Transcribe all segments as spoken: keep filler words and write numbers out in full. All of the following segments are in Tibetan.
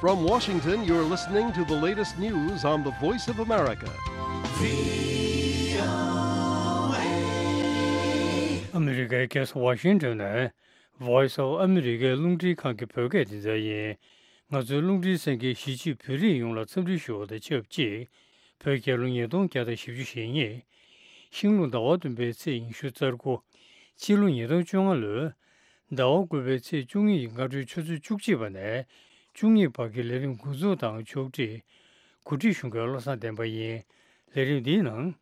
From Washington, you're listening to the latest news on the Voice of America. ཨ་མི་རི་ཀའི་རྒྱལ་ས་ཝ་ཤིང་ཏོན་ནས་Voice of America རླུང་འཕྲིན་ཁང་གི་བོད་སྐད་སྡེ་ཚན་ཡིན། ང་ཚོའི་རླུང་འཕྲིན་གསན་མཁན་གཞིས་བྱེས་བོད་རིགས་ཡོངས་ལ་འཚམས་འདྲི་ཞུ་བ་དང་ཆབས་ཅིག་བོད་རྒྱལ་ལོ་ཉིས་སྟོང་བརྒྱ་དང་བཞི་བཅུ་ཞེ་གཉིས། ཤིང་ལོ་ཟླ་བ་བདུན་པའི་ཚེས་ཉི་ཤུ་རྩ་དགུ། སྤྱི་ལོ་ཉིས་སྟོང་བཅོ་ལྔ་ལོའི་ཟླ་བ་དགུ་པའི་ཚེས་བཅུ་གཉིས་ཀྱི་སྔ་དྲོའི་ཆུ་ཚོད་བཅུ་གཅིག་པ་ནས་བཅུ་གཉིས་བར་གྱི་ལས་རིམ་འགོ་འཛུགས་དང་ཕྱོགས་སྒྲིག་གོ་སྒྲིག་ཞུ་མཁན་བློ་བཟང་བསྟན་པ་ཡིན། ལས་རིམ་འདིའི་ནང་།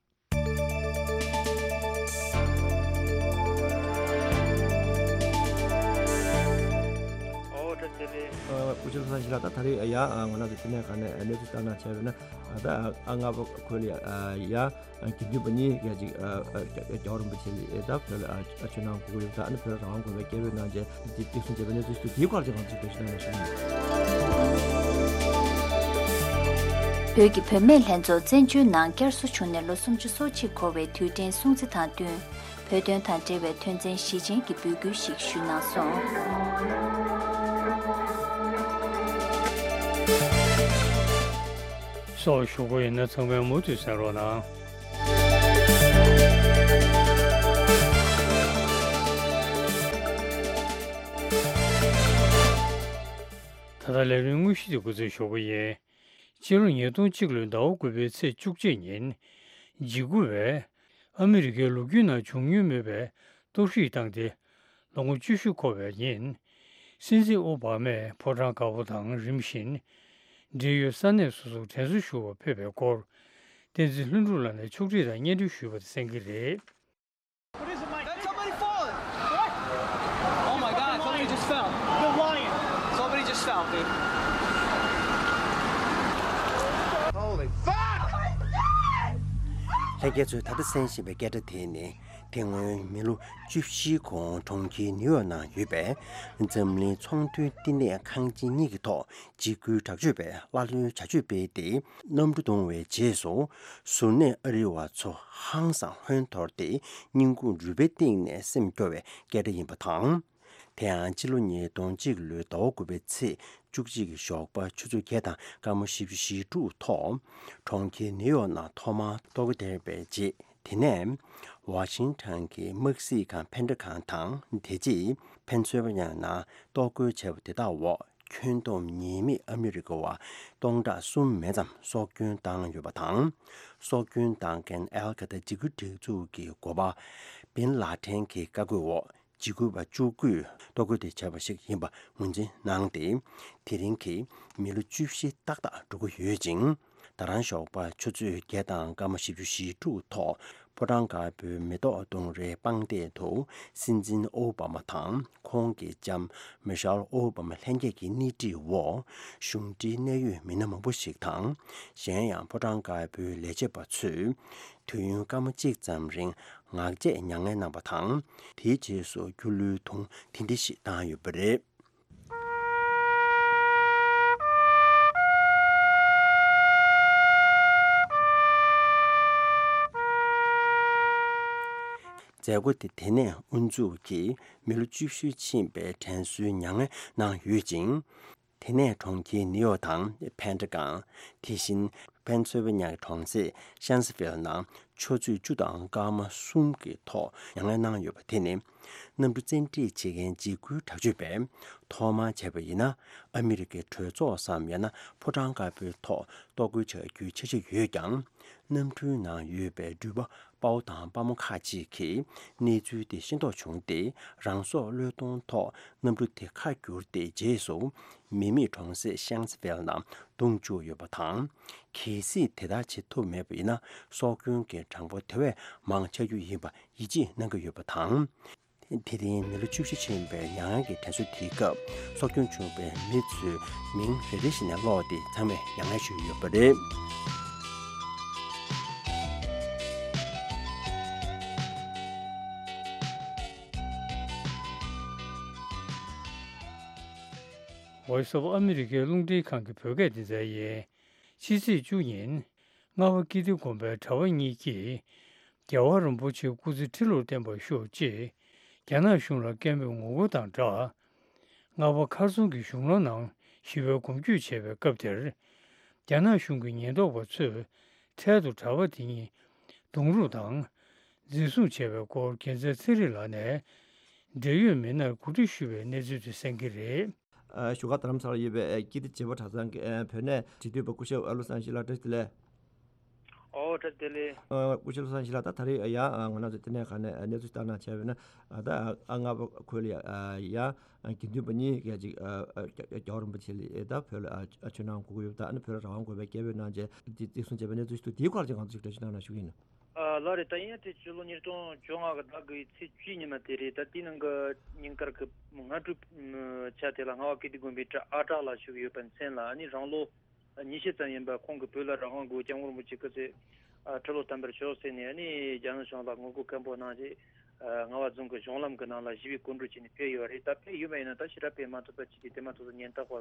ཨོ་ད་དེ་རེད། ཨ་སྐུ་ཞབས་ལྷ་ཞི་ལགས། ད་ད་རེས་ཡ་ང་རང་ཚོ་དེ་ནས་ག་ནས་གནས་ཚུལ་ལྟ་ན་བྱས་པས་ན་ད་ཨ་ལྔ་པ་ཁུལ་ལ་ཡ་དགེ་འདུན་པ་གཉིས་ཀྱིས་ཅིག་རྒྱལ་བ་རིན་པོ་ཆེ་ལ་ད་བོད་ལ་ཆོས་གནང་དགོས་ཀྱི་ཡོད། ད་ཨ་ནི་བོད་རང་དབང་དགོས་པའི་སྐད་འབོད་གནང་རྗེས་དེ་བརྩི་སྲུང་བྱས་པའི་གནས་ཚུལ་ཞིག་འདུག་དེའི་སྐོར་ཅིག་ང་ཚོས་འགྲེལ་བཤད་གནང་ན་ཞུ་གི་ཡིན། བོད་ཀྱི་བུད་མེད་ལྷན་ཚོགས་བཙན་བྱོལ་ནང་བསྐྱར་གསོ་བྱུང་ནས་ལོ་སུམ་ཅུ་སོ་གཅིག་འཁོར་བའི་དུས་དྲན་སྲུང་བརྩི་དང་བསྟུན། བོད་དོན་དང་འབྲེལ་བའི་དོན་ཚན་བཞི་ཅན་གྱི་འབོད་སྐུལ་ཞིག་ཞུས་གནང་སོང་། སོགས་ཞུ་སྒོ་ཡིན་ན་ཚང་མས་མུ་མཐུད་གསན་རོགས་གནང་། ད་ལྟ་ལས་རིམ་དངོས་གཞི་དེ་འགོ་འཛུགས་ཞུ་སྒོ་ཡིན། སྤྱི་ལོ་ཉིས་སྟོང་གཅིག་ལོའི་ཟླ་བ་དགུ་པའི་ཚེས་བཅུ་གཅིག་ཉིན། འཇིགས་སྐུལ་བས་ཨ་མི་རི་ཀའི་ལོ་རྒྱུས་ནང་བྱུང་མྱོང་མེད་པའི་གཏོར་བཤིག་བཏང་སྟེ། ལོ་ངོ་བཅུ་བཞི་འཁོར་བའི་ཉིན། སྲིད་འཛིན་ཨོ་བྷ་མས་ཕོ་བྲང་དཀར་པོ་དང་རིམ་བཞིན། འབྲེལ་ཡོད་ས་གནས་སོ་སོར་དྲན་གསོ་ཞུ་བར་ཕེབས་པའི་སྐོར། བསྟན་འཛིན་ལྷུན་གྲུབ་ལགས་ནས་ཕྱོགས་སྒྲིག་དང་སྙན་སྒྲོན་ཞུས་པ་དེ་གསན་གྱི་རེད། What is it, Mike? That's somebody falling. What? Oh my God, somebody just fell. The lion. Somebody just fell, dude. Holy fuck! ལྷན་རྒྱས་ཚོས་ད་ལྟ་གསན་བཞིན་པའི་སྐད་སྒྲ་དེ་ནི། དེ་སྔོན་མི་ལོ་བཅུ་བཞིའི་གོང་གྲོང་ཁྱེར་ནིའུ་ཡོག་ནང་ཡོད་པའི་འཛམ་གླིང་ཚོང་དོན་བསྟི་གནས་ཁང་ཆེན་གཉིས་ཀྱི་ཐོག་འཇིགས་སྐུལ་དྲག་སྤྱོད་པས་ཀླ་ཀློའི་བྱ་སྤྱོད་སྤེལ་ཏེ། གནམ་གྲུ་གཏོང་བའི་རྗེས་སུ། གཟུར་གནས་ཨ་རི་བ་ཚོ་ཧང་སང་ཧོན་འཐོར་ཏེ། སྙིང་ཁུང་རུས་པའི་གཏིང་ནས་སེམས་སྐྱོ་བའི་སྐད་སྒྲ་ཡིན་པ་དང་། དེ་ཡང་སྤྱི་ལོ་ཉིས་སྟོང་གཅིག་ལོའི་ཟླ་བ་དགུ་པའི་ཚེས་བཅུ་གཅིག་གི་ཞོགས་པ་ཆུ་ཚོད་བརྒྱད་དང་སྐར་མ་བཞི་བཅུ་ཞེ་དྲུག་ཐོག་གྲོང་ཁྱེར་ནིའུ་ཡོག་ནང་ཐོག་མར་གཏོར་རྒོལ་བརྒྱབ་པའི་རྗེས། དེ་ནས་ཝ་ཤིང་ཊོན་གྱི་དམག་སྲིད་ཁང་ཕན་ཁྲི་ཁང་དང་། དེ་རྗེས་ཕེན་སིལ་ཝེ་ནི་ཡ་ནང་གཏོར་རྒོལ་བྱས་པ་དེ་དག་འོག་ཁྱོན་བསྡོམས་ཉེས་མེད་ཨ་མི་རི་ཀ་བ་སྟོང་ཕྲག་གསུམ་མན་ཙམ་སྲོག་སྐྱོན་བཏང་ཡོད་པ་དང་། སྲོག་སྐྱོན་བཏང་མཁན་ཨལ་ཁ་ད་འཇིགས་སྐུལ་སྒྲིག་འཛུགས་ཀྱི་འགོ་པ་བིན་ལ་ཏན་གྱི་བཀའ་བཀོད་འོག་འཇིགས་སྐུལ་བ་བཅུ་དགུས་གཏོར་རྒོལ་དེ་བྱས་པ་ཞིག་ཡིན་པ་ངོས་འཛིན་གནང་སྟེ། དེ་རིང་གི་མི་ལོ་བཅུ་བཞི་ཏག་ཏག་འགྲོ་གི་ཡོད་ཅིང་། ད་རང་ཞོགས་པ་ཆུ་ཚོད་བརྒྱད་དང་སྐར་མ་བཞི་བཅུ་ཞེ་དྲུག་ཐོག་ཕོ་བྲང་དཀར་པོའི་མེ་ཏོག་གདོང་རིའི་པང་གདན་དུ་སྲིད་འཛིན་ཨོ་བྷ་མ་དང་ཁོང་གི་ལྕམ་མི་ཤལ་ཨོ་བྷ་མ་ལྷན་རྒྱས་ཀྱི་སྣེ་ཁྲིད་འོག་གཞུང་འབྲེལ་གནད་ཡོད་མི་སྣ་མང་པོ་ཞིག་དང་། གཞན་ཡང་ཕོ་བྲང་དཀར་པོའི་ལས་བྱེད་པ་ཚོས་དུས་ཡུན་སྐར་མ་གཅིག་ཙམ་རིང་ངག་བཅད་མྱ་ངན་གནང་བ་དང་། དེའི་རྗེས་སུ་སྒྱུ་ལུས་དུང་ཐིང་ཐིང་ཞིག་བཏང་ཡོད་པ་རེད། མཛད་སྒོ་དེ་དེ་ནས་དབུ་འཛུགས་ཀྱིས་མི་ལོ་བཅུ་བཞི་ཕྱིན་པའི་དྲན་གསོའི་མྱ་ངན་གནང་ཡོད་ཅིང་། དེ་ནས་གྲོང་ཁྱེར་ནིའུ་ཡོག་དང་ཕན་ཁྲི་ཁང་། དེ་བཞིན་ཕེན་སིལ་ཝེ་ནི་ཡ་གྲོང་གསེབ་ཤན་སི་ཝིལ་ནང་ཆུ་ཚོད་བཅུ་དང་སྐར་མ་གསུམ་གྱི་ཐོག་མྱ་ངན་གནང་ཡོད་པ་དེ་ནི། གནམ་གྲུ་བཙན་ཁྲིད་བྱེད་མཁན་འཇིགས་སྐུལ་དྲག་སྤྱོད་པས་ཐོག་མར་བྱས་པ་ཡིན་ན། ཨ་མི་རི་ཀའི་གྲོས་ཚོགས་སམ་ཡང་ན་ཕོ་བྲང་དཀར་པོའི་ཐོག་གཏོར་རྒོལ་བྱ་རྒྱུའི་འཆར་གཞི་ཡོད་ཀྱང་། གནམ་གྲུའི་ནང་ཡོད་པའི་འགྲུལ་པ་དཔའ་བོ་དང་དཔའ་མོ་ཁག་ཅིག་གིས་གནས་ཚུལ་དེ་ཤེས་རྟོགས་བྱུང་སྟེ། རང་སྲོག་བློས་གཏོང་ཐོག་གནམ་གྲུ་དེ་ཁ་བསྒྱུར་ཏེ། རྗེས་སུ་མི་མེད་གྲོང་གསེབ་ཤན་སི་ཝིལ་ནང་བརྡུངས་བཅུག་ཡོད་པ་དང་། གལ་སྲིད་དེ་ལྟར་བྱེད་ཐུབ་མེད་པ་ཡིན་ན། སྲོག་སྐྱོན་གྱི་གྲངས་འབོར་དེ་བས་མང་ཆགས་རྒྱུ་ཡིན་པ་ཡིད་ཆེས་གནང་གི་ཡོད་པ་དང་། དེ་རིང་མི་ལོ་བཅུ་བཞི་ཕྱིན་པའི་མྱ་ངན་གྱི་དྲན་གསོ་དེའི་སྐབས་སྲོག་སྐྱོན་བྱུང་བའི་མི་ཚོའི་མིང་རེ་རེ་བཞིན་ནས་ཀློག་སྟེ་ཚང་མས་མྱ་ངན་ཞུས་ཡོད་པ་རེད། Voice of America རླུང་འཕྲིན་ཁང་གི་བོད་སྐད་སྡེ་ཚན་ཡིན། ཕྱི་ཚེས་བཅུ་ཉིན། རྔ་བ་ཀིརྟི་དགོན་པའི་གྲྭ་པ་གཉིས་ཀྱིས། རྒྱལ་བ་རིན་པོ་ཆེའི་སྐུ་ཚེ་ཁྲི་ལོར་བརྟན་པར་ཤོག་ཅེས་རྒྱ་ནག་གཞུང་ལ་སྐད་འབོད་ངོ་རྒོལ་དང་སྦྲགས། རྔ་བ་མཁར་རྫོང་གི་གཞུང་ལམ་ནང་ ཞི་བའི་གོམ་བགྲོད་བྱས་པའི་སྐབས་དེར། རྒྱ་ནག་གཞུང་གི་ཉེན་རྟོག་པ་ཚོས་འཕྲལ་དུ་གྲྭ་པ་དེ་གཉིས་རྡུང་རུག་དང་། འཛིན་བཟུང་བྱས་པའི་སྐོར། རྒྱལ་མཚན་ཚེ་རིང་ལགས་ནས་འབྲེལ་ཡོད་མི་སྣར་གོ་སྒྲིག་ཞུས་པའི་གནས་ཚུལ་དེ་གསན་གྱི་རེད། ཨ། བཞུགས་སྒར་རྡ་རམ་ས་ལར་ཡོད་པའི་ཀིརྟི་བྱེས་པ་གྲྭ་ཚང་གི་བོད་གནས་འབྲེལ་མཐུད་པ་སྐུ་ཞབས་བློ་བཟང་ཡེ་ཤེས་ལགས། བཀྲ་ཤིས་བདེ་ལེགས། ཨོ། བཀྲ་ཤིས་བདེ་ལེགས། ཨ། སྐུ་ཞབས་བློ་བཟང་ཡེ་ཤེས་ལགས། ད་ད་རེས་ཡང་ང་རང་ཚོ་ལྟེ་གནས་ཁང་ནས་གནས་ཚུལ་ལྟ་གནང་བྱས་པ་ཡིན་ན། ད་ཨ་སྔ་པོ་ཁུལ་ལ་ཡང་དགེ་འདུན་པ་གཉིས་ཀྱིས་ཅིག་ཨ་ཨ་རྒྱལ་བ་རིན་པོ་ཆེ་ལ་ད་བོད་ལ་ཨ་ཆོས་གནང་དགོས་ཀྱི་ཡོད་པ་དང་། ཨ་ནི་བོད་ལ་རང་དབང་དགོས་པའི་སྐད་འབོད་གནང་བྱས་འདི་བརྩི་སྲུང་བྱས་པའི་གནས་ཚུལ་ཞིག་འདུག་དེའི་སྐོར་ལ་ཅིག་ང་ཚོ་ཞིག་འགྲེལ་བརྗོད་གནང་རོགས་ཞུ་གི་ཡིན། ཨ། ལགས་རེད། ད་ཡིན་ཡང་དེ་ཕྱི་ལོ་ཉིས་སྟོང་བཅོ་ལྔ་གི་ཟླ་དགུ་པའི་ཚེས་བཅུའི་ཉི་མ་དེ་རེད། ད་དེའི་ནང་གི་ཉིན་དཀར་གྱི་སྔ་དྲོའི་ཆ་དེ་ལ་རྔ་བ་ཀིརྟི་དགོན་པའི་གྲྭ་ཨ་གྲགས་ལགས་བཞུགས་ཡོད་པའི་མཚན་ལ། ཨ་ནི་རང་ལོ་ཉི་ཤུ་ཙམ་ཡིན་པ། ཁོང་གིས་བོད་ལ་རང་དབང་དགོས། སྐྱབས་མགོན་རིན་པོ་ཆེ་སྐུ་ཚེ་ཨ་ཁྲི་ལོ་དམ་པར་ཤོག་ཟེར་ནས། ཨ་ནི་རྒྱ་ནག་གཞུང་ལ་ངོ་རྒོལ་སྐད་འབོད་གནང་རྗེས། ཨ། རྔ་བ་རྫོང་གི་གཞུང་ལམ་གྱི་ནང་ལ་ཞི་བའི་སྐོར་བགྲོད་བྱས་ནས་ཕེབས་ཡོད་པ་རེད། ད་ཕེབས་ཡོད་པ་ཡིན་ན་ད་ཞེ་དྲག་ཕེབས་མ་ཐུབ་པ་ཅིག་དེ་དེ་མ་ཐུབ་ཚོ་ཉེན་རྟོག་པ་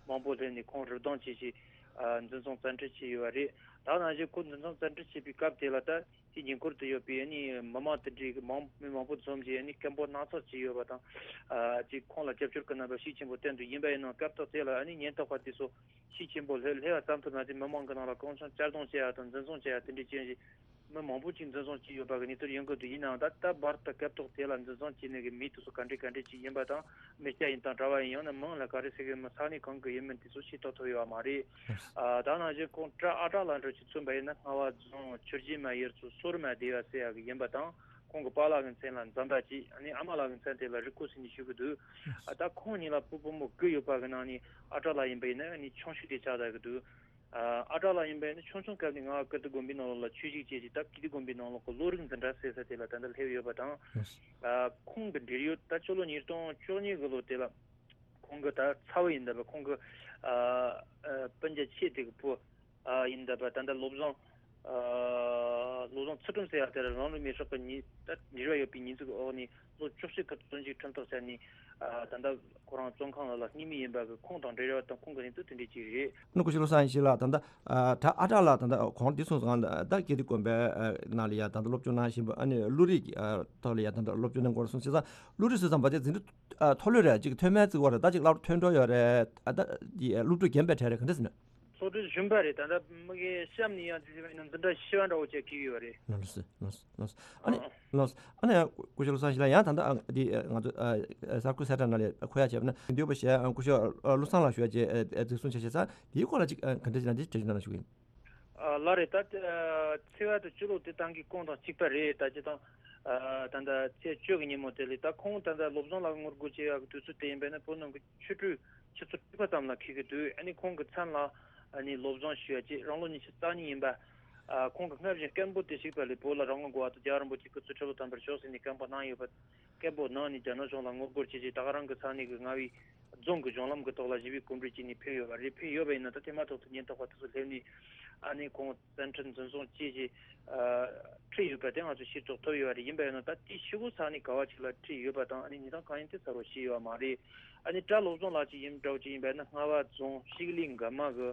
མང་པོ་སླེབས་ནས་ཁོང་རུབ་ལྡང་བྱས་བྱས། ཨ། འཛིན་བཟུང་བཙན་ཁྲིད་བྱས་ཡོད་པ་རེད། ད་ནང་བཞིན་ཁོ་འཛིན་བཟུང་བཙན་ཁྲིད་བྱས་པའི་སྐབས་དེ་ལ་ད་དེའི་ཉེ་འཁོར་དུ་ཡོད་པའི་ཨ་ནི་མི་མང་དེ་འདྲའི་མང་མི་མང་པོ་འཛོམས་རྗེས་ཨ་ནི་སྐད་འབོད་སྣ་ཚོགས་བྱས་ཡོད་པ་དང་། ཨ། ཅིག་ཁོང་ལ་རྒྱབ་སྐྱོར་གྱི་རྣམ་པ་ཤུགས་ཆེན་པོ་བསྟན་འདུག་ཡིན་པ་ཡིན་ནའང་སྐབས་ཐོག་དེ་ལ་ཨ་ནི་ཉེན་རྟོག་པ་དེ་ཚོ་ཤུགས་ཆེན་པོ་སླེབས་སླེབས་པ་ཙམ་དུ་མ་ཟད། མི་མང་གི་ནང་ལ་གང་བྱུང་གཅར་རྡུང་བྱེད་ཡ་དང་འཛིན་བཟུང་བྱེད་ཡ་དེ་འདྲའི་བྱས་རྗེས། མི་མང་པོ་ཅིག་འཛིན་བཟུང་བྱས་ཡོད་པ་གི་གནས་ཚུལ་ཡོང་གི་འདུག་ཡིན་ནའང་ད་ལྟ་བར་དུ་སྐབས་ཐོག་དེ་ལ་འཛིན་བཟུང་བྱས་ནས་གི་མི་དེ་ཚོ་ག་འདྲ་ག་འདྲ་ཅིག་ཡིན་པ་དང་། མི་སྐྱ་ཡིན་དང་གྲྭ་པ་ཡིན། ཡང་ན་མིང་ལ་ག་རེ་ཟེར་གི་ཡོད་མེད། ས་གནས་གང་གི་ཡིན་མིན་དེ་ཚོ་ཤེས་རྟོགས་ཐུབ་ཡོད་པ་མ་རེད། ཨ། ད་ནང་བཞིན་ཁོང་གྲྭ་ཨ་གྲགས་ལགས་འདྲ་ཅིག་མཚོན་པ་ཡིན་ན། རྔ་བ་རྫོང་ཆུ་རྒྱལ་མ་ཡུལ་ཚོ་སོར་མ་སྡེ་བ་ཟེར་ཡ་གི་ཡིན་པ་དང་། ཁོང་གི་པཱ་ལགས་ཀྱི་མཚན་ལ་འཛམ་པ་ཅིག་ཨ་ནི་ཨ་མ་ལགས་ཀྱི་མཚན་དེ་ལ་རི་ཀོ་ཟེར་ནས་ཞུ་གི་འདུག་ཨ། ད་ཁོང་གཉིས་ལ་བུ་བུ་མོ་དགུ་ཡོད་པ་གི་ནང་ནས་ཨ་གྲགས་ལགས་ཡིན་པ་ཡིན་ན་ཨ་ནི་ཆུང་ཤོས་དེ་ཆགས་བསྡད་གི་འདུག་ཨ། ཨ་གྲགས་ལགས་ཡིན་པ་ཡིན་ན་ཆུང་ཆུང་སྐབས་ནས་རྔ་བ་ཀིརྟི་དགོན་པའི་ནང་ལོགས་ལ་ཆོས་ཞུགས་བྱས་རྗེས། ད་ཀིརྟི་དགོན་པའི་ནང་ལོགས་ཀྱི་བློ་རིག་འཛིན་གྲྭ་ཟེར་ས་དེ་ལ་ད་ལྟ་སླེབས་ཡོད་པ་དང་། ཨ། ཁོང་གི་འབྲེལ་ཡོད་ད་ཕྱི་ལོ་ཉིས་སྟོང་བཅུ་གཉིས་གི་ལོ་དེ་ལ་ཁོང་གི་ད་ཚ་བོ་ཡིན་ད་པ། ཁོང་གི་ཨ་ཨ་སྤུན་ཀྱག་ཆེ་དེ་གི་བུ་ཨ་ཡིན་ད་པ། ད་ལྟ་བློ་བཟང་ཨ་བློ་བཟང་ཚུལ་ཁྲིམས་ཟེར་ཡ་དེ་ལ་རང་ལུས་མེར་སྲེག་གི་ཉེས། ད་འབྲེལ་བ་ཡོད་པའི་ཉེས་འཛུགས་འོག་ནས་ལོ་བཅུ་གཅིག་གི་བཙོན་འཇུག་ཁྲིམས་ཐག་བཅད་ནས། ཨ། ད་ལྟ་ཁོ་རང་བཙོན་ཁང་ལ་ལ་སྙེག་མི་ཡིན་པ་གི་ཁོང་དང་འབྲེལ་བ་དང་ཁོང་གི་གནས་ཚུལ་དེ་འདྲ་ཅིག་རེད། ཨ་ནི་སྐུ་ཞབས་བློ་བཟང་ཡེ་ཤེས་ལགས། ད་ལྟ་ཨ་གྲྭ་ཨ་གྲགས་ལགས་ད་ལྟ་གོང་འདི་སོང་ཙང་ད་ཀིརྟི་དགོན་པའི་ཨ་ནང་ལ་ཡ་ད་ལྟ་སློབ་སྦྱོང་གནང་བཞིན་པ། ཨ་ནི་བློ་རིག་ཨ་ཐོག་ལ་ཡ་ད་ལྟ་སློབ་སྦྱོང་གནང་དགོས་སོང་བྱས་ཙང་། བློ་རིག་ཟེར་ཙམ་པ་དེ་འཛིན་གྲྭ་ཨ་མཐོ་ལོས་རེད། ཅིག་མཐོ་དམན་བརྩི་བ་རེད། ད་ཅིག་སློབ་གྲྭ་ཐོན་འགྲོ་ཡོད་རེད། ཨ། ད་དེ་སློབ་ཕྲུག་རྒན་པའི་གྲས་རེད། ག་འདྲ་ཟེར་ན། སློབ་གྲྭའི་གཞོན་པ་རེད། ད་ལྟ་མི་གི་གཤམ་ནས་ཡང་དེ་འཛིན་གྲྭ་བཞི་པ་འདྲ་བོ་ཅིག་འཁེལ་གི་ཡོད་རེད། ལགས་སོ། ལགས་སོ། ལགས་སོ། ཨ་ནི། ཨ། ལགས་སོ། ཨ་ནི་སྐུ་ཞབས་བློ་བཟང་ཡེ་ཤེས་ལགས། ཡང་ད་ལྟ་ཨ་འདི་ཨ་ང་ཚོ་ཨ་གསར་འགོད་གསལ་བསྒྲགས་ནང་ལ་འཁོད་ཡ་བྱས་པ་ན། འདུས་པ་ཞེས་ཨ་སྐུ་ཞབས་ཨ་བློ་བཟང་ལགས་ཞུ་ཡ་བྱས་ཨ་ཨ་འཛིན་བཟུང་བྱས་བྱས་ཙང་། དེའི་སྐོར་ལ་ཅིག་ཨ་ག་འདྲ་ཅིག་ན་འདི་འགྲེལ་བརྗོད་གནང་ཞུ་གི་ཡིན། ཨ། ལགས་རེད། ད་ཨ་ཚེས་པ་དང་སྤྱི་ལོ་དེ་ཏང་གི་གོང་དང་གཅིག་པ་རེད། ད་སྤྱིར་བཏང་ཨ་ད་ལྟ་ཚེས་བཅུ་གི་ཉིན་མོ་དེ་ལ་ད་ཁོང་ད་ལྟ་བློ་བཟང་ལགས་ངོ་རྒོལ་བྱེད་ཡག་གི་དུས་ཚོད་དེ་ཡིན་པས་ན་བོད་ནང་གི་ཆོས་ཁྲིད་ཆུ་ཚོད་དྲུག་པ་ཙམ་ལ་འཁེལ་གི་འདུག་ཨ་ནི་ཁོང་གི་མཚན་ལ་ཨ་ནི་བློ་བཟང་ཞུ་ཡ་བྱས། རང་ལོ་ཉི་ཤུ་རྩ་གཉིས་ཡིན་པ། ཨ། ཁོང་གི་སྔར་བཞིན་སྐད་འབོད་དེ་གཅིག་པ་ལས། བོད་ལ་རང་དབང་དགོས་པ་དང་རྒྱལ་བ་རིན་པོ་ཆེ་སྐུ་ཚེ་ཁྲི་ལོ་དམ་པར་ཤོག་ཟེར་ནས་སྐད་འབོད་གནང་ཡོད་པ། སྐད་འབོད་གནང་ནས་རྒྱ་ནག་གཞུང་ལ་ངོ་རྒོལ་བྱས་རྗེས་ད་ག་རང་གི་ས་གནས་ཀྱི་རྔ་བའི་རྫོང་གི་གཞུང་ལམ་གྱི་ཐོག་ལ་ཞི་བའི་གོམ་བགྲོད་བྱས་ནས་ཕེབས་ཡོད་པ་རེད། ཕེབས་ཡོད་པ་ཡིན་ན་ད་དེ་མ་ཐག་ཏུ་ཉེན་རྟོག་པ་དེ་ཚོ་སླེབས་ནས་ཨ་ནི་ཁོང་བཙན་ཁྲིད་འཛིན་བཟུང་བྱས་རྗེས་ཨ་ཁྲིད་ཡོད་པ་དེ་ང་ཚོས་ཤེས་རྟོགས་ཐུབ་ཡོད་པ་རེད། ཡིན་པ་ཡིན་ན་ད་དེའི་ཤོག་གུ་ས་གནས་ག་བ་ཅིག་ལ་ཁྲིད་ཡོད་པ་དང་། ཨ་ནི་གནས་སྟངས་གང་ཡིན་དེ་གསལ་པོ་ཤེས་ཡོད་པ་མ་རེད། ཨ་ནི་གྲྭ་བློ་བཟང་ལགས་ཅིག་ཡིན་འདྲ་བོ་ཅིག་ཡིན་པ་ཡིན་ན་རྔ་བ་རྫོང་ཤིག་ལི་འགག་མ་གི་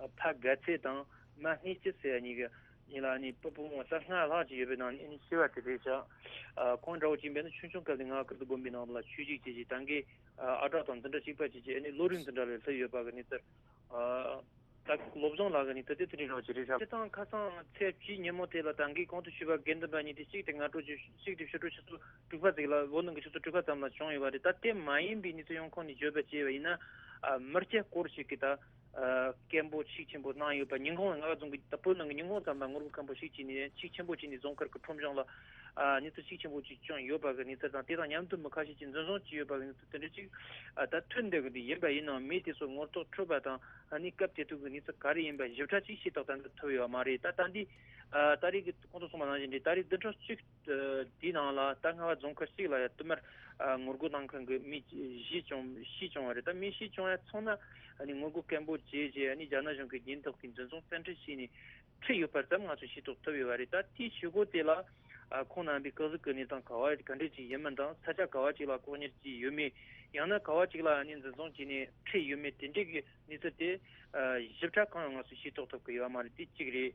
ཨ་ཕ་དགའ་ཚལ་དང་མ་སྔས་སྐྱིད་ཟེར་ཡ་གཉིས་ཀྱི་ཡིན་ལ། ཨ་ནི་སྤུ་སྤུ་མོ་ས་ལྔ་ལྷག་ཅིག་ཡོད་པའི་ནང་ནས་ཨ་ནི་ཤི་བ་དེ་རེད་ཤག་ཨ། ཁོང་འདྲ་བོ་ཅིག་ཡིན་པས་ན་ཆུང་ཆུང་སྐབས་ནས་རྔ་བ་ཀིརྟི་དགོན་པའི་ནང་ལ་ཆོས་ཞུགས་བྱས་རྗེས་ད་གིན་ཨ་གྲྭ་དང་འཛིན་གྲྭ་གཅིག་པ་བྱས་རྗེས་ཨ་ནི་བློ་རིག་འཛིན་གྲྭ་ལ་སླེབས་ཡོད་པ་གི་གནས་ཚུལ། ཨ། ད་བློ་བཟང་ལགས་ཀྱི་གནས་ཚུལ་དེ་དེ་རིང་རང་ཅིག་རེད་ཤག་སྤྱིར་བཏང་ཁ་སང་ཚེས་བཅུའི་ཉིན་མོ་དེ་ལ་ད་གིན་གོང་དུ་ཞུས་པ་དགེ་འདུན་པ་གཉིས་དེ་གཅིག་དེ་སྔ་དྲོ་ཆུ་གཅིག་དེ་ཕྱི་དྲོ་ཆུ་ཚོད་དྲུག་པ་ཙམ་ལ། བོད་ནང་གི་ཆུ་ཚོད་དྲུག་པ་ཙམ་ལ་བྱུང་ཡོད་པ་རེད། ད་དེ་མ་ཡིན་པའི་གནས་ཚུལ་ཡོང་ཁུངས་ནས་བརྗོད་པ་བྱས་པ་ཡིན་ན། ཨ། མི་སྐྱ་སྐོར་ཞིག་གིས་ད་ཨ་སྐད་འབོད་ཤུགས་ཆེན་པོ་གནང་ཡོད་པ། ཉིན་གུང་ལ་རྔ་བ་རྫོང་གི་ད་བོད་ནང་གི་ཉིན་གུང་ཙམ་ལ་ངོ་རྒོལ་སྐད་འབོད་ཤུགས་ཆེ་ནས་ཤུགས་ཆེན་པོ་བྱས་ནས་རྫོང་མཁར་གྱི་ཁྲོམ་གཞུང་ལ་ཨ་གནས་ཚུལ་ཤུགས་ཆེན་པོ་ཅིག་བྱུང་ཡོད་པ་གི་གནས་ཚུལ་དང་། དེ་དང་མཉམ་དུ་མི་ཁ་ཤས་ཅིག་འཛིན་བཟུང་བྱས་ཡོད་པ་གི་གནས་ཚུལ་དེ་འདྲ་ཅིག་ཨ་ད་ཐོན་བསྡད་གི་འདུག་ཡིན་པ་ཡིན་ནའང་མི་དེ་ཚོ་ངོ་ཐོག་འཕྲོད་པ་དང་། ཨ་ནི་སྐབས་དེ་དུས་ཀྱི་གནས་ཚུལ་ག་རེ་ཡིན་པ་ཞིབ་ཕྲ་ཅིག་ཤེས་རྟོགས་ད་ལྟ་ཐུབ་ཡོད་མ་རེད། ད་ད་འདི་ཨ་ད་རེས་ཀྱི་གོང་དུ་གསུངས་པ་ནང་བཞིན་རེད། ད་རེས་བདུན་ཕྲག་གཅིག་ཨ་དེའི་ནང་ལ་ད་རྔ་བ་རྫོང་མཁར་གཅིག་ལ་ཡ་བསྟུད་མར་ཨ་ངོ་རྒོལ་གནང་མཁན་གྱི་མི་བཞི་བྱུང་བཞི་བྱུང་བ་རེད། ད་མི་བཞི་བྱུང་ཡ་ཚང་མ་ཨ་ནི་ངོ་རྒོལ་སྐད་འབོད་བྱས་རྗེས་ཨ་ནི་རྒྱ་ནག་གཞུང་གི་ཉེན་རྟོག་པས་འཛིན་བཟུང་བཙན་ཁྲིད་བྱས་ནས་ཁྲིད་ཡོད་པ་ཙམ་ང་ཚོས་ཤེས་རྟོགས་ཐུབ་ཡོད་པ་རེད། ད་དེའི་ཞུ་སྒོ་དེ་ལ་ཨ་ཁོང་རྣམ་པའི་སྐུ་གཟུགས་ཀྱི་གནས་སྟངས་ག་བ་ག་འདྲས་ཅིག་ཡིན་མིན་དང་། ས་ཆ་ག་བ་ཅིག་ལ་ལྐོག་གཉེར་བྱས་ཡོད་མེད། ཡང་ན་ག་བ་ཅིག་ལ་ཨ་ནི་འཛིན་བཟུང་བྱས་ནས་ཁྲིད་ཡོད་མེད། དེ་འདྲས་ཀྱི་གནས་ཚུལ་དེ་ཨ་ཞིབ་ཕྲ་གང་ཡང་ང་ཚོས་ཤེས་རྟོགས་ཐུབ་ཀྱི་ཡོད་མ་རེད། དེ་གཅིག་རེད།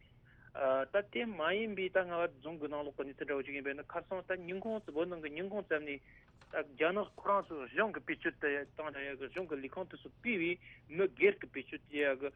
ཨ་ད་དེ་མ་ཡིན་པའི་ད་རྔ་བ་རྫོང་གི་ནང་ལོགས་ཀྱི་གནས་ཚུལ་འདྲ་བོ་ཅིག་ཡིན་པས་ན། ཁ་སང་ད་ཉིན་གུང་བོད་ནང་གི་ཉིན་གུང་ཙམ་ནས་ ད་རྒྱ་ནག་ཁོ་རང་ཚོ་གཞུང་གི་བེད་སྤྱོད་དུ་བཏང་ན་ཡག་གི། གཞུང་གི་ལས་ཁུངས་དེ་ཚོ་སྤེལ་བའི་མི་སྒེར་གྱི་བེད་སྤྱོད་དུ་ཡག་གི།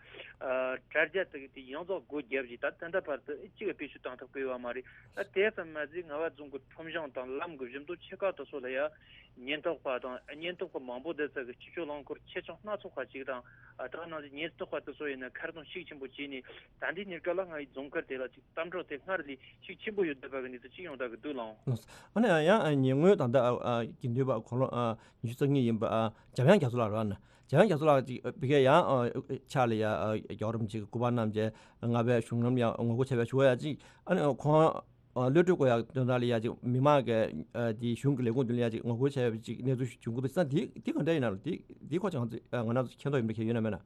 ཨ། དྲ་རྒྱ་དེ་གི་དེ་ཡོངས་རྫོགས་སྒོ་བརྒྱབ་བྱས། ད་ད་ལྟ་བར་དུ་གཅིག་གི་བེད་སྤྱོད་བཏང་ཐུབ་ཀྱི་ཡོད་མ་རེད། ད་དེ་ཙམ་མ་ཟད་རྔ་བ་རྫོང་གི་ཁྲོམ་གཞུང་དང་ལམ་གྱི་བཞི་མདོ་ཆེ་ཁག་དེ་ཚོ་ལ་ཡང་ཉེན་རྟོག་པ་དང་། ཉེན་རྟོག་པ་མང་པོ་དེ་ཚོ་གི་སྤྱི་སྤྱོད་རླངས་འཁོར་ཆེ་ཆུང་སྣ་ཚོགས་ཁག་ཅིག་དང་། ཨ། ད་ནང་བཞིན་ཉེན་རྟོག་པ་དེ་ཚོ་ཡིན་ན་མཁར་རྫོང་ཤུགས་ཆེན་པོ་བྱས་ནས། ད་ལྟའི་གནས་སྐབས་ལ་རྔ་བའི་རྫོང་མཁར་དེ་ལ་ཅིག་གཏམ་གྲོགས་དེ་སྔར་ལས་ཤུགས་ཆེན་པོ་ཡོད་བསྡད་པ་གི་གནས་ཚུལ་ཅིག་ཡོང་བསྡད་ཀྱི་འདུག་ལགས། ཨ་ནི་ཡང་ཉེ་སྔོན་ད་ལྟ། ཨ། དགེ་འདུན་པ་དགུང་ལོ། ཨ། ཉི་ཤུ་རྩ་གཉིས་ཡིན་པ། ཨ། འཇམ་དབྱངས་རྒྱ་མཚོ་ལགས་རེད་པ། ཨ་ནི་འཇམ་དབྱངས་རྒྱ་མཚོ་ལགས་ཅིག་ཨ། ཕ་གིར་ཡང་། ཨ། ཕྱག་ལ་ཡ། ཨ། རྒྱལ་བ་རིན་པོ་ཆེ་གི་སྐུ་པར་བསྣམས་བྱས་རྔ་བའི་གཞུང་ལམ་ཡང་ངོ་རྒོལ་བྱས་པའི་ཞུ་བ་ཡ་ཅིག་ཨ་ནི་ཁོང་། ཨ། གློད་གྲོལ་དགོས་ཡ་དོན་དག་ལ་ཡ་ཅིག་མི་མང་གི། ཨ། དེ་གཞུང་གི་ལས་ཁུངས་མདུན་ལ་ཡ་ཅིག་ངོ་རྒོལ་བྱས་པའི་ཅིག་གནས་ཚུལ་བྱུང་གི་འདུག་ས། དེ་དེ་ག་འདྲ་ཡིན་ན་ལགས། དེ་དེ་སྐོར་ཅིག་ང་ཚོ། ཨ། ང་རང་ཚོ་མཁྱེན་རྟོགས་ཡིན་པ་གལ་ཡོད་ན་མེད་ན།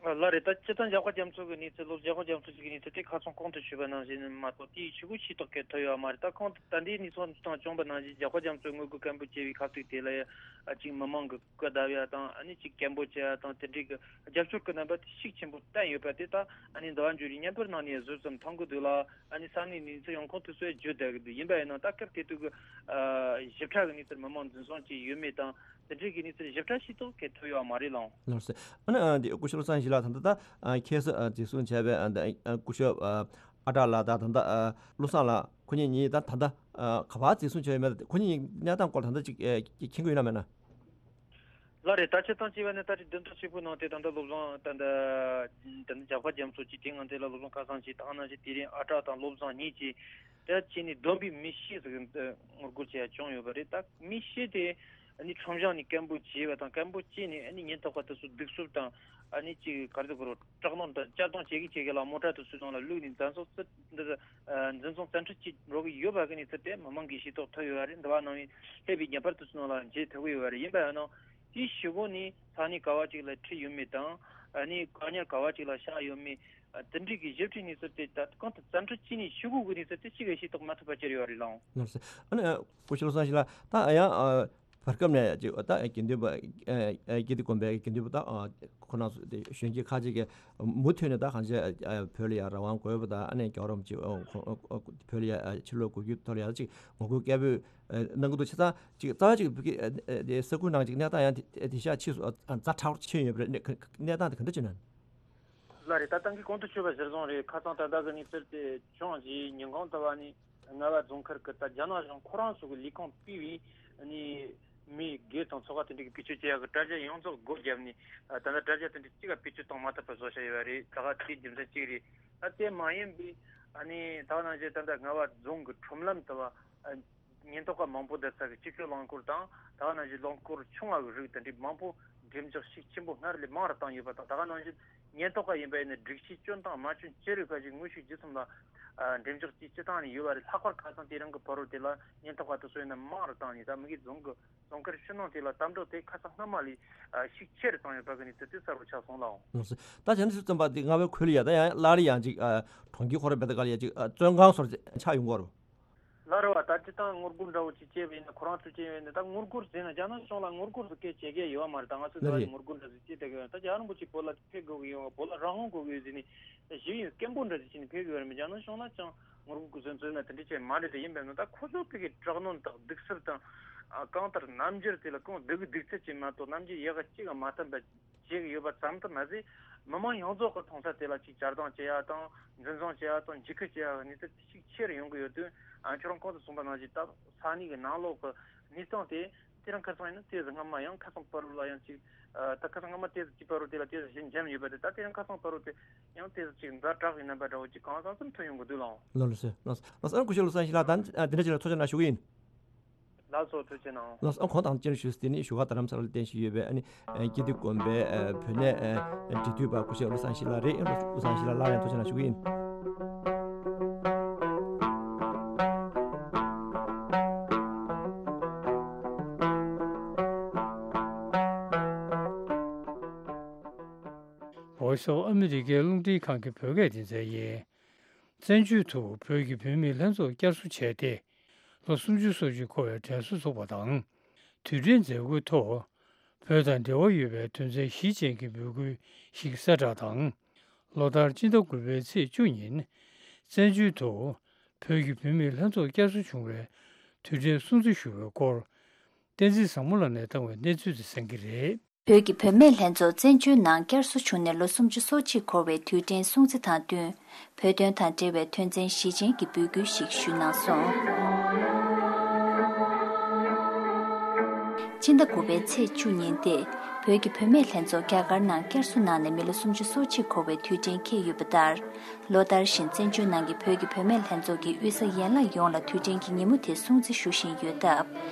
ལགས་རེད། ད་སྤྱིར་བཏང་འཇམ་དཔལ་རྒྱ་མཚོ་གི་གནས་ཚུལ། སློབ། འཇམ་དཔལ་རྒྱ་མཚོ་ཞིག་གི་གནས་ཚུལ་དེ་ཁ་སང་གོང་དུ་ཞུས་པ་ནང་བཞིན་མ་གཏོགས་དེའི་ཕྱི་གོ་ཤེས་རྟོགས་སྐད་ཐོབ་ཡོད་མ་རེད། ད་གོང་དུ་ད་ལྟའི་གནས་ཚུལ་དང་བྱུང་བ་ནང་བཞིན་འཇམ་དཔལ་རྒྱ་མཚོས་དངོས་པོ་སྐད་འབོད་བྱས་པའི་ཁ་ཐུག་དེ་ལ་ཡ། ཨ། ཅིག་མི་མང་གི་སྐུ་བརྡབ་ཡ་དང་། ཨ་ནི་ཅིག་སྐད་འབོད་བྱེད་ཡ་དང་། དེ་འདྲའི་གི་རྒྱབ་སྐྱོར་གི་རྣམ་པ་དེ་ཤུགས་ཆེན་པོ་བསྟན་ཡོད་པ་དེ་ད། ཨ་ནི་ཟླ་བ་འཇུ་རིགས་བརྙན་པར་ནང་ནས་གཟོད་ཙམ་མཐོང་གི་འདུག་ལ། ཨ་ནི་ས་གནས་གནས་ཚུལ་ཡོང་ཁུངས་དེ་ཚོས་བརྗོད་བསྡད་ཀྱི་འདུག་ཡིན་པ་ཡིན་ན་ད་སྐབས་དེ་དུས་ཀྱི། ཨ། ཞིབ་ཕྲ་གི་གནས་ཚུལ་མི་མང་འཛིན་བཟུང་བྱས་ཡོད་མེད་དང་། དེ་འདྲའི་གི་གནས་ཚུལ་ཞིབ་ཕྲ་ཤེས་རྟོགས་སྐད་ཐོབ་ཡོད་མ་རེད་ལགས། ལགས་སོ། ཨ་ནི། ཨ། འདི་སྐུ་ཞབས་བློ་བཟང་ཡེ་ཤེས་ལགས། ད་ལྟ། ཨ། ཁྱེད་ཚོས། ཨ། འཛིན་བཟུང་བྱས་པའི། ཨ། ད། ཨ། སྐུ་ཞབས། ཨ། ཨ་གྲགས་ལགས་དང་། ད་ལྟ། ཨ། བློ་བཟང་ལགས། ཁོ་གཉིས་གཉིས་ད་ད་ལྟ། ཨ། ག་པར་འཛིན་བཟུང་བྱས་ཡོད་མེད། ཁོ་གཉིས་གནས་སྟངས་སྐོར་ད་ལྟ་ཅིག་ཨེ། མཁྱེན་གྱི་ཡོད་ན་མེད་ན། ལགས་རེད། ད་ཆ་ཚང་བྱས་པ་ནི་ད་ཅིག་བདུན་ཕྲག་གཅིག་པོའི་ནང་དེ་ད་ལྟ་བློ་བཟང་། ད་ལྟ་ད་ལྟ་འཇམ་དཔལ་རྒྱ་མཚོ་གཅིག་དེ་ང་དེ་ལ་བློ་བཟང་ཁ་སང་གཅིག་ད་ག་ནང་བཞིན་དེ་རིང་ཨ་གྲགས་དང་བློ་བཟང་གཉིས་ཀྱིས། ད་ཅི་ནས་བསྡོམས་པས་མི་བཞི་ཟིག་ངོ་རྒོལ་བྱས་ཡ་བྱུང་ཡོད་པ་རེད། ད་མི་བཞི་དེ་ཨ་ནི་ཁྲོམ་གཞུང་ནས་སྐད་འབོད་བྱས་པ་དང་། སྐད་འབོད་བྱས་ནས་ཨ་ནི་ཉེན་རྟོག་པ་དེ་ཚོ་གདུག་རྩུབ་དང་། ཨ་ནི་ཅིག་ག་རེ་ཟེར་དགོས་རེད། དྲག་གནོན་དང་གཅར་རྡུང་བྱེད་ཀྱི་བྱེད་ཀྱི་ལ། མོ་ཊ་དེ་ཚོའི་ནང་ལ་བླུགས་ནས་འཛིན་བཟུང་བཙན། འདི། ཨ། འཛིན་བཟུང་བཙན་ཁྲིད་བྱེད་འགྲོ་གི་ཡོད་པ་གི་གནས་ཚུལ་དེ་མི་མང་གིས་ཤེས་རྟོགས་ཐུབ་ཡོད་པ་རེད། འདི་པ་ནང་བཞིན་སླེབས་པའི་བརྙན་པར་དེ་ཚོའི་ནང་ལ་མཇལ་ཐུབ་ཀྱི་ཡོད་པ་རེད། ཡིན་པ་ཡིན་ནའང་དེའི་ཕྱི་གོ་ནས་ས་གནས་ག་བ་ཅིག་ལ་ཁྲིད་ཡོད་མེད་དང་། ཨ་ནི་བཀག་ཉར་ག་བ་ཅིག་ལ་བཞག་ཡོད་མེད། ཨ། དེ་འདྲའི་གི་ཞིབ་ཕྲའི་གནས་ཚུལ་དེ་ད་གང་དུ་བཙན་ཁྲིད་བྱས་ནས་ཤོག་གུ་གི་གནས་ཚུལ་དེ་གཅིག་ཀྱང་ཤེས་རྟོགས་མ་ཐུབ་པ་ཅིག་ཡོད་རེད་ལགས། ལགས་སོ། ཨ་ནི་སྐུ་ཞབས་བློ་བཟང་ཡེ་ཤེས་ལགས། ད་ཡང་བར་སྐབས་ནས་ཅིག་ད་དགེ་འདུན་པ། ཨ། དགེ་འདུན་དགོན་པའི་དགེ་འདུན་པ་ད། ཨ། ཁོ་རང་ཚོ་དེ་གཞོན་སྐྱེས་ཁག་ཅིག་གིས་མུ་མཐུད་ནས་ད་གང་ཅི། ཨ། བོད་ལ་ཡ་རང་དབང་དགོས་པ་དང་། ཨ་ནི་རྒྱལ་བ་རིན་པོ་ཆེ། ཨ། ཁོ། ཨ། བོད་ལ་ཡ། ཨ། ཕྱིར་ལོག་དགོས་རྒྱུའི་ཐོག་ལ་ཡ་ཅིག་ངོ་རྒོལ་སྐད་འབོད། ཨ། གནང་གི་འདུག་བྱས་ཙང་ཅིག་རྩ་བ་ཅིག་བོད་ཀྱི། ཨ། དེ་ས་ཁུལ་ནང་ཅིག་གནས་སྟངས་ཡང་དེ་དེང་སང་ཕྱིས་སུ། ཨ། ཛ་དྲག་ཕྱིན་ཡོད་པ་རེད། གནས་སྟངས་དེ་ག་འདྲ་ཅིག་ན། ལགས་རེད། ད་ད་གིན་གོང་དུ་ཞུས་པ་གཞིར་བཟུང་རེད། ཁ་སང་ད་ལྟ་གི་གནས་ཚུལ་དེ་བྱུང་རྗེས་ཉིན་གུང་དུ་བ་ནི་རྔ་བ་རྫོང་མཁར་གྱི་ད་རྒྱ་ནག་གཞུང་ཁོ་རང་ཚོ་གི་ལས་ཁུངས་སྤེལ་བའི་ནི་མི་སྒེར་དང་ཚོགས་པ་དེ་འདྲ་གི་བེད་སྤྱོད་བྱེད་ཡག་གི་དྲ་རྒྱ་ཡོངས་རྫོགས་སྒོ་བརྒྱབ་ནས། ད་ལྟ་དྲ་རྒྱ་དེ་འདྲ་གཅིག་ལ་བེད་སྤྱོད་གཏོང་མ་ཐུབ་པ་བཟོ་བྱས་ཡོད་པ་རེད། ད་ག་དེའི་རྒྱུ་མཚན་གཅིག་རེད། ད་དེ་མ་ཡིན་པའི་ཨ་ནི་ད་ག་ནང་བཞིན་ད་ལྟ་རྔ་བ་རྫོང་གི་ཁྲོམ་ལམ་དུ་བ། ཉེན་རྟོག་པ་མང་པོ་བསྡད་ས་གི་སྤྱི་སྤྱོད་རླངས་འཁོར་དང་། ད་ག་ནང་བཞིན་རླངས་འཁོར་ཆུང་བ་གི་རིགས་དེ་འདྲའི་མང་པོ་འགྲེམས་འཇོག་ཤུགས་ཆེན་པོ་སྔར་ལས་མང་རུ་བཏང་ཡོད་པ་དང་། ད་ག་ནང་བཞིན་ཉེན་རྟོག་པ་ཡིན་པ་ཡིན་ན་སྒྲིག་ཆས་སྐྱོན་དང་མ་སྐྱོན་ཅི་རིགས་ཁ་ཅིག་དངོས་ཤུགས་བརྒྱུད་གསུམ་ལ། ཨ། འགྲེམས་འཇོག་བྱེད་སྤྱི་བཏང་ནས་ཡོད་པ་རེད། ལྷག་པར་ཁ་སང་དེ་རིང་གི་ཕ་རོལ་དེ་ལ་ཉེན་རྟོག་པ་དེ་ཚོ་ཡིན་ན་མང་རུ་བཏང་ནས། ད་མི་གི་རྫོང་གི་རྫོང་མཁར་ཕྱི་ནང་དེ་ལ་གཏམ་བརྗོད་དེ་ཁ་སང་སྔ་མ་ལས། ཨ། ཤུགས་ཆེ་རུ་བཏང་ཡོད་པ་གི་གནས་ཚུལ་དེ་གསལ་པོ་ཆགས་སོང་ལགས། ལགས་སོ། ད་བྱས་ན་དུས་ཙམ་པ་དེ་རྔ་བའི་ཁུལ་ལ་ཡ་ད་ཡང་སླར་ཡང་ཅིག་ཨ། གྲོང་ཁྱེར་ཁོ་རང་བེད་ད་ག་ལ་ཡ་ཅིག་ཨ། བཙོན་ཁང་སོགས་ཆགས་ཡོང་གི་རེད། ལགས་རེད་བ། ད་སྤྱིར་བཏང་ངོ་རྒོལ་འདྲ་བོ་ཅིག་བྱས་པ་ཡིན་ན། ཁོ་རང་ཚོས་བྱས་པ་ཡིན་ན། ད་ངོ་རྒོལ་ཟེར་ན་རྒྱ་ནག་གཞུང་ལ་ངོ་རྒོལ་ཟེར་སྐད་བྱེད་མཁན་ཡོད་མ་རེད། ད་ང་ཚོས་ད་ལགས་རེད། ངོ་རྒོལ་འདྲ་ཟིག་བྱེད་བསྡད་ཀྱི་ཡོད། ད་རྒྱལ་བ་རིན་པོ་ཆེ་བོད་ལ་ཕེབས་དགོས་ཀྱི་ཡོད། བོད་ལ་རང་དབང་དགོས་ཀྱི་ཡོད་ཟེར་ནས་ཞུ་ཡིན། སྐད་འབོད་འདྲ་ཟིག་བྱས་ནས་ཕེབས་ཀྱི་ཡོད་རེད་མོད། རྒྱ་ནག་གཞུང་ལ་ཅང་ངོ་རྒོལ་གྱི་བཟོ་འཛུལ་ན་དེ་འདྲ་བྱས་མ་རེད་དེ། ཡིན་པས་ན་ད་ཁོ་ཚོ་ཕ་གིའི་དྲག་གནོན་དང་གདུག་རྩུབ་དང་། ཨ། གང་ལྟར་རྣམ་འགྱུར་དེ་ལ་གང་སྡུག་གི་སྡུག་ཚད་ཅིག་མ་གཏོགས་རྣམ་འགྱུར་ཡག་ག་གཅིག་ག་མ་བསྟན་པ་བྱེད་ཀྱི་ཡོད་པ་ཙམ་དུ་མ་ཟད། མི་མང་ཡོངས་རྫོགས་ཀྱི་མཐོང་ས་དེ་ལ་ཅིག་གཅར་རྡུང་བྱེད་ཡ་དང་། འཛིན་བཟུང་བྱེད་ཡ་དང་། འཇིགས་སྐུལ་བྱེད་ཡ་གི་གནས་ཚུལ་དེ་ཤུགས་ཆེ་རུ་ཡོང་གི་ཡོད་དུས། ཨ། ཁྱོད་རང་གོང་དུ་གསུངས་པ་ནང་བཞིན་ད་ས་གནས་ཀྱི་ནང་ལོགས་ཀྱི་གནས་སྟངས་དེ། དེ་རིང་ཁ་སང་ཡིན་ན་དེ་ཚོ་སྔ་མ་ཡང་ཁ་སང་ཕ་རོལ་ལ་ཡང་ཅིག་ཨ། ད་ཁ་སང་སྔ་མ་དེ་ཚོ་གཅིག་ཕ་རོལ་དེ་ལ་དེ་ཚོ་ཞིག་འཇམ་ཡོད་པ་རེད། ད་དེ་རིང་ཁ་སང་ཕ་རོལ་དེ་ཡང་དེ་ཚོ་ཅིག་ཛ་དྲག་གི་རྣམ་པ་འདྲ་བོ་ཅིག་གང་ཟག་ཙམ་ཐོན་ཡོང་གི་འདུག་ལགས། ལགས་ལགས་སོ། ལགས་ལགས་སོ། ཨ། སྐུ་ཞབས་བློ་བཟང་ཡེ་ཤེས་ལགས། ད་དེ་འདྲ་ཅིག་ལ་ཐུགས་རྗེ་གནང་ཞུ་གི་ཡིན། ལགས་སོ། ཐུགས་རྗེ་གནང་། ལགས་སོ། ཨ། ཁོང་དང་བཅར་ཞུས་ཏེ་ནི་བཞུགས་སྒར་རྡ་རམ་ས་ལར་རྟེན་གཞི་ཡོད་པའི་ཨ་ནི་ཨ། དགེ་འདུན་དགོན་པའི་ཨ། བོད་གནས་ཨ། འབྲེལ་མཐུད་པ་སྐུ་ཞབས་བློ་བཟང་ཡེ་ཤེས་ལགས་རེད། བློ་བཟང་ཡེ་ཤེས་ལགས་སླར་ཡང་ཐུགས་རྗེ་གནང་ཞུ་གི་ཡིན། Voice of America རླུང་འཕྲིན་ཁང་གི་བོད་སྐད་སྡེ་ཚན་ཡིན། བཙན་བྱོལ་དུ་བོད་ཀྱི་བུད་མེད་ལྷན་ཚོགས་བསྐྱར་གསོ་བྱས་ཏེ། ལོ་སུམ་ཅུ་སོ་གཅིག་འཁོར་བའི་དྲན་གསོ་ཚོགས་པ་དང་། དུས་དྲན་མཛད་སྒོའི་ཐོག་བོད་དང་འབྲེལ་བ་ཡོད་པའི་དོན་ཚན་བཞི་ཅན་གྱི་འབོད་སྐུལ་ཞིག་གསལ་བསྒྲགས་དང་། ལོ་ལྟར་སྤྱི་ཟླ་དགུ་པའི་ཚེས་བཅུ་ཉིན་བཙན་བྱོལ་དུ་བོད་ཀྱི་བུད་མེད་ལྷན་ཚོགས་བསྐྱར་གསོ་བྱུང་བའི་དུས་དྲན་སྲུང་བརྩི་ཞུ་བའི་སྐོར། བསྟན་འཛིན་བཟང་མོ་ལགས་ནས་བཏང་བའི་གནས་ཚུལ་དེ་གསན་གྱི་རེད། བོད་ཀྱི་བུད་མེད་ལྷན་ཚོགས་བཙན་བྱོལ་ནང་བསྐྱར་གསོ་བྱུང་ནས་ལོ་སུམ་ཅུ་སོ་གཅིག་འཁོར་བའི་དུས་དྲན་སྲུང་བརྩི་དང་བསྟུན། བོད་དོན་དང་འབྲེལ་བའི་དོན་ཚན་བཞི་ཅན་གྱི་འབོད་སྐུལ་ཞིག་ཞུས་གནང་སོང་། སྤྱི་ཟླ་དགུ་པའི་ཚེས་བཅུ་ཉིན་ཏེ། བོད་ཀྱི་བུད་མེད་ལྷན་ཚོགས་རྒྱ་གར་ནང་བསྐྱར་གསོ་གནང་ནས་མི་ལོ་སུམ་ཅུ་སོ་གཅིག་འཁོར་བའི་དུས་དྲན་འཁེལ་ཡོད་པ་ལྟར། ལོ་ལྟར་བཞིན་བཙན་བྱོལ་ནང་གི་བོད་ཀྱི་བུད་མེད་ལྷན་ཚོགས་ཀྱིས་དབུས་ས་ཡན་ལག་ཡོངས་ལ་དུས་དྲན་གྱི་ཉིན་མོ་དེ་སྲུང་བརྩི་ཞུ་བཞིན་ཡོད་སྟབས།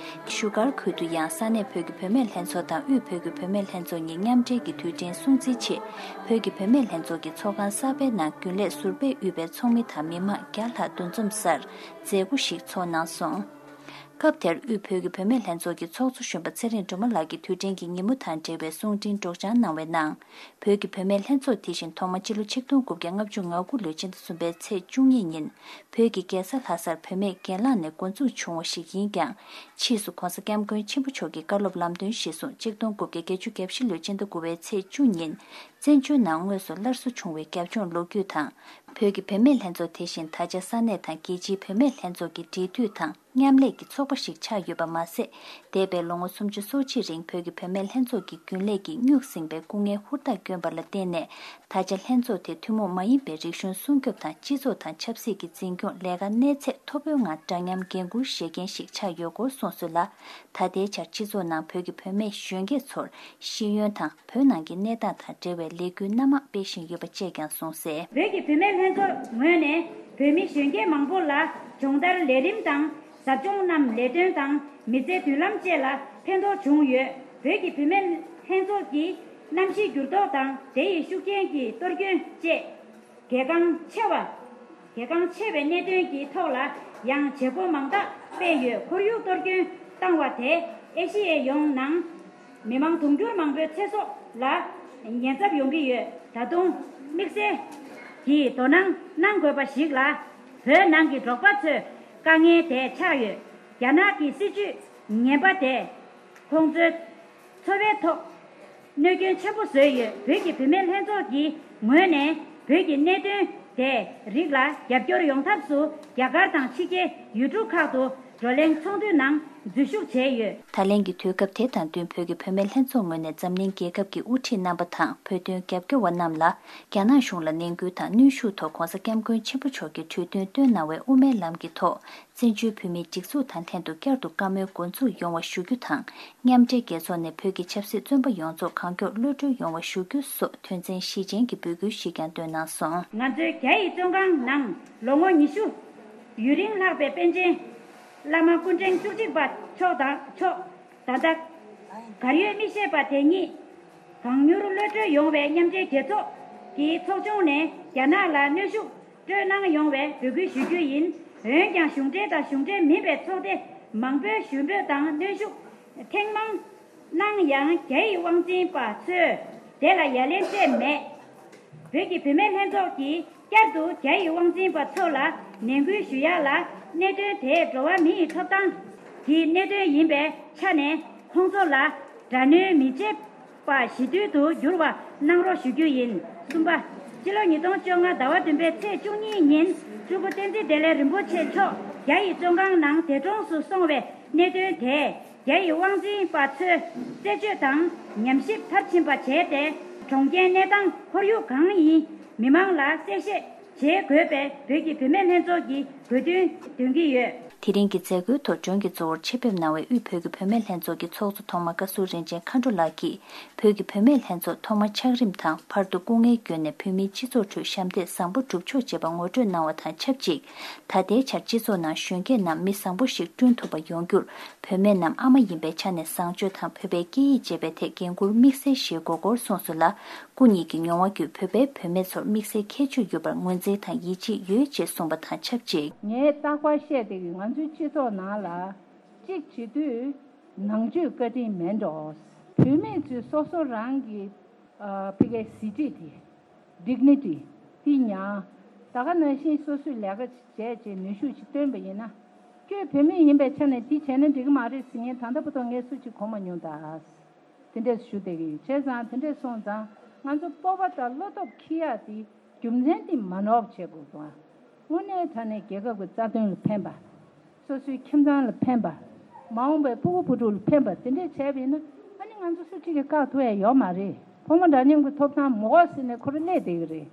བཞུགས་སྒར་ཁུལ་དུ་ཡང་ས་གནས་བོད་ཀྱི་བུད་མེད་ལྷན་ཚོགས་དང་དབུས་བོད་ཀྱི་བུད་མེད་ལྷན་ཚོགས་གཉིས་མཉམ་འབྲེལ་གྱིས་དུས་དྲན་སྲུང་བརྩིའི་ཆེད། བོད་ཀྱི་བུད་མེད་ལྷན་ཚོགས་ཀྱི་ཚོགས་ཁང་གསར་པའི་ནང་རྒྱུན་ལས་ཟུར་པས་དབུས་པའི་ཚོགས་མི་དང་མི་མང་བརྒྱ་ལྷག་འདུ་འཛོམས་སར་མཛད་སྒོ་ཞིག་ཚོགས་གནང་སོང་། སྐབས་དེར་དབུས་བོད་ཀྱི་བུད་མེད་ལྷན་ཚོགས་ཀྱི་ཚོགས་གཙོ་གཞོན་པ་ཚེ་རིང་སྒྲོལ་མ་ལགས་ཀྱིས་དུས་དྲན་གྱི་ཉིན་མོ་དང་འབྲེལ་བའི་གསུང་འཕྲིན་སྒྲོག་སྦྱང་གནང་བའི་ནང་། བོད་ཀྱི་བུད་མེད་ལྷན་ཚོགས་དེ་བཞིན་ཐོག་མ་སྤྱི་ལོ་ཆིག་སྟོང་དགུ་བརྒྱ་ལྔ་བཅུ་ང་དགུ་ལོའི་ཕྱི་ཟླ་གསུམ་པའི་ཚེས་བཅུ་གཉིས་ཉིན་བོད་ཀྱི་རྒྱལ་ས་ལྷ་སར་བུད་མེད་སྒེར་ལངས་ནས་འགོ་འཛུགས་བྱུང་བ་ཞིག་ཡིན་ཀྱང་། ཕྱིས་སུ་༸གོང་ས་༸སྐྱབས་མགོན་ཆེན་པོ་མཆོག་གི་བཀའ་སློབ་ལམ་སྟོན་གཞིར་བཟུང་ཆིག་སྟོང་དགུ་བརྒྱ་བརྒྱད་ཅུ་གྱ་བཞི་ལོའི་ཕྱི་ཟླ་དགུ་པའི་ཚེས་བཅུ་ཉིན་བཙན་བྱོལ་ནང་དངོས་སུ་སླར་གསོ་བྱུང་བའི་རྒྱབ་ལྗོངས་ལོ་རྒྱུས་དང་། བོད་ཀྱི་བུད་མེད་ལྷན་ཚོགས་དེ་བཞིན་ད་ཆ་ས་གནས་དང་རྒྱལ་སྤྱིའི་བུད་མེད་ལྷན་ཚོགས་ཀྱི་འབྲེལ་མཐུད་དང་མཉམ་ལས་ཀྱི་ཚོགས་པ་ཞིག་ཆགས་ཡོད་པ་མ་ཟད། འདས་པའི་ལོ་ངོ་སུམ་ཅུ་སོ་གཅིག་རིང་བོད་ཀྱི་བུད་མེད་ལྷན་ཚོགས་ཀྱི་རྒྱུན་ལས་ཀྱིས་སྨྱུག་བསྲིངས་པའི་སྐུ་ངལ་ཧུར་ཐག་བསྐྱོན་པ་ལ་བརྟེན་ནས། ད་ཆ་ལྷན་ཚོགས་དེ་ཐུན་མོང་མ་ཡིན་པའི་རིག་གཞུང་སྲུང་སྐྱོབ་དང་སྤྱི་ཚོགས་དང་ཆབ་སྲིད་ཀྱི་འཛིན་སྐྱོང་ལས་ཀ་གནས་ཚད་མཐོ་པོའི་ངང་འདྲ་མཉམ་འགན་འཁུར་བཞེས་མཁན་ཞིག་ཆགས་ཡོད་སྐོར་གསུངས་སོང་ལ། ད་ལྟའི་ཆར་སྤྱི་ཚོགས་ནང་བོད་ཀྱི་བུད་མེད་གཞོན་སྐྱེས་ཚོར་ཤེས་ཡོན་དང་བོད་ནང་གི་གནས་སྟངས་དང་འབྲེལ་བའི་ལས་འགུལ་སྣ་མང་སྤེལ་བཞིན་ཡོད་པ་བཅས་ཀྱང་གསུངས་གསལ། བོད་ཀྱི་བུད་མེད་ལྷན་ཚོགས་ངོས་ནས་བོད་མི་གཞོན་སྐྱེས་མང་པོ་ལ་སྦྱོང་བརྡར་ལས་རིམ་དང་ཟབ་སྦྱོང་རྣམས་ལས་དོན་དང་མི་ཚེའི་མདུན་ལམ་བཅས་ལ་ཕན་ཐོགས་བྱུང་ཡོད། བོད་ཀྱི་བུད་མེད་ལྷན་ཚོགས་ཀྱིས་གནམ་གཤིས་འགྱུར་ལྡོག་དང་དེ་ཡི་ཤུགས་རྐྱེན་གྱི་གཏོར་སྐྱོན་བཅས། གལ་འགངས་ཆེ་བ། གལ་འགངས་ཆེ་བའི་གནད་དོན་གྱི་ཐོག་ལ་ཡང་བྱེད་སྒོ་མང་དག་སྤེལ་ཡོད། ཁོར་ཡུག་གཏོར་སྐྱོན་བཏང་བ་དེས་ཨེ་ཤི་ཡའི་ཡོངས་ནང་མི་མང་དུང་ཕྱུར་མང་པོའི་ཚེ་སྲོག་ལ་ཉེན་ཚབས་ཡོང་གི་ཡོད། ད་དུང་དམིགས་བསལ་གྱིས་དོ་སྣང་གནང་དགོས་པ་ཞིག་ལ། བོད་ནང་གི་འབྲོག་པ་ཚོའི་དཀའ་ངལ་དེ་ཆགས་ཡོད། རྒྱ་ནག་གི་སྲིད་ཇུས་ངན་པ་དེས་ཁོང་ཚོའི་འཚོ་བའི་ཐོག་གནོད་སྐྱོན་ཆེན་པོ་བཟོས་ཡོད། བོད་ཀྱི་བུད་མེད་ལྷན་ཚོགས་ཀྱི་ངོས་ནས་བོད་ཀྱི་གནད་དོན་དེ་རིགས་ལ་རྒྱབ་སྐྱོར་ཡོང་ཐབས་སུ་རྒྱ་གར་དང་ཕྱི་རྒྱལ་ཡུལ་གྲུ་ཁག་ཏུ་བགྲོ་གླེང་ཚོགས་འདུའི་ནང་འཛུལ་ཞུགས་བྱས་ཡོད། ད་ལན་གྱི་དུས་སྐབས་དེ་དང་བསྟུན་བོད་ཀྱི་བུད་མེད་ལྷན་ཚོགས་ངོས་ནས་འཛམ་གླིང་རྒྱལ་ཁབ་ཀྱི་དབུ་ཁྲིད་རྣམ་པ་དང་བོད་དོན་རྒྱབ་སྐྱོར་བ་རྣམས་ལ་རྒྱ་ནག་གཞུང་ལ་ནན་སྐུལ་དང་གནོན་ཤུགས་ཐོག་༸གོང་ས་༸སྐྱབས་མགོན་ཆེན་པོ་མཆོག་གིས་གྲོས་མཐུན་བཏོན་གནང་བའི་དབུ་མའི་ལམ་གྱི་ཐོག་བཙན་བྱོལ་བོད་མིའི་སྒྲིག་འཛུགས་དང་ལྷན་དུ་བསྐྱར་དུ་བཀའ་མོལ་འགོ་འཛུགས་ཡོང་བ་ཞུ་རྒྱུ་དང་། མཉམ་འབྲེལ་རྒྱལ་ཚོགས་ནས་བོད་ཀྱི་ཆབ་སྲིད་བཙོན་པ་ཡོངས་རྫོགས་གང་མགྱོགས་གློད་གྲོལ་ཡོང་བ་ཞུ་རྒྱུ་སོགས་དོན་ཚན་བཞི་ཅན་གྱི་འབོད་སྐུལ་ཞིག་ཀྱང་བཏོན་གནང་སོང་། ང་ཚོའི་རྒྱ་ཡི་བཙོན་ཁང་ནང་ལོ་ངོ་ཉི་ཤུ་ཡུན་རིང་ལྷག་པའི་པཎ་ཆེན་བླ་མ་སྐུ་ཕྲེང་བཅུ་གཅིག་པ་མཆོག་དང་མཆོག་ད་ལྟ་གར་ཡོད་མི་ཤེས་པ་དེ་ཉིད་གང་མྱུར་གློད་གྲོལ་ཡོང་བའི་མཉམ་འབྲེལ་རྒྱལ་ཚོགས་ཀྱི་ཚོགས་ཆུང་ནས་རྒྱ་ནག་ལ་གནོན་ཤུགས་སྤྲོད་གནང་ཡོང་བའི་འབོད་སྐུལ་ཞུ་རྒྱུ་ཡིན། འོན་ཀྱང་གཞུང་འབྲེལ་དང་གཞུང་འབྲེལ་མིན་པའི་ཚོགས་སྡེ་མང་པོས་ཞུ་འབོད་དང་གནོན་ཤུགས་ཐེངས་མང་གནང་ཡང་རྒྱ་ཡི་དབང་འཛིན་པ་ཚོས་དེ་ལ་ཡ་ལན་སྤྲད་མེད། བོད་ཀྱི་བུད་མེད་ལྷན་ཚོགས་ཀྱིས་བསྐྱར་དུ་རྒྱ་ཡི་དབང་འཛིན་པ་ཚོ་ལ་ནན་སྐུལ་ཞུ་ཡག་ལ། གནད་དོན་དེ་འགྲོ་བ་མི་ཡི་ཐོབ་ཐང་གི་གནད་དོན་ཡིན་པའི་ཆ་ནས་ཁོང་ཚོ་ལ་དགྲ་གནོན་མི་བྱེད་པ་ཞི་དུལ་དུ་འགྱུར་བ་གནང་རོགས་ཞུ་རྒྱུ་ཡིན། གསུམ་པ། སྤྱི་ལོ་ཉིས་སྟོང་བཅོ་ལྔ་ཟླ་བ་བདུན་པའི་ཚེས་བཅུ་གཉིས་ཉིན་སྤྲུལ་སྐུ་བསྟན་འཛིན་བདེ་ལེགས་རིན་པོ་ཆེ་མཆོག་རྒྱ་ཡི་བཙོན་ཁང་ནང་འདས་གྲོངས་སུ་སོང་བའི་གནད་དོན་དེ། རྒྱ་ཡི་དབང་འཛིན་པ་ཚོས་རྩད་གཅོད་དང་ཉམས་ཞིབ་མཐར་ཕྱིན་པ་བྱས་ཏེ། གྲོང་ཁྱེར་གནས་སྟངས་ཁོར་ཡུག་གང་ཡིན་མི་མང་ལ་གསལ་བཤད་བྱེད་དགོས་པའི་བོད་ཀྱི་བུད་མེད་ལྷན་ཚོགས་ཀྱི་དགོས་འདུན་འདོན་གྱི་ཡོད། དེ་རིང་གི་མཛད་སྒོའི་ཐོག་མགྲོན་གྱི་གཙོ་བོར་ཆེད་ཕེབས་གནང་བའི་དབུས་བོད་ཀྱི་བུད་མེད་ལྷན་ཚོགས་ཀྱི་ཚོགས་གཙོ་ཐོག་མ་བཀའ་ཟུར་རིན་ཆེན་མཁའ་འགྲོ་ལགས་ཀྱིས། བོད་ཀྱི་བུད་མེད་ལྷན་ཚོགས་ཐོག་མ་ཆགས་རིམ་དང་བར་དུ་སྐུ་ངལ་བསྐྱོན་ནས་བོད་མིའི་སྤྱི་ཚོགས་ཁྲོད་ཞབས་འདེགས་བཟང་པོ་བསྒྲུབས་ཆོག་ཅེས་པ་ངོ་སྤྲོད་གནང་བ་དང་ཆབས་ཅིག་ད་ལྟའི་ཆར་སྤྱི་ཚོགས་ནང་གཞོན་སྐྱེས་རྣམས་མི་བཟང་པོ་ཞིག་བསྐྲུན་ཐུབ་པ་ཡོང་རྒྱུར། བུད་མེད་རྣམས་ཨ་མ་ཡིན་པའི་ཆ་ནས་བཟང་སྤྱོད་དང་བོད་པའི་སྐད་ཡིག་ཅེས་པའི་ཐད་འགན་འཁུར་དམིགས་བསལ་བཞེས་དགོས་སྐོར་གསུངས་སོང་ལ། སྐུ་ཉིད་ཀྱི་མྱོང་བ་བརྒྱུད་བོད་པའི་བུད་མེད་ཚོར་དམིགས་བསལ་ཁྱད་ཆོས་ཡོད་པར་ངོས་འཛིན་དང་ཡིད་ཆེས་ཡོད་ཅེས་གསུངས་པ་དང་ཆབས་ཅིག་ངས་རྟག་པར་བཤད་བསྡད་ཀྱི་ང་ཚོའི་སྤྱི་ཚོགས་ནང་ལ་གཅིག་བྱེད་དུས་ནང་ཆོས་བཀའ་དྲིན་མེད་འགྲོ། བུད་མེད་ཚོས་སོ་སོ་རང་གི་ཨ་ཕ་གིའི་གཟི་བརྗིད་དེ། ཌིག་ནི་ཊི་དེ་མྱང་། ད་ག་ནང་བཞིན་སོ་སོས་ལས་ཀ་བྱས་བྱས་ནུས་ཤུགས་ཅིག་བཏོན་པ་ཡིན་ན། ཁྱོད་བུད་མེད་ཡིན་པའི་ཆ་ནས་དེ་བྱས་ན་འགྲིག་གི་མ་རེད་ཟེར་མཁན་ད་ལྟ་བར་དུ་ངས་སུ་གཅིག་གོ་མ་མྱོང་ད། དེ་འདྲས་ཞུ་བསྡད་ཀྱི་ཡོད། བྱས་ཙང་དེ་འདྲས་སོང་ཙང་ང་ཚོ་སྤོབས་པ་དང་བློ་སྟོབས་འཁྱེར་ཡག་དེ་རྒྱུ་མཚན་དེ་མ་ནོར་བ་བྱེད་དགོས་ཀྱི། དངོས་གནས་དྲང་གནས་རྒྱལ་ཁབ་ཀྱི་རྩ་དོན་ལ་ཕན་པ། སོ་སོའི་ཁྱིམ་ཚང་ལ་ཕན་པ། མ་འོངས་པའི་སྤུ་གུ་བུ་ཕྲུག་ལ་ཕན་པ་དེ་འདྲས་བྱས་པ་ཡིན་ན། ཨ་ནི་ང་ཚོ་སུ་གཅིག་གིས་བཀག་ཐུབ་ཡ་ཡོད་མ་རེད། ཕོ་མོ་འདྲ་མཉམ་གྱི་ཐོབ་ཐང་མི་དགོས་ཟེར་ནས་ཁོ་རང་སླེབས་བསྡད་ཀྱི་རེད།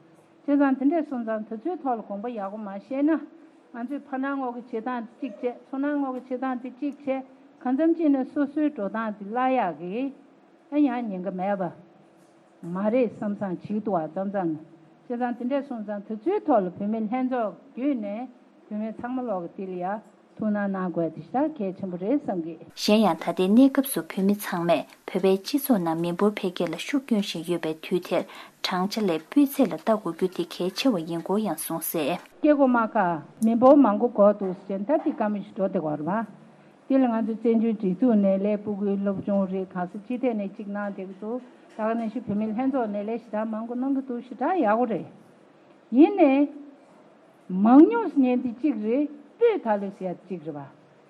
བྱས་ཙང་དེ་འདྲས་སོང་ཙང་དེ་ཚོའི་ཐོག་ལ་དགོངས་པ་ཡག་པོ་མ་བཞེས་ན། ང་ཚོས་ཕ་ནང་ངོ་གི་བྱེད་སྟངས་དེ་གཅིག་བྱས། ཚུར་ནང་ངོ་གི་བྱེད་སྟངས་དེ་གཅིག་བྱས། གང་འཚམ་ཅིག་ནས་སོ་སོའི་འགྲོ་སྟངས་དེ་བརླག་ཡག་གི། ཨ་ཡང་ཉེན་ཁ་མེད་པ་མ་རེད་བསམ་བསམ་བྱེད་ཀྱི་འདུག་བ། མཚམས་མཚམས་ནས། བྱས་ཙང་དེ་འདྲས་སོང་ཙང་དེ་ཚོའི་ཐོག་ལ་བུད་མེད་ལྷན་ཚོགས་བརྒྱུད་ནས་བུད་མེད་ཚང་མ་ལོག་གི་དེ་ལ་ཡ་ཐུགས་སྣང་གནང་དགོས་དེ་ཞེ་དྲག་གལ་ཆེན་པོ་རེད་བསམ་གི། གཞན་ཡང་ད་ལྟའི་གནས་སྐབས་སུ་བོད་མི་ཚང་མས་བོད་པའི་སྤྱི་ཚོགས་ནང་མི་འབོར་འཕེལ་རྒྱས་ལ་ཤུགས་སྐྱོན་བཞིན་ཡོད་པའི་དུས་དེར་བགྲང་བྱ་ལས་སྤུས་ཚད་ལ་ལྟ་དགོས་རྒྱུ་དེ་གལ་ཆེ་བ་ཡིན་སྐོར་ཡང་གསུངས་གསལ། སྐྱེ་སྒོ་མ་ཁ་མི་འབོར་མང་པོ་འགོར་འདུག་ཟེར་ད་དེ་དཀའ་མོ་ཞིག་འགྲོ་བསྡད་ཀྱི་ཡོད་རེད་པ། དེ་ལ་ང་ཚོ་བཙན་བྱོལ་སྒྲིག་འཛུགས་ནས་ལས་སྤུ་གུའི་སློབ་སྦྱོང་རེད། གང་ས་ཅི་ཐད་ནས་གཅིག་གནང་བསྡད་ཀྱི་འདུག་ད་ག་ནང་བཞིན་བུད་མེད་ལྷན་ཚོགས་ནས་ལས་ཞེ་དྲག་མང་པོ་གནང་གི་འདུག་ཞེ་དྲག་ཡག་པོ་རེད། ཡིན་ནའི། མང་ཉུང་ཟེར་མཁན་དེ་གཅིག་རེད། སྤུས་དག་ལོས་ཟེར་ཡ་གཅིག་རེད་པ།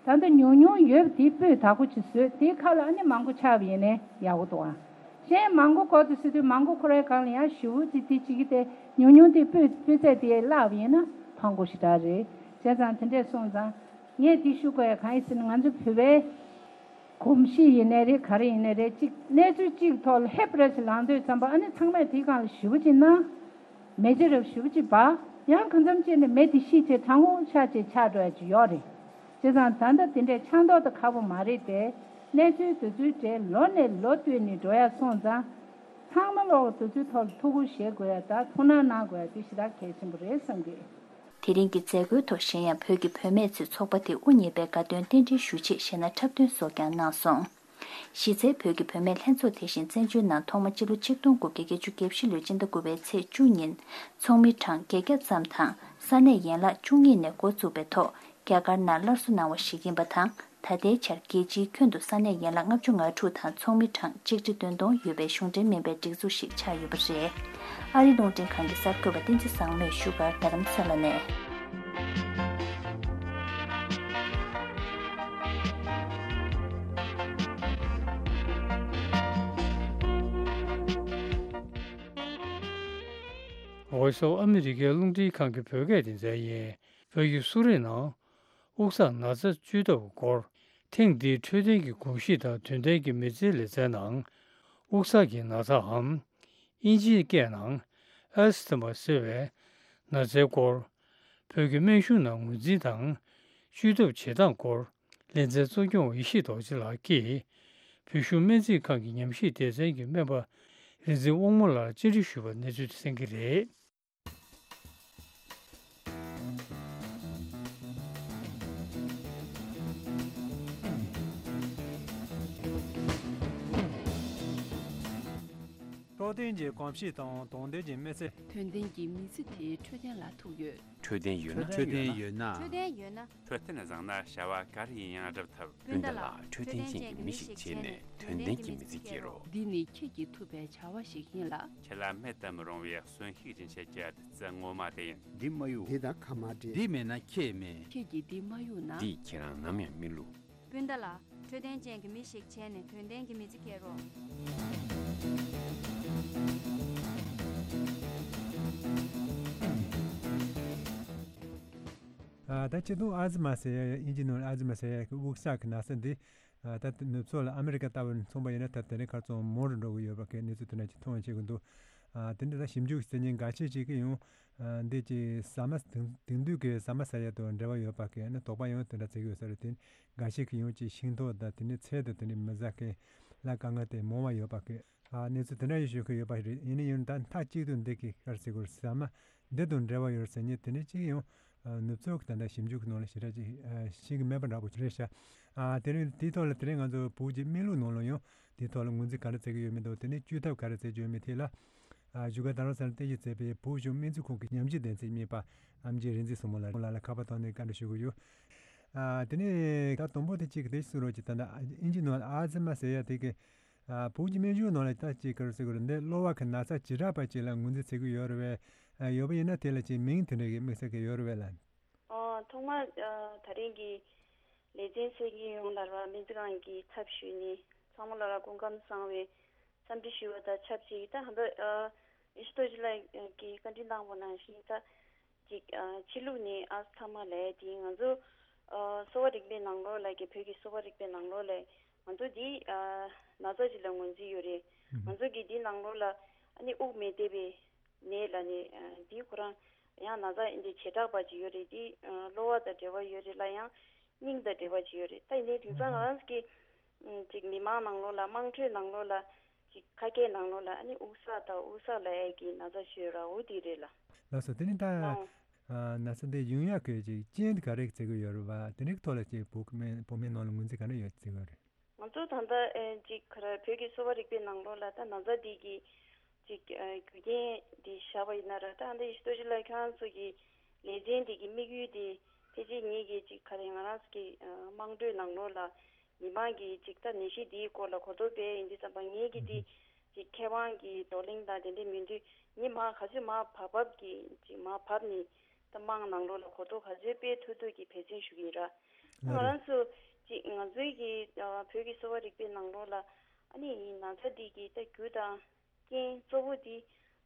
ད་ལྟ་ཉུང་ཉུང་ཡོད་པ་དེ་སྤུས་དག་པོ་ཅིག་བཟོས། དེའི་ཁ་ལ་ཨ་ནི་མང་པོ་ཆགས་པ་ཡིན་ནའི་ཡག་པོ་འདུག་ཨ། གཞན་མང་པོ་དགོས་འདུག་ཟེར་དུས་མང་པོ་ཁོ་རའི་སྒང་ལ་ཡང་ཞེ་པོ་ཅིག་དེ་བྱེད་ཀྱི། དེ་ཉུང་ཉུང་དེ་སྤུས་སྤུས་ཚད་དེ་བརླག་པ་ཡིན་ན་ཕངས་པོ་ཞེ་དྲག་རེད། བྱས་ཙང་དེ་འདྲས་སོང་ཙང་། ངས་འདི་ཞུ་དགོས་ཡ་གང་ཡིན་ཟེར་ན། ང་ཚོ་བོད་པའི་གོམས་གཤིས་ཡིན་ནའི་རེད། ག་རེ་ཡིན་ནའི་རེད། གཅིག་གནས་ཚུལ་གཅིག་ཐོག་ལ་ཧེབ་ར་ཞིག་ལངས་དུས་ཙམ་པ། ཨ་ནི་ཚང་མས་དེའི་སྒང་ལ་ཞེ་པོ་ཅིག་གནང་། མེ་ལྕེ་རབ་ཞེ་པོ་ཅིག་འབར། ཡང་གང་འཚམ་ཅིག་ནས་མེ་དེ་ཤི་བྱས་གྲང་འུར་ཆགས་བྱས་ཆགས་འགྲོ་ཡ་ཅིག་ཡོད་རེད། བྱས་ཙང་ད་ལྟ་དེ་འདྲའི་ཆགས་མདོག་དང་ཁ་པོ་མ་རེད་དེ། གནས་ཚུལ་དེ་ཚོའི་གྲས་ལོ་ནས་ལོ་བསྟུད་ནས་འགྲོ་ཡ་སོང་ཙང་། ཚང་མ་ལོག་དེ་ཚོའི་ཐོག་ལ་ཐུགས་ཁུར་བཞེས་དགོས་ཡ་དང་ཐུགས་སྣང་གནང་དགོས་ཡ་དེ་ཞེ་དྲག་གལ་ཆེན་པོ་རེད་བསམ་གི། དེ་རིང་གི་མཛད་སྒོའི་ཐོག་གཞན་ཡང་བོད་ཀྱི་བུད་མེད་ཚོས་ཚོགས་པ་དེ་དབུ་བརྙེས་པའི་དགའ་སྟོན་རྟེན་འབྲེལ་ཞུ་ཆེད་གཞས་སྣ་འཁྲབ་སྟོན་སོགས་ཀྱང་གནང་སོང་། གཞི་རྩའི་བོད་ཀྱི་བུད་མེད་ལྷན་ཚོགས་དེ་བཞིན་བཙན་བྱོལ་ནང་ཐོག་མ་སྤྱི་ལོ་ཆིག་སྟོང་དགུ་བརྒྱ་བརྒྱད་ཅུ་གྱ་བཞི་ལོའི་སྤྱི་ཟླ་དགུ་པའི་ཚེས་བཅུ་ཉིན་ཚོགས་མི་གྲངས་བརྒྱད་བརྒྱ་ཙམ་དང་ས་གནས་ཡན་ལག་བཅུ་གཉིས་ནས་འགོ་བཙུགས་པའི་ཐོག་རྒྱ་གར་ནང་སླར་གསོ་གནང་བ་ཞིག་ཡིན་པ་དང་། ད་ལྟའི་ཆར་རྒྱལ་སྤྱིའི་ཁྱོན་དུ་ས་གནས་ཡན་ལག་ལྔ་བཅུ་ང་དྲུག་དང་ཚོགས་མི་གྲངས་ཆིག་ཁྲི་བདུན་སྟོང་ཡོད་པའི་གཞུང་འབྲེལ་མིན་པའི་སྒྲིག་འཛུགས་ཤིག་ཆགས་ཡོད་པ་རེད། ཨ་རིའི་རླུང་འཕྲིན་ཁང་གི་གསར་འགོད་པ་བསྟན་འཛིན་བཟང་མོས་བཞུགས་སྒར་རྡ་རམ་ས་ལ་ནས། འོད་སོགས་ཨ་མི་རི་ཀའི་རླུང་འཕྲིན་ཁང་གི་བོད་སྐད་སྡེ་ཚན་ཡིན། བོད་ཀྱི་གསོ་རིག་ནང་དབུགས་བསགས་ན་ཚ་བཅོས་ཐབས་སྐོར། ཐེངས་འདིའི་འཕྲོད་བསྟེན་གྱི་གོམས་གཤིས་དང་དོན་ལྡན་གྱི་མི་ཚེའི་ལེ་ཚན་ནང་། དབུགས་བསགས་ཀྱི་ན་ཚའམ། དབྱིན་ཇིའི་སྐད་ནང་Asthma ཟེར་བའི་ན་ཚའི་སྐོར། བོད་ཀྱི་སྨན་གཞུང་ནང་ངོས་འཛིན་དང་། བཅོས་ཐབས་བྱེད་སྟངས་སྐོར། ལེ་ཚན་གཙོ་སྐྱོང་བ་ཡེ་ཤེས་རྡོ་རྗེ་ལགས་ཀྱིས། བོད་གཞུང་སྨན་རྩིས་ཁང་གི་ཉམས་ཞིབ་སྡེ་ཚན་གྱི་སྨན་པ་རིག་འཛིན་དབང་མོ་ལགས་བཅར་འདྲི་ཞུས་པར་གནས་ཚུལ་དེ་གསན་གྱི་རེད། འཕྲོད་བསྟེན་གྱི་གོམས་གཤིས་དང་དོན་ལྡན་གྱི་མི་ཚེ། དོན་ལྡན་གྱི་མི་ཚེ་དེ་འཕྲོད་བསྟེན་ལ་ཐུག་ཡོད། འཕྲོད་བསྟེན་ཡོད་ན། འཕྲོད་བསྟེན་ཡོད་ན། འཕྲོད་བསྟེན་ཡོད་ན། འཕྲོད་བསྟེན་བཟང་ན་བྱ་བ་ག་རེ་ཡིན་ཡང་འགྲུབ་ཐུབ། སྤུན་ཟླ་ལགས། འཕྲོད་བསྟེན་ཅན་གྱི་མི་ཞིག་བྱས་ནས་དོན་ལྡན་གྱི་མི་ཚེ་སྐྱེལ་རོགས། འདི་ནི་ཁྱེད་ཀྱིས་ཐུབ་པའི་བྱ་བ་ཞིག་ཡིན་ལ། ཁྱེད་ལ་མེད་དུ་མི་རུང་བའི་གསོན་ཤུགས་སྦྱིན་བྱེད་ཀྱི་བདུད་རྩི་ངོ་མ་དེ་ཡིན། འདི་མ་གཡུག་འདི་དང་ཁ་མ་འབྲལ། འདི་མེད་ན་ཁྱེད་མེད། ཁྱེད་ཀྱིས་འདི་མ་གཡུག་ན། འདིས་ཁྱེད་རང་ནམ་ཡང་མི་བསླུ། སྤུན་ཟླ་ལགས། འཕྲོད་བསྟེན་ཅན་གྱི་མི་ཞིག་བྱས་ནས་དོན་ལྡན་གྱི་མི་ཚེ་སྐྱེལ་རོགས། ཨ། ད་སྤྱིར་བཏང་ཨ་ཛི་མ་ཟེར་ཡ། དབྱིན་ཇི་ནང་ཨ་ཛི་མ་ཟེར་ཡ་གི་དབུགས་བསགས་ཀྱི་ན་ཚ་འདི། ཨ། ད་ནུབ་ཕྱོགས་ལ་ཨ་མི་རི་ཀ་ལྟ་བུ་མཚོན་པ་ཡིན་ན། ད་དེ་རིང་ཁ་སང་མང་རུ་འགྲོ་གི་ཡོད་པ་གི་གནས་ཚུལ་དེ་འདྲ་ཅིག་མཐོང་བ་བྱེད་ཀྱི་འདུག་ཨ། དེ་འདྲ་ད་ཞིབ་འཇུག་བྱེད་མཁན་འགའ་ཤས་ཅིག་གིས་ཡང་། ཨ། འདི་ཅིག་ཟ་མ་དེང་དེང་དུས་ཀྱི་ཟ་མ་ཟ་ཡ་དང་འབྲེལ་བ་ཡོད་པ་གི་ནི་དོགས་པ་ཡང་དེ་འདྲ་བྱེད་ཀྱི་ཡོད་ས་རེད། དེ་འགའ་ཤས་ཀྱིས་ཡང་ཅིག་ཤིང་ཏོག་དང་དེ་ནས་ཚལ་དང་དེ་འདྲ་མི་ཟ་མཁན་ལ་དཀའ་ངལ་དེ་མང་བ་ཡོད་པ་གི། ཨ། གནས་ཚུལ་དེ་འདྲ་ཡང་ཤོད་ཀྱི་ཡོད་པ་རེད། ཡིན་ན་ཡང་ད་མཐའ་གཅིག་ཏུ་འདི་གི་ག་རེ་ཟེར་དགོས་རེད། ཟ་མ་འདི་དང་འབྲེལ་བ་ཡོད་ཟེར་མཁན་དེ་འདྲ་ཅིག་ཡང་། ཨ། ནུབ་ཕྱོགས་ཀྱི་ད་ལྟ་ཞིབ་འཇུག་གི་ནང་ལ་ཞེ་དྲག་ཅིག་ཨ། ཤེས་ཀྱི་མེད་པ་འདྲ་པོ་རེད་ཤག་ཨ། དེ་རིང་དེའི་ཐོག་ལ་དེ་རིང་ང་ཚོ་བོད་ཀྱི་སྨན་ལུགས་ནང་ལ་ཡང་དེའི་ཐོག་ལ་ངོས་འཛིན་ག་རེ་བྱེད་ཀྱི་ཡོད་མེད་དང་། དེ་ནས་བཅོས་ཐབས་ག་རེ་བྱེད་ཀྱི་ཡོད་མེད་ཐད་ལ། ཨ། བཞུགས་སྒར་རྡ་རམ་ས་ལར་རྟེན་གཞི་བྱས་པའི་བོད་གཞུང་སྨན་རྩིས་ཁང་གི་ཉམས་ཞིབ་སྡེ་ཚན་གཉིས་པ་ཨེམ་ཆི་རིག་འཛིན་བཟང་མོ་ལགས་ལ་ཁ་པར་ཐོག་ནས་བཀའ་འདྲི་ཞུ་གི་ཡོད། ཨ། དེ་ནས་ད་དང་པོ་དེ་གཅིག་གི་དེ་གསུང་རོགས་གྱིས། ད་ལྟ་དབྱིན་ཇི་ནང་ལ་ཨལ་ཛི་མ་ཟེར་ཡ་དེ་གི། ཨ། བོད་ཀྱི་སྨན་གཞུང་ནང་ལ་ད་ཅིག་ག་རེ་ཟེར་དགོས་རེད། འདི་གློ་བ་གི་ན་ཚ་ཇི་འདྲ་བ་ཅིག་ལ་ངོས་འཛིན་བྱེད་ཀྱི་ཡོད་རེད་པས། ཨ། ཡོད་པ་ཡིན་ན་དེ་ལ་ཅིག་མིང་དེ་འདྲ་གི་དམིགས་བསལ་གྱི་ཡོད་རེད་པས་ལགས། ཨོ། ཐོག་མར། ཨ། ད་རིང་གི་ལེ་ཚན་གསན་མཁན་ཡོངས་ལ་ར་སྨན་རྩིས་ཁང་གི་ཚབ་ཞུས་ནས་ཚང་མ་ལ་ར་སྐུ་ཁམས་བཟང་བའི་འཚམས་འདྲི་ཞུ་བ་དང་ཆབས་ཅིག་ད་ཧམ་པ། ཨ། ཡེ་ཤེས་རྡོ་རྗེ་ལགས་ཀྱིས་བཀའ་འདྲི་གནང་བ་ནང་བཞིན་ད། ཅིག་ཨ། ཕྱི་ལུགས་ནས་ཨ་ཚང་མ་ལས་དེ་ང་ཚོ་ ཨ་གསོ་བ་རིག་པའི་ནང་ལོགས་ལ་གི་བོད་ཀྱི་གསོ་བ་རིག་པའི་ནང་ལོགས་ལ་ང་ཚོ་འདི་ཨ་ན་ཚ་ཅིག་ལ་ངོས་འཛིན་ཡོད་རེད། ང་ཚོ་གི་འདི་ནང་ལོགས་ལ་ཨ་ནི་དབུགས་མི་བདེ་བའི་ནད་ལ་ནི་ཨ་འདི་ཁོ་རང་ཡང་ན་ཚ་འདི་བྱེ་བྲག་པ་ཅིག་ཡོད་རེད། འདི་ཨ་གློ་བ་དང་འབྲེལ་བ་ཡོད་རེད་ལ་ཡང་སྙིང་དང་འབྲེལ་བ་ཅིག་ཡོད་རེད། ད་ཡིན་ནའི་དེང་སང་ང་རང་གི་ཨ་ཅིག་མི་མང་ནང་ལོགས་ལ་དམངས་ཁྲོད་ནང་ལོགས་ལ་ཅིག་ཁ་སྐད་ནང་ལོགས་ལ་ཨ་ནི་དབུགས་བསགས་དང་དབུགས་བསགས་ལ་ཡ་གི་ན་ཚ་ཤོད་ར་འོ་དེ་རེད་ལ། ལགས་སོ། དེ་ནི་ད་ཨ་ན་ཚ་འདི་ཡོང་ཡག་གི་ཅིག་རྐྱེན་དེ་ག་རེ་བརྩི་གི་ཡོད་རེད་བ། དེ་རིགས་ཐོག་ལ་ཅིག་བོད་ཀྱི་མི་བོད་མིའི་ནང་ལ་ངོས་འཛིན་ག་འདྲ་ཡོད་བརྩི་གི་ཡོད་རེད། ང་ཚོ་ད་ལྟ་ཨེ་ཅིག་ག་རེ་བོད་ཀྱི་གསོ་བ་རིག་པའི་ནང་ལོགས་ལ་ད་ན་ཚ་འདི་གི་ཅིག་ཨེ་རྒྱུ་རྐྱེན་འདི་བཞག་པ་ཡིན་ན་ར་ད་ཨ་འདི་ཡེ་ཤེས་རྡོ་རྗེ་ལགས་ཁྱེད་རང་ཚོ་གི་ལས་འཛིན་འདི་གི་དམིགས་ཡུལ་འདི་ཕལ་ཆེར་ངེད་ཀྱི་ཅིག་ག་རེ་ང་རང་ཚོ་གི་ཨ་དམངས་ཁྲོད་ནང་ལོགས་ལ་མི་མང་གི་ཅིག་ད་ནད་གཞི་འདིའི་སྐོར་ལ་གོ་རྟོགས་སྤེལ་ཡིན་དུས་ཙམ་པ་ངེད་ཀྱི་འདི་ཅིག་མཁས་དབང་གི་བགྲོ་གླེང་དང་དེ་འདྲའི་མི་འདུས་ངེད་མ་ག་ཚོད་མ་བབས་བབས་ཀྱི་ཅིག་མ་བབས་ནས་ད་དམངས་ནང་ལོགས་ལ་གོ་རྟོགས་ག་ཚོད་སྤེལ་ཐུབ་ཐུབ་ཀྱི་འབད་བརྩོན་ཞུ་གི་ཡིན་ར། ང་རང་ཚོ་ཅིག་ང་ཚོའི་གི་ཨ་བོད་ཀྱི་གསོ་བ་རིག་པའི་ནང་ལོགས་ལ་ཨ་ནི་ན་ཚ་འདི་གི་ད་རྒྱུ་དང་རྐྱེན་གཙོ་བོ་འདི་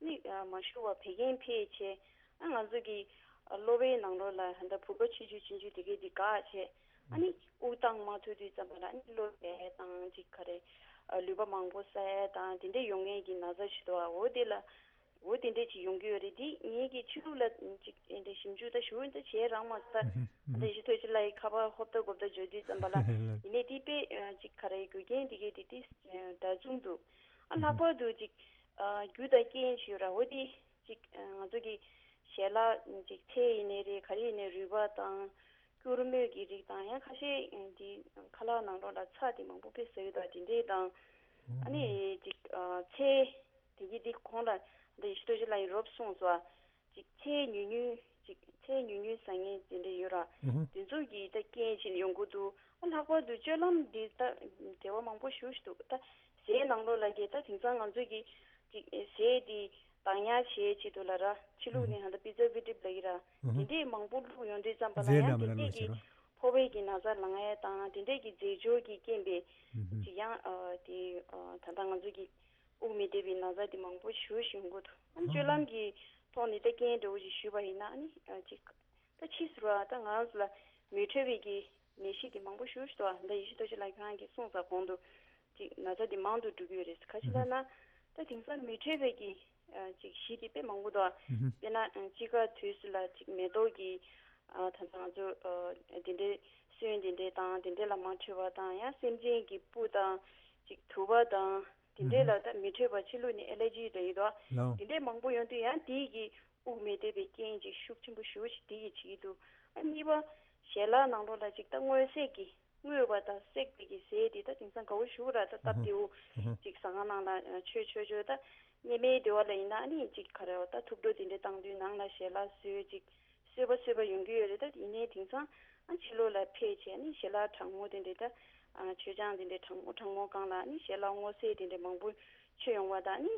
ནི་ཨ་མ་ཞུ་བ་བད་ཀན་འཕེལ་བྱས་ཨ་ང་ཚོ་གི་ཨ་གློ་བའི་ནང་ལོགས་ལ་ད་ལྟ་བུ་ག་ཆུང་ཆུང་ཆུང་ཆུང་དེ་གའི་འདི་འགག་བྱས་ཨ་ནི་དབུགས་བཏང་མ་ཐུབ་དུས་ཙམ་པ་ལ་ཨ་ནི་གློ་བའི་དང་ཅིག་ག་རེ་ཨ་ལུད་པ་མང་པོ་བསགས་དང་དེ་འདྲ་ཡོང་མཁན་གྱི་ན་ཚ་ཞིག་འདུག་ཨ། འོ་དེ་ལ། འོ་དེ་འདྲས་ཅིག་ཡོང་གི་ཡོད་རེད། དེ་ངེད་ཀྱི་ཕྱི་ལུགས་ལ་ཅིག་དེ་འདྲས་ཞིབ་འཇུག་ད་ཞུ་ད་བྱས་རང་མ་ད་ད་ཡེ་ཤེས་ཐོས་ཅི་ལ་ཡི་ཁ་པར་ཧོབ་ད་གོབ་ད་བརྗོད་དུས་ཙམ་པ་ལ་ཡིན་ནའི་དེ་དཔེ་ཅིག་ག་རེ་རྒྱུ་རྐྱེན་དེ་གའི་དེ་དེ་འདྲ་མཚུངས་འདུག་ཨ་ལྷག་པར་དུ་ཅིག་རྒྱུ་དང་རྐྱེན་ཞུ་ར་འོ་དེ་ཅིག་ང་ཚོ་གི་ཞལ་ལག་ཅིག་ཚལ་ཡིན་ནའི་རེད། ག་རེ་ཡིན་ནའི་རུས་པ་དང་སྐྱུར་མོས་ཀྱི་རིགས་དང་ཡང་ཁ་ཤས་དེ་ཁ་ལག་ནང་ལོགས་ལ་ཚྭ་དེ་མང་པོ་དཔེ་ཟ་ཡོད་ད་དེ་འདྲས་དང་ཨ་ནི་ཅིག་ཚལ། དེ་གི་འདི་གོང་ལ་འདི་ཡེ་ཤེས་རྡོ་རྗེ་ལགས་ཡིས་རོབ་གསུངས་སོ། ཅིག་ཚལ་ཉུང་ཉུང་ཅིག་ཚལ་ཉུང་ཉུང་ཟ་མཁན་དེ་འདྲ་ཡོད་ར། ཨུ་ཧུ། དེ་ཚོ་གི་ད་རྐྱེན་བྱས་ནས་ཡོང་གི་འདུག་ཨ་ལྷག་པར་དུ་སྤྱོད་ལམ་འདི་ད་འབྲེལ་བ་མང་པོ་ཞེ་པོ་ཞིག་འདུག་ད་ཟས་ནང་ལོགས་ལ་གི་ད་དེང་སང་ང་ཚོ་གི་ཅིག་ཟས་འདི་བདག་ཉར་བྱེད་ཆེད་དུ་ལ་ར་ཕྱི་ལུགས་ནས་ཧ་ད་པི་ཛ་པི་ཏྲིབ་ལ་གི་ར། ཨུ་ཧུ། དེ་འདྲས་མང་པོ་བླུགས་ཡོང་དུས་ཙམ་པ་ལ་ཟས་ཡང་འདྲ་མི་དེ་འདྲས་འདྲ་ཀྱི་ལ་ཟེར་བ། ཕོ་བའི་གི་ན་ཚ་ལངས་ཡས་དང་དེ་འདྲས་ཀྱི་རྫས་སྦྱོར་གྱི་རྐྱེན་པས་ཨུ་ཧུ། ཅིག་ཡང་ཨ་དེ་ཨ་ད་ལྟ་ང་ཚོ་གི་དབུགས་མི་བདེ་བའི་ན་ཚ་དེ་མང་པོ་ཞེ་པོ་ཞིག་ཡོང་གི་འདུག་ཨ་ནི་སྤྱོད་ལམ་གྱི་ཐོག་ནས་ད་རྐྱེན་འདྲ་བོ་ཞིག་ཞུས་པ་ཡིན་ན་ཨ་ནི་ཨ་ཅིག་ད་ཕྱིས་སུ་ར་ད་ང་རང་ཚོ་ལ་མི་འཕྲོད་པའི་གི་ནད་གཞི་དེ་མང་པོ་ཞེ་པོ་ཞིག་འདུག་ཨ་ད་ཡེ་ཤེས་རྡོ་རྗེ་ལགས་ཁྱེད་རང་གིས་གསུངས་ས་གོང་དུ་ཅིག་ན་ཚ་དེ་མང་དུ་འགྲོ་གི་ཡོད་རེད། ག་ཅི་ལབ་ན་ད་དེང་སང་མི་འཕྲོད་པའི་གི་ཨ་ཅིག་གཞི་དེ་དཔེ་མང་པོ་འདུག་ཨ་དཔེར་ན་དཔྱིད་ཀ་དུས་སུ་ལ་ཅིག་མེ་ཏོག་གི་ཨ་ད་ལྟ་ང་ཚོ་ཨ་དེ་འདྲའི་སོན་དེ་འདྲའི་དང་དེ་འདྲའི་ལ་མ་འཕྲོད་པ་དང་ཡང་སེམས་ཅན་གྱི་སྤུ་དང་ཅིག་དུ་བ་དང་དེ་འདྲའི་ལ་ད་མི་འཕྲོད་པ་ཕྱི་ལུགས་ནས་ཨེ་ལར་ཇི་འདྲ་ཡོད་དོ། དེ་འདྲའི་མང་པོ་ཡོང་དུས་ཡང་དེའི་གི་དབུགས་མི་བདེ་བའི་རྐྱེན་ཅིག་ཤུགས་ཆེན་པོ་ཞེ་པོ་ཞིག་དེ་ཡིས་བྱེད་ཀྱི་འདུག་ཨ་གཉིས་པ་ཞལ་ལག་ནང་ལོགས་ལ་ཅིག་ད་སྔོ་སེར་གྱི་སྔོས་པ་དང་སྲེག་པའི་གི་ཟས་དེ་ད་དེང་སང་དགའ་བོ་ཞེ་པོ་ར་ད་སྟབས་བདེ་བོ་ཅིག་ཟ་ཁང་ནང་ལ་མཆོད་མཆོད་མཆོད་ད་སྔོན་མའི་དུས་ལ་ཡིན་ན་ཨ་ནི་ཅིག་ག་རེ་བ་ད་ཐུགས་སྤྲོ་དེ་འདྲ་བཏང་དུས་ནང་ལ་ཞལ་ལག་བཟོས་ཅིག་གསོད་པ་གསོད་པ་ཡོང་གི་ཡོད་རེད། ད་ཡིན་ནའི་དེང་སང་ཨ་ཕྱི་ལོགས་ལ་ཕེབས་བྱས་ནི་ཞལ་ལག་གྲང་མོ་དེ་འདྲས་ད་ཨ་མཆོད་ཆང་དེ་འདྲས་གྲང་མོ་གྲང་མོ་བཀང་ལ་ནི་ཞལ་ལག་སྔོ་སེར་དེ་འདྲས་མང་པོ་མཆོད་ཡོང་བ་དང་ནི་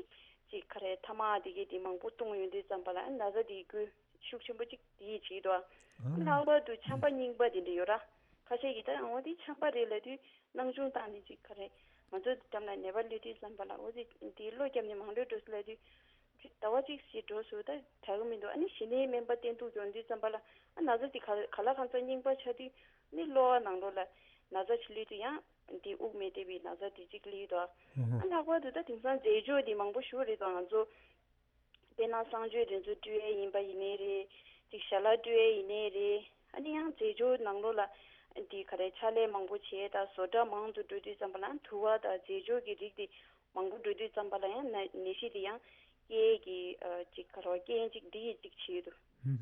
ཅིག་ག་རེ་ཐ་མག་དེ་གས་དེ་མང་པོ་བཏུང་ཡོང་དུས་ཙམ་པ་ལ་ཨ་ན་ཚ་དེ་འགོས་ཤུགས་ཆེན་པོ་ཅིག་དེ་ཡིས་བྱེད་དོ། ཨ་ལྷག་པར་དུ་ཆམ་པ་རྙིང་པ་དེ་འདྲས་ཡོད་ར། ཁ་ཤས་ཀྱིས་ད་འོ་དེ་ཆམ་པ་རེད་ལབ་དུས་སྣང་ཆུང་བཏང་ནས་ཅིག་ག་རེ་ང་ཚོ་འགྲམ་ལ་ནད་པ་སླེབས་དུས་ཙམ་པ་ལ་འོ་དེ་དེ་གློ་བརྒྱབ་ནས་མང་ལོས་འགྲོ་སྲིད་ལབ་དུས། ཟླ་བ་གཅིག་ཙམ་འགྲོ་སོང་ད་དྲག་གི་མི་འདུག་ཨ་ནི་གཞི་ནས་སྨན་པ་བསྟེན་གཏུག་ཡོང་དུས་ཙམ་པ་ལ་ཨ་ན་ཚ་དེ་ག་ག་ལ་གང་འཚམ་རྙིང་པ་ཆགས་དུས་ནི་གློ་བ་ནང་ལོགས་ལ་ན་ཚ་ཅིག་སླེབས་དུས་ཡང་དེ་དབུགས་མི་བདེ་བའི་ན་ཚ་དེ་གཅིག་སླེབས་འདུག་ཨ་ལྷག་པར་དུ་ད་དེང་སང་རྫས་སྦྱོར་དེ་མང་པོ་ཞེ་པོ་རེད་དོ། ང་ཚོ་དཔེར་ན་གསང་སྤྱོད་དེ་ཚོ་སྤྲོད་ཡས་ཡིན་པ་ཡིན་ནའི་རེད། ཅིག་ཞལ་ལག་སྤྲོད་ཡས་ཡིན་ནའི་རེད། ཨ་ནི་ཡང་རྫས་སྦྱོར་ནང་ལོགས་ལ་འདི་ག་རེ་ཕྱག་ལས་མང་པོ་བྱས་དང་བཟོ་གྲྭ་མང་དུ་འགྲོ་དུས་ཙམ་པ་ལ་དུ་བ་དང་རྫས་སྦྱོར་གྱི་རིགས་དེ་མང་པོ་འགྲོ་དུས་ཙམ་པ་ལ་ཡང་ན་ནད་གཞི་དེ་ཡང་སྐྱེ་གི་ཨ་ཅིག་ག་རེ་རྐྱེན་ཅིག་འདི་ཡི་ཅིག་བྱེད་ཡོད་དོ།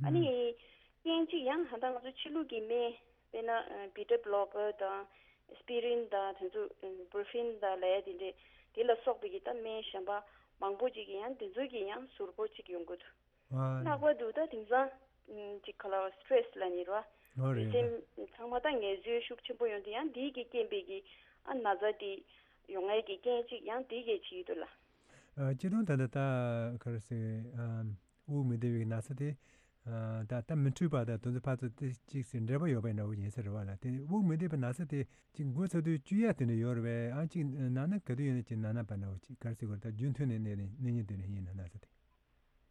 ཨ་ནི་རྐྱེན་ཅིག་ཡང་ད་ལྟ་ང་ཚོ་ཕྱི་ལུགས་ཀྱི་སྨན་དཔེར་ན་ཨ་བི་ཊ་བྷ་ལོ་ཀར་དང་ཨེ་སི་པི་རིན་དང་དེ་ཚོ་ཨ་བུ་རོ་ཕིན་དང་ལབ་ཡ་དེ་འདྲས་དེ་ལ་སོགས་པའི་གི་ད་སྨན་གཞན་པ་མང་པོ་ཅིག་གི་ཡང་དེ་ཚོ་གི་ཡང་ཟུར་པོ་ཅིག་ཡོང་གི་འདུག་ཨ་ལྷག་པར་དུ་ད་དེང་སང་ཅིག་ག་ལ་བ་སི་ཊེ་རེ་སི་ལ་ནི་ར་འོ་རེད། ལུས་སེམས་ཚང་མ་ད་ངལ་རྩོལ་ཤུགས་ཆེན་པོ་ཡོང་དུས་ཡང་འདི་གི་རྐྱེན་པས་ཀྱི་ཨ་ན་ཚ་དེ་ཡོང་ཡས་ཀྱི་རྐྱེན་ཅིག་ཡང་འདི་གས་བྱེད་ཀྱི་འདུག་ལ། ཨ་སྤྱིར་བཏང་ད་ལྟ་ད་ག་རེ་ཟེར་ཨ་དབུགས་མི་བདེ་བའི་ན་ཚ་དེ་ཨ་ད་ད་མི་འཕྲོད་པ་དང་དེ་ཚོ་ཕར་ཚུར་དེ་གཅིག་ཟེར་འབྲེལ་བ་ཡོད་པའི་འདྲ་བོ་ཡིན་ས་རེད་བ་ལ། དེ་དབུགས་མི་བདེ་བའི་ན་ཚ་དེ་གཅིག་འགོས་ཚར་དུས་བཅོས་ཡས་དེ་འདྲ་ཡོད་རེད་བས། ཨ་གཅིག་ན་ན་ག་དུས་ཡོད་ན་གཅིག་ན་ན་པ་འདྲ་བོ་གཅིག་ག་རེ་ཟེར་དགོས་རེད། ད་རྒྱུན་མཐུད་ནས་ནད་ནད་གཞི་དེ་འདྲ་ཡིན་ན་ན་ཚ་དེ།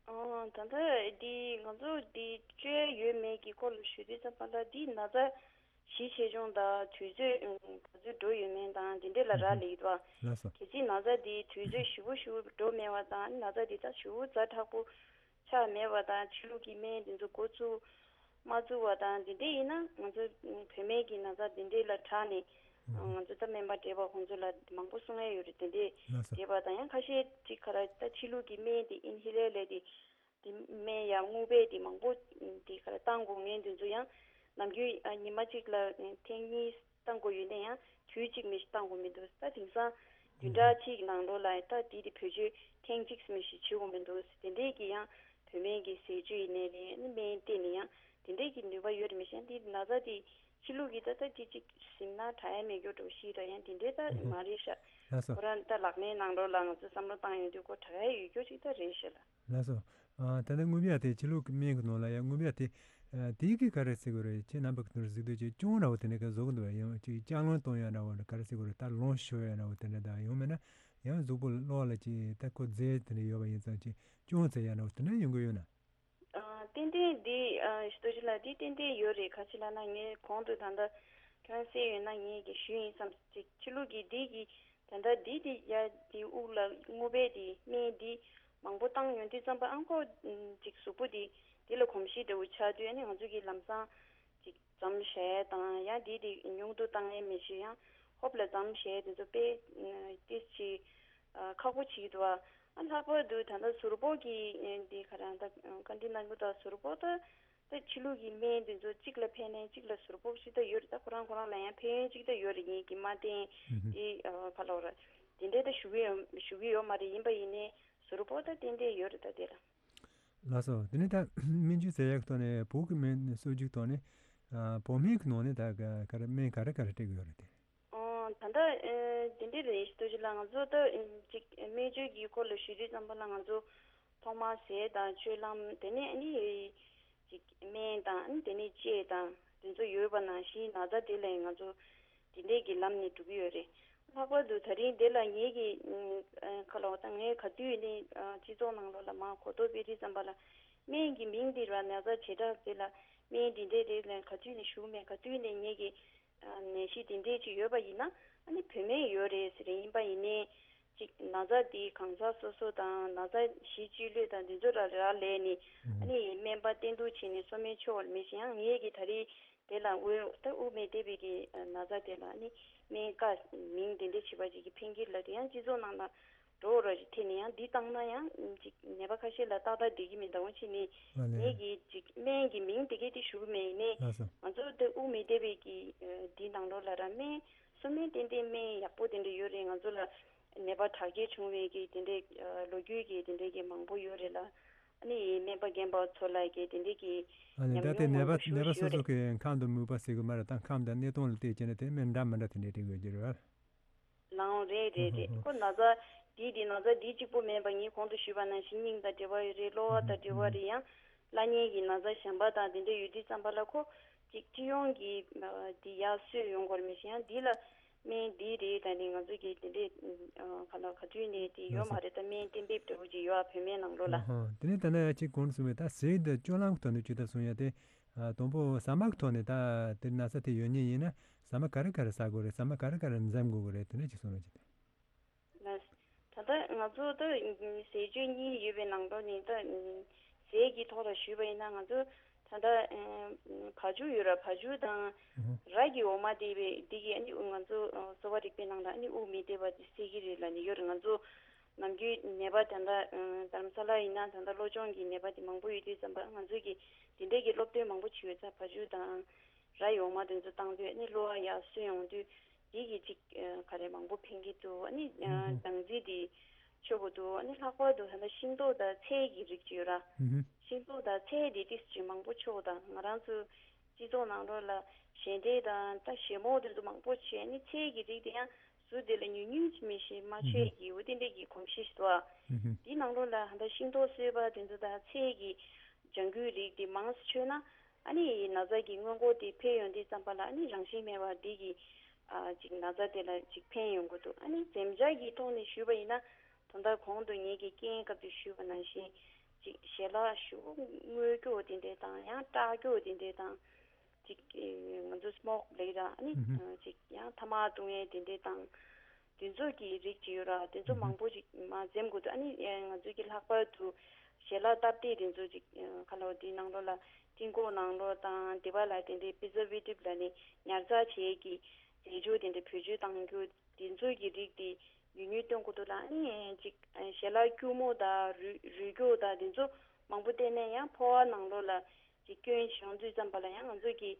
ཨོ། ད་ལྟ་འདི་ང་ཚོ་འདི་བཅོས་ཡོད་མེད་ཀྱི་སྐོར་ལ་ཞུ་དུས་ཙམ་པ་ལ་འདི་ན་ཚ་ གཞི་ཆེ་ཆུང་དང་དུས་ཚོད་ཨུམ་ག་ཚོད་འགྲོ་ཡོད་མེད་དང་དེ་འདྲས་ལ་རག་ལས་ཀྱི་འདུག་ཨ། ལགས་སོ། གལ་སྲིད་ན་ཚ་དེ་དུས་ཚོད་ཞེ་པོ་ཞེ་པོ་འགྲོ་མེད་པ་དང་ན་ཚ་དེ་ད་ཞེ་པོ་ཛ་དྲག་པོ་ཆགས་མེད་པ་དང་ཕྱི་ལུགས་ཀྱི་སྨན་དེ་ཚོ་འགོ་བཙུགས་མ་བཙུགས་པ་དང་དེ་འདྲས་ཡིན་ན་ང་ཚོ་བོད་སྨན་གྱི་ན་ཚ་དེ་འདྲས་ལ་དྲག་ནས་ང་ཚོ་ད་སྨན་པ་བགྲེས་པ་ཁོང་ཚོ་ལ་མང་པོ་གསུང་ཡ་ཡོད་རེད། དེ་འདྲས་ལགས་སོ། བགྲེས་པ་དང་ཡང་ཁ་ཤས་ཅིག་ག་ར་ད་ཕྱི་ལུགས་ཀྱི་སྨན་དེ་ཨིན་ཧི་ལེ་ལེ་དེ། དེ་སྨན་ཡང་རྔུལ་བས་དེ་མང་པོ་དེ་ག་རེ་བཏང་དགོས་ངེས་དེ་ཚོ་ཡང་ནམ་རྒྱུན་ཨ་ཉི་མ་གཅིག་ལ་ཐེངས་གཉིས་བཏང་དགོས་ཡོད་ན་ཡང་དུས་གཅིག་མི་ཞིག་བཏང་དགོས་མི་འདུག་ད་དེང་སང་བདུན་ཕྲག་གཅིག་ནང་ལོགས་ལ་ད་དེ་དེ་བེད་སྤྱོད་ཐེངས་གཅིག་མི་ཞིག་བྱེད་དགོས་མི་འདུག་དེ་འདྲས་ཀྱི་ཡང་བོད་སྨན་གྱི་ཟས་སྤྱོད་ཡིན་ནའི་རེད། ཨ་ནི་སྨན་བསྟེན་ནས་ཡང་དེ་འདྲས་ཀྱི་ནུས་པ་ཡོད་རེད། མི་ཤེས་དེ་ན་ཚ་དེ་ཕྱི་ལུགས་ཀྱི་ད་ལྟ་དེ་གཅིག་ཟིན་ན་དྲག་ཡ་མེད་རྒྱུ་འགྲོ་ཤེས་ར་ཡང་དེ་འདྲས་ད་མ་རེད་ཤག་ལགས་སོ། ཁོ་རང་ད་ལག་ལེན་ནང་ལོགས་ལ་ང་ཚོ་བསམ་བློ་བཏང་ཡོང་དུས་ཁོ་དྲག་ཡ་ཡོད་རྒྱུ་ཅིག་ད་རེད་ཤག་ལ། ལགས་སོ། ཨ་ད་ལྟ་རྔུལ་བ་དེ་ཕྱི་ལུགས་ཀྱི་སྨན་གྱི་ནང་ལ་ཡང་རྔུལ་བ་དེ་ཨ་དེ་གི་ག་རེ་ཟེར་དགོས་རེད། ཁྱེད་རྣམ་པ་གི་ནོར་གཟིགས་དུས་ཅིག་ཅུང་ར་བ་དེ་འདྲ་གི་བཟོ་གི་འདུག་ཡང་ཅིག་ལྕགས་ལམ་གཏོང་ཡ་ར་བ་ག་རེ་ཟེར་དགོས་རེད། ད་ལོང་ཤོར་ཡ་ར་བ་དེ་འདྲ་དང་ཡང་མིན་ན་ཡང་གཟུགས་པོ་གློ་བ་ལ་ཅིག་ད་ཁོ་རྫས་དེ་འདྲ་ཡོད་པ་ཡིན་ཙང་ཅིག་ཅུང་ཟད་ཡ་ར་བ་དེ་འདྲ་ཡོང་གི་ཡོད་ན། ཨ་ཏན་ཏན་འདི་ཨ་ཞུ་དོ་ཅི་ལ་འདི་ཏན་ཏན་ཡོད་རེད། ག་ཅི་ལབ་ན་ངས་གོང་དུ་ད་ལྟ་ཁྱོད་རང་གསན་ཡོད་ན་ངས་ཀྱི་ཞུས་ཡིན་བསམ་ཅིག་ཕྱི་ལུགས་ཀྱི་འདི་གི་ད་ལྟ་འདི་དེ་ཡ་དེ་དབུགས་ལ་རྔུལ་བས་དེ་སྨན་འདི་མང་པོ་བཏང་ཡོང་དུས་ཙམ་པ་ཨང་ཁོ་ཅིག་གཟུགས་པོ་དེ་དེ་ལ་གོམས་གཤིས་འདྲ་བོ་ཆགས་དུས་ཨ་ནི་ང་ཚོ་གི་ལམ་སང་ཅིག་འཇམ་བྱས་དང་ཡང་དེ་དེ་ཉུང་དུ་བཏང་ཡས་མི་ཤེས་ཡང་ཧོབ་ལ་འཇམ་བྱས་དེ་ཚོ་དཔེ་ཏིས་ཅིག་ཁག་པོ་ཅིག་འདུག་ཨ། ལྷག་པར་དུ་ད་ལྟ་ཟུར་ཕོག་གི་འདི་ག་རང་ད་བཀའ་འདྲི་གནང་རྒྱུ་ད་ཟུར་ཕོག་ད་ད་ཕྱི་ལུགས་ཀྱི་སྨན་འདི་ཚོ་གཅིག་ལ་ཕན་ནས་གཅིག་ལ་ཟུར་ཕོག་ཅིག་ད་ཡོད་རེད། ད་ཁོ་རང་ཁོ་རང་ལ་ཡང་ཕན་ཡོན་ཅིག་ད་ཡོད་རེད། ངེད་ཀྱི་མ་བསྟེན་དེ་ག་ལ་བ་ར་དེ་འདྲའི་ད་ཞུ་གི་ཡོད་ཞུ་གི་ཡོད་མ་རེད། ཡིན་པ་ཡིན་ནའི་ཟུར་ཕོག་ད་ཏན་ཏན་ཡོད་རེད། ད་དེ་ལ། ལགས་སོ། དེ་ནས་ད་སྨན་བཅོས་ཟེར་ཡག་གི་ཐོག་ནས་བོད་ཀྱི་སྨན་གསོ་བཅོས་ཐོག་ནས་ཨ་བོད་སྨན་གྱི་ནང་ནས་ད་ག་ག་རེ་སྨན་ག་རེ་ག་རེ་སྤྲད་ཀྱི་ཡོད་རེད་དེ། ཨོ་ད་ལྟ་ཨེ་དེ་འདྲ་རེད་ཞུ་དོ་ཅི་ལ་ང་ཚོ་ད་ཨེ་ཅིག་སྨན་བཅོས་ཀྱི་སྐོར་ལ་ཞུ་དུས་ཙམ་པ་ལ་ང་ཚོ་ཐོག་མར་ཟས་དང་སྤྱོད་ལམ་དེ་ནས་ཨ་ནི་ཅིག་སྨན་དང་ཨ་ནི་དེ་ནས་དཔྱད་དང་དེ་ཚོ་ཡོད་པ་ནང་བཞིན་ན་ཚ་དེ་ལ་ང་ཚོ་དེ་འདྲས་ཀྱི་ལམ་ནས་འགྲོ་གི་ཡོད་རེད། ལྷག་པར་དུ་ད་རིང་འདི་ལ་ངེད་ཀྱི་ཨ་ཁ་ལོ་ད་ངས་ག་དུས་ནས་ཨ་སྤྱི་ཚོགས་ནང་ལོགས་ལ་མར་གོ་རྟོགས་སྤེལ་དུས་ཙམ་པ་ལ་སྨན་གྱི་མིང་འདི་ར་ན་ཚ་བྱེ་བྲག་དེ་ལ་སྨན་འདི་འདྲས་རེད་ལ་ག་དུས་ནས་ཞུ་མེད། ག་དུས་ནས་ངེད་ཀྱི་ཨ་ནད་གཞི་འདི་འདྲས་ཅིག་ཡོད་པ་ཡིན་ན་ཨ་ནི་བོད་སྨན་ཡོད་རེད་ཟེར་ཡིན་པ་ཡིན་ནའི་ཅིག་ན་ཚ་འདི་གང་ཟག་སོ་སོ་དང་ན་ཚ་གཞི་བཅོས་ལུས་དང་འདི་ཚོ་ར་རག་ལས་ནས་ཨ་ནི་སྨན་པ་བསྟེན་གཏུག་བྱས་ནས་གསོ་སྨན་མཆོད་པར་མི་ཤེས་ཡང་ངེད་ཀྱི་ད་རེས་དེ་ལ་དབུ་ད་དབུ་མེད་བསྡད་པའི་གི་ན་ཚ་དེ་ལ་ནི་སྨན་བཀའ་མིང་དེ་འདྲ་བྱེད་པ་ཅིག་གི་འཕེན་འགྱུར་ལ་དེ་ཡང་སྤྱི་ཚོགས་ནང་ལ་འགྲོ་རོགས་ཞིག་ཐེ་ནས་ཡང་འདི་བཏང་ན་ཡང་ཅིག་ནད་པ་ཁ་ཤས་ལ་ཏག་ཏག་བསྡད་ཀྱི་མི་འདུག་ཕྱིན་ནི་ཨ་ལས། ངེད་ཀྱི་ཅིག་སྨན་གྱི་མིང་དེ་གས་དེ་ཞུ་གི་མེད་ཡིན་ནའི་ལགས་སོ། ང་ཚོ་དེ་དབུ་མེད་བསྡད་པའི་གི་འདི་ནང་ལོགས་ལ་ར་སྨན་གསོ་སྨན་ཏན་ཏན་སྨན་ཡག་པོ་དེ་འདྲ་ཡོད་རེད། ང་ཚོ་ལ་ནད་པ་དྲག་སྐྱེད་བྱུང་བའི་གི་དེ་འདྲའི་ལོ་རྒྱུས་ཀྱི་དེ་འདྲའི་གི་མང་པོ་ཡོད་རེད་ལ། ཨ་ནི་སྨན་པ་རྒན་པ་ཚོ་ལ་གི་དེ་འདྲའི་གི་ཨ་ནི་ཉམས་ད་དེ་མྱོང་ནད་མང་པོ་པ་ཞིག་ནད་པ་སོ་ཡོད་སོ་རེད། གི་ཁམས་དང་མོས་པ་ཟེར་གི་མ་རེད། ད་ཁམས་དང་གནས་སྟངས་ལ་བལྟས་བྱས་ན་དེ་སྨན་འདྲ་མི་འདྲ་དེ་འདྲའི་སྤྲད་དགོས་ཀྱི་རེད་བ། ལའང་རེད་རེད་རེད། ཁོ་ན་ཚ་འདི་འདི་ན་ཚ་འདི་གཅིག་པོ་མེད་པ་ངས་གོང་དུ་ཞུས་པ་ནང་བཞིན་སྙིང་དང་འབྲེལ་བ་ཡོད་རེད། གློ་བ་དང་འབྲེལ་བ་རེད། ཡང་བླ་གཉན་གྱི་ན་ཚ་གཞན་པ་དང་དེ་འདྲ་ཡོད་དུས་ཙམ་པ་ལ་ཁོ་གཅིག་སྤྱི་ཡོངས་ཀྱི་འདི་ཡར་གསོས་ཡོང་དགོས་རེད། མི་ཤེས་ཡང་འདི་ལ་སྨན་འདི་རེད། ད་ནི་ང་ཚོ་གི་དེ་འདྲས་ག་ལ་ག་དུས་ནས་དེ་ཡོད་མ་རེད། ད་སྨན་གཏན་འབེབས་འདྲ་བོ་ཅིག་ཡོད་ཨ་བོད་སྨན་ནང་ལོགས་ལ། ཨ་ཧ། དེ་ནས་ད་ནི་གཅིག་གོང་དུ་གསུངས་པའི་ད་ཟས་དང་སྤྱོད་ལམ་གྱི་ཐོག་ནས་ཇི་ལྟར་གསུང་ཡ་དེ། ཨ་དང་པོ་ཟ་མ་གི་ཐོག་ནས་ད་དེ་ན་ཚ་དེ་ཡོད་ཉེན་ཡིན་ན་ཟ་མ་ག་རེ་ག་རེ་ཟ་དགོས་རེད། ཟ་མ་ག་རེ་ག་རེ་འཛེམ་དགོས་ཀྱི་རེད། དེ་འདྲ་ཅིག་གསུང་རོགས་གྱིས། ལགས། ད་ལྟ་ང་ཚོ་ད་ཟས་སྤྱོད་གཉིས་ཡོད་པའི་ནང་དོན་ནི་ད་ཟས་ཀྱི་ཐོག་ལ་ཞུས་པ་ཡིན་ན་ང་ཚོ་ད་ལྟ་བ་ཕྱུགས་ཡོད་ར་བ་ཕྱུགས་དང་ར་གི་འོ་མ་དེ་བས་དེ་གི་ཨ་ནི་ང་ཚོ་གསོ་བ་རིག་པའི་ནང་ལ་ཨ་ནི་དབུགས་མི་བདེ་བ་དེ་སེལ་གྱི་རེད་ལབ་ནི་ཡོད་རེད། ང་ཚོ་ནམ་རྒྱུན་ནད་པ་ད་ལྟ་རྡ་རམ་ས་ལ་ཡིན་ན་ད་ལྟ་གློ་གཅོང་གི་ནད་པ་དེ་མང་པོ་ཡོད་དུས་ཙམ་པ་ང་ཚོ་གི་དེ་འདྲས་ཀྱི་སློབ་སྟོན་མང་པོ་བྱས་ཡོད་ཙང་བ་ཕྱུགས་དང་། ར་ཡོང་མ་དེ་ཚོ་བཏང་དུས་ཨ་ནི་གློ་བ་ཡར་སོན་ཡོང་དུས་དེ་གི་ཅིག་ག་རེ་མང་པོ་ཕན་གྱི་འདུག་ཨ་ནི་སྦྲང་རྩི་དེ་མཆོད་དགོས་འདུག་ཨ་ནི་ལྷག་པར་དུ་ད་ལྟ་ཤིང་ཏོག་དང་ཚལ་གྱི་རིགས་ཅིག་ཡོད་ར། ཤིང་ཏོག་དང་ཚལ་དེ་ཏིས་ཅིག་མང་པོ་མཆོད་དང་ང་རང་ཚོ་སྤྱི་ཚོགས་ནང་ལོགས་ལ་ཞལ་འབྲས་དང་ད་ཞལ་མོ་དེ་ཚོ་མང་པོ་བྱས་ཨ་ནི་ཚལ་གྱི་རིགས་དེ་ཡང་ཟུར་དེ་ལ་ཉུང་ཉུང་ཅིག་མི་ཤེས་མ་མཆོད་ཀྱི་འོ་དེ་འདྲས་ཀྱི་གོམས་གཤིས་ཤིག་འདུག་ཨ། དེའི་ནང་ལོགས་ལ་ད་ལྟ་ཤིང་ཏོག་གསོད་པ་དེ་ཚོ་དང་ཚལ་གྱི་ལྗང་གུའི་རིགས་དེ་མང་ཙམ་མཆོད་ན། ཨ་ནི་ན་ཚ་གི་སྔོན་འགོག་དེ་ཕེབས་ཡོང་དུས་ཙམ་པ་ལ་ཨ་ནི་རང་བཞིན་མེད་པར་འདི་གི་ཨ་ཅིག་ན་ཚ་དེ་ལ་ཅིག་ཕན་ཡོང་གི་འདུག་ཨ་ནི་འཛེམ་བྱ་གི་ཐོག་ནས་ཞུས་པ་ཡིན་ན་ད་ལྟ་གོང་དུ་ངེད་ཀྱི་རྐྱེན་སྐབས་དུ་ཞུས་པ་ནང་བཞིན་ཅིག་ཞལ་ལག་ཞུ་རྔོད་རྒྱུ་དེ་འདྲས་དང་ཡང་སྐྲག་རྒྱུ་དེ་འདྲས་དང་ ཅིག་ང་ཚོ་སི་མོག་ལབ་ཀྱི་ར། ཨ་ནི་ཨུ་ཧུ། ཅིག་ཡང་ཐ་མག་བཏུང་ཡས་དེ་འདྲས་དང་། དེ་ཚོ་གི་རིགས་ཅིག་ཡོད་ར། དེ་ཚོ་ཨུ་ཧུ། མང་པོ་ཅིག་མར་འཛེམ་དགོས་འདུག་ཨ་ནི་ང་ཚོ་གི་ལྷག་པར་དུ་ཞལ་ལག་སྟབས་བདེ་དེ་ཚོ་ཅིག་ཁ་ལོ་དེའི་ནང་ལོགས་ལ་སྤྲིན་ཀོག་ནང་ལོགས་དང་དེ་པ་ལ་དེ་འདྲའི་པི་རི་ཛར་ཝེ་ཊིབ་ལབ་ནས་ཉར་ཚགས་བྱེད་ཀྱི་རྫས་སྦྱོར་དེ་འདྲ་བེད་སྤྱོད་བཏང་རྒྱུ། དེ་ཚོ་གི་རིགས་དེ་ཉུང་ཉུང་སྟོན་དགོས་འདུག་ལ། ཨ་ནི་ཅིག་ཞལ་ལག་སྐྱུར་མོ་དང་རུས་རུས་སྐྱོགས་དང་དེ་ཚོ་མང་པོ་བསྟེན་ནས་ཡང་ཕོ་བ་ནང་ལོགས་ལ་ཅིག་སྐྱོན་བྱུང་དུས་ཙམ་པ་ལ་ཡང་ང་ཚོ་གི་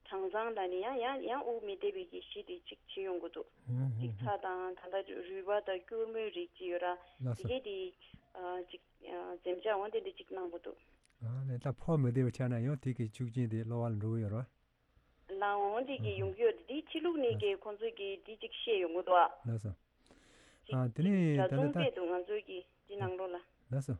གྲང་ཟང་ལ་ནི་ཡང་ཡང་ཡང་དབུགས་མི་བདེ་བའི་གི་གཞི་དེ་ཅིག་བྱེད་ཡོང་གི་འདུག་ཨུ་ཧུ། ཅིག་ཚྭ་དང་ད་ལྟ་རུས་པ་དང་སྐྱུར་མོའི་རིགས་ཅིག་ཡོད་ར། ལགས་དེ་སོ། གས་དེ་ཨ་ཅིག་ཨ་འཛེམ་བྱ་འོང་དེ་འདྲ་ཅིག་གནང་གི་འདུག་ཨ་ནི་ད་ཕོ་མི་བདེ་བའི་ཆ་ན་ཡང་དེ་གི་ཤུགས་རྐྱེན་དེ་གློ་བ་ལ་འགྲོ་གི་ཡོད་རེད་བ། ལའང་འོང་དེ་གི་ཨུ་ཧུ། ཡོང་གི་ཡོད་རེད། དེ་ཕྱི་ལུགས་ནས་ལགས་སོ། གི་ཁོང་ཚོས་གི་དེ་ཅིག་བཤད་ཡོང་གི་འདུག་ཨ། ལགས་སོ། ཅིག་ཨ་དེ་ཅིག་ནས་ད་ལྟ་ད། གྲྭ་ཚང་སྐད་དུ་ང་ཚོའི་གི་འདི་ནང་ལོགས་ལ། ལགས་སོ།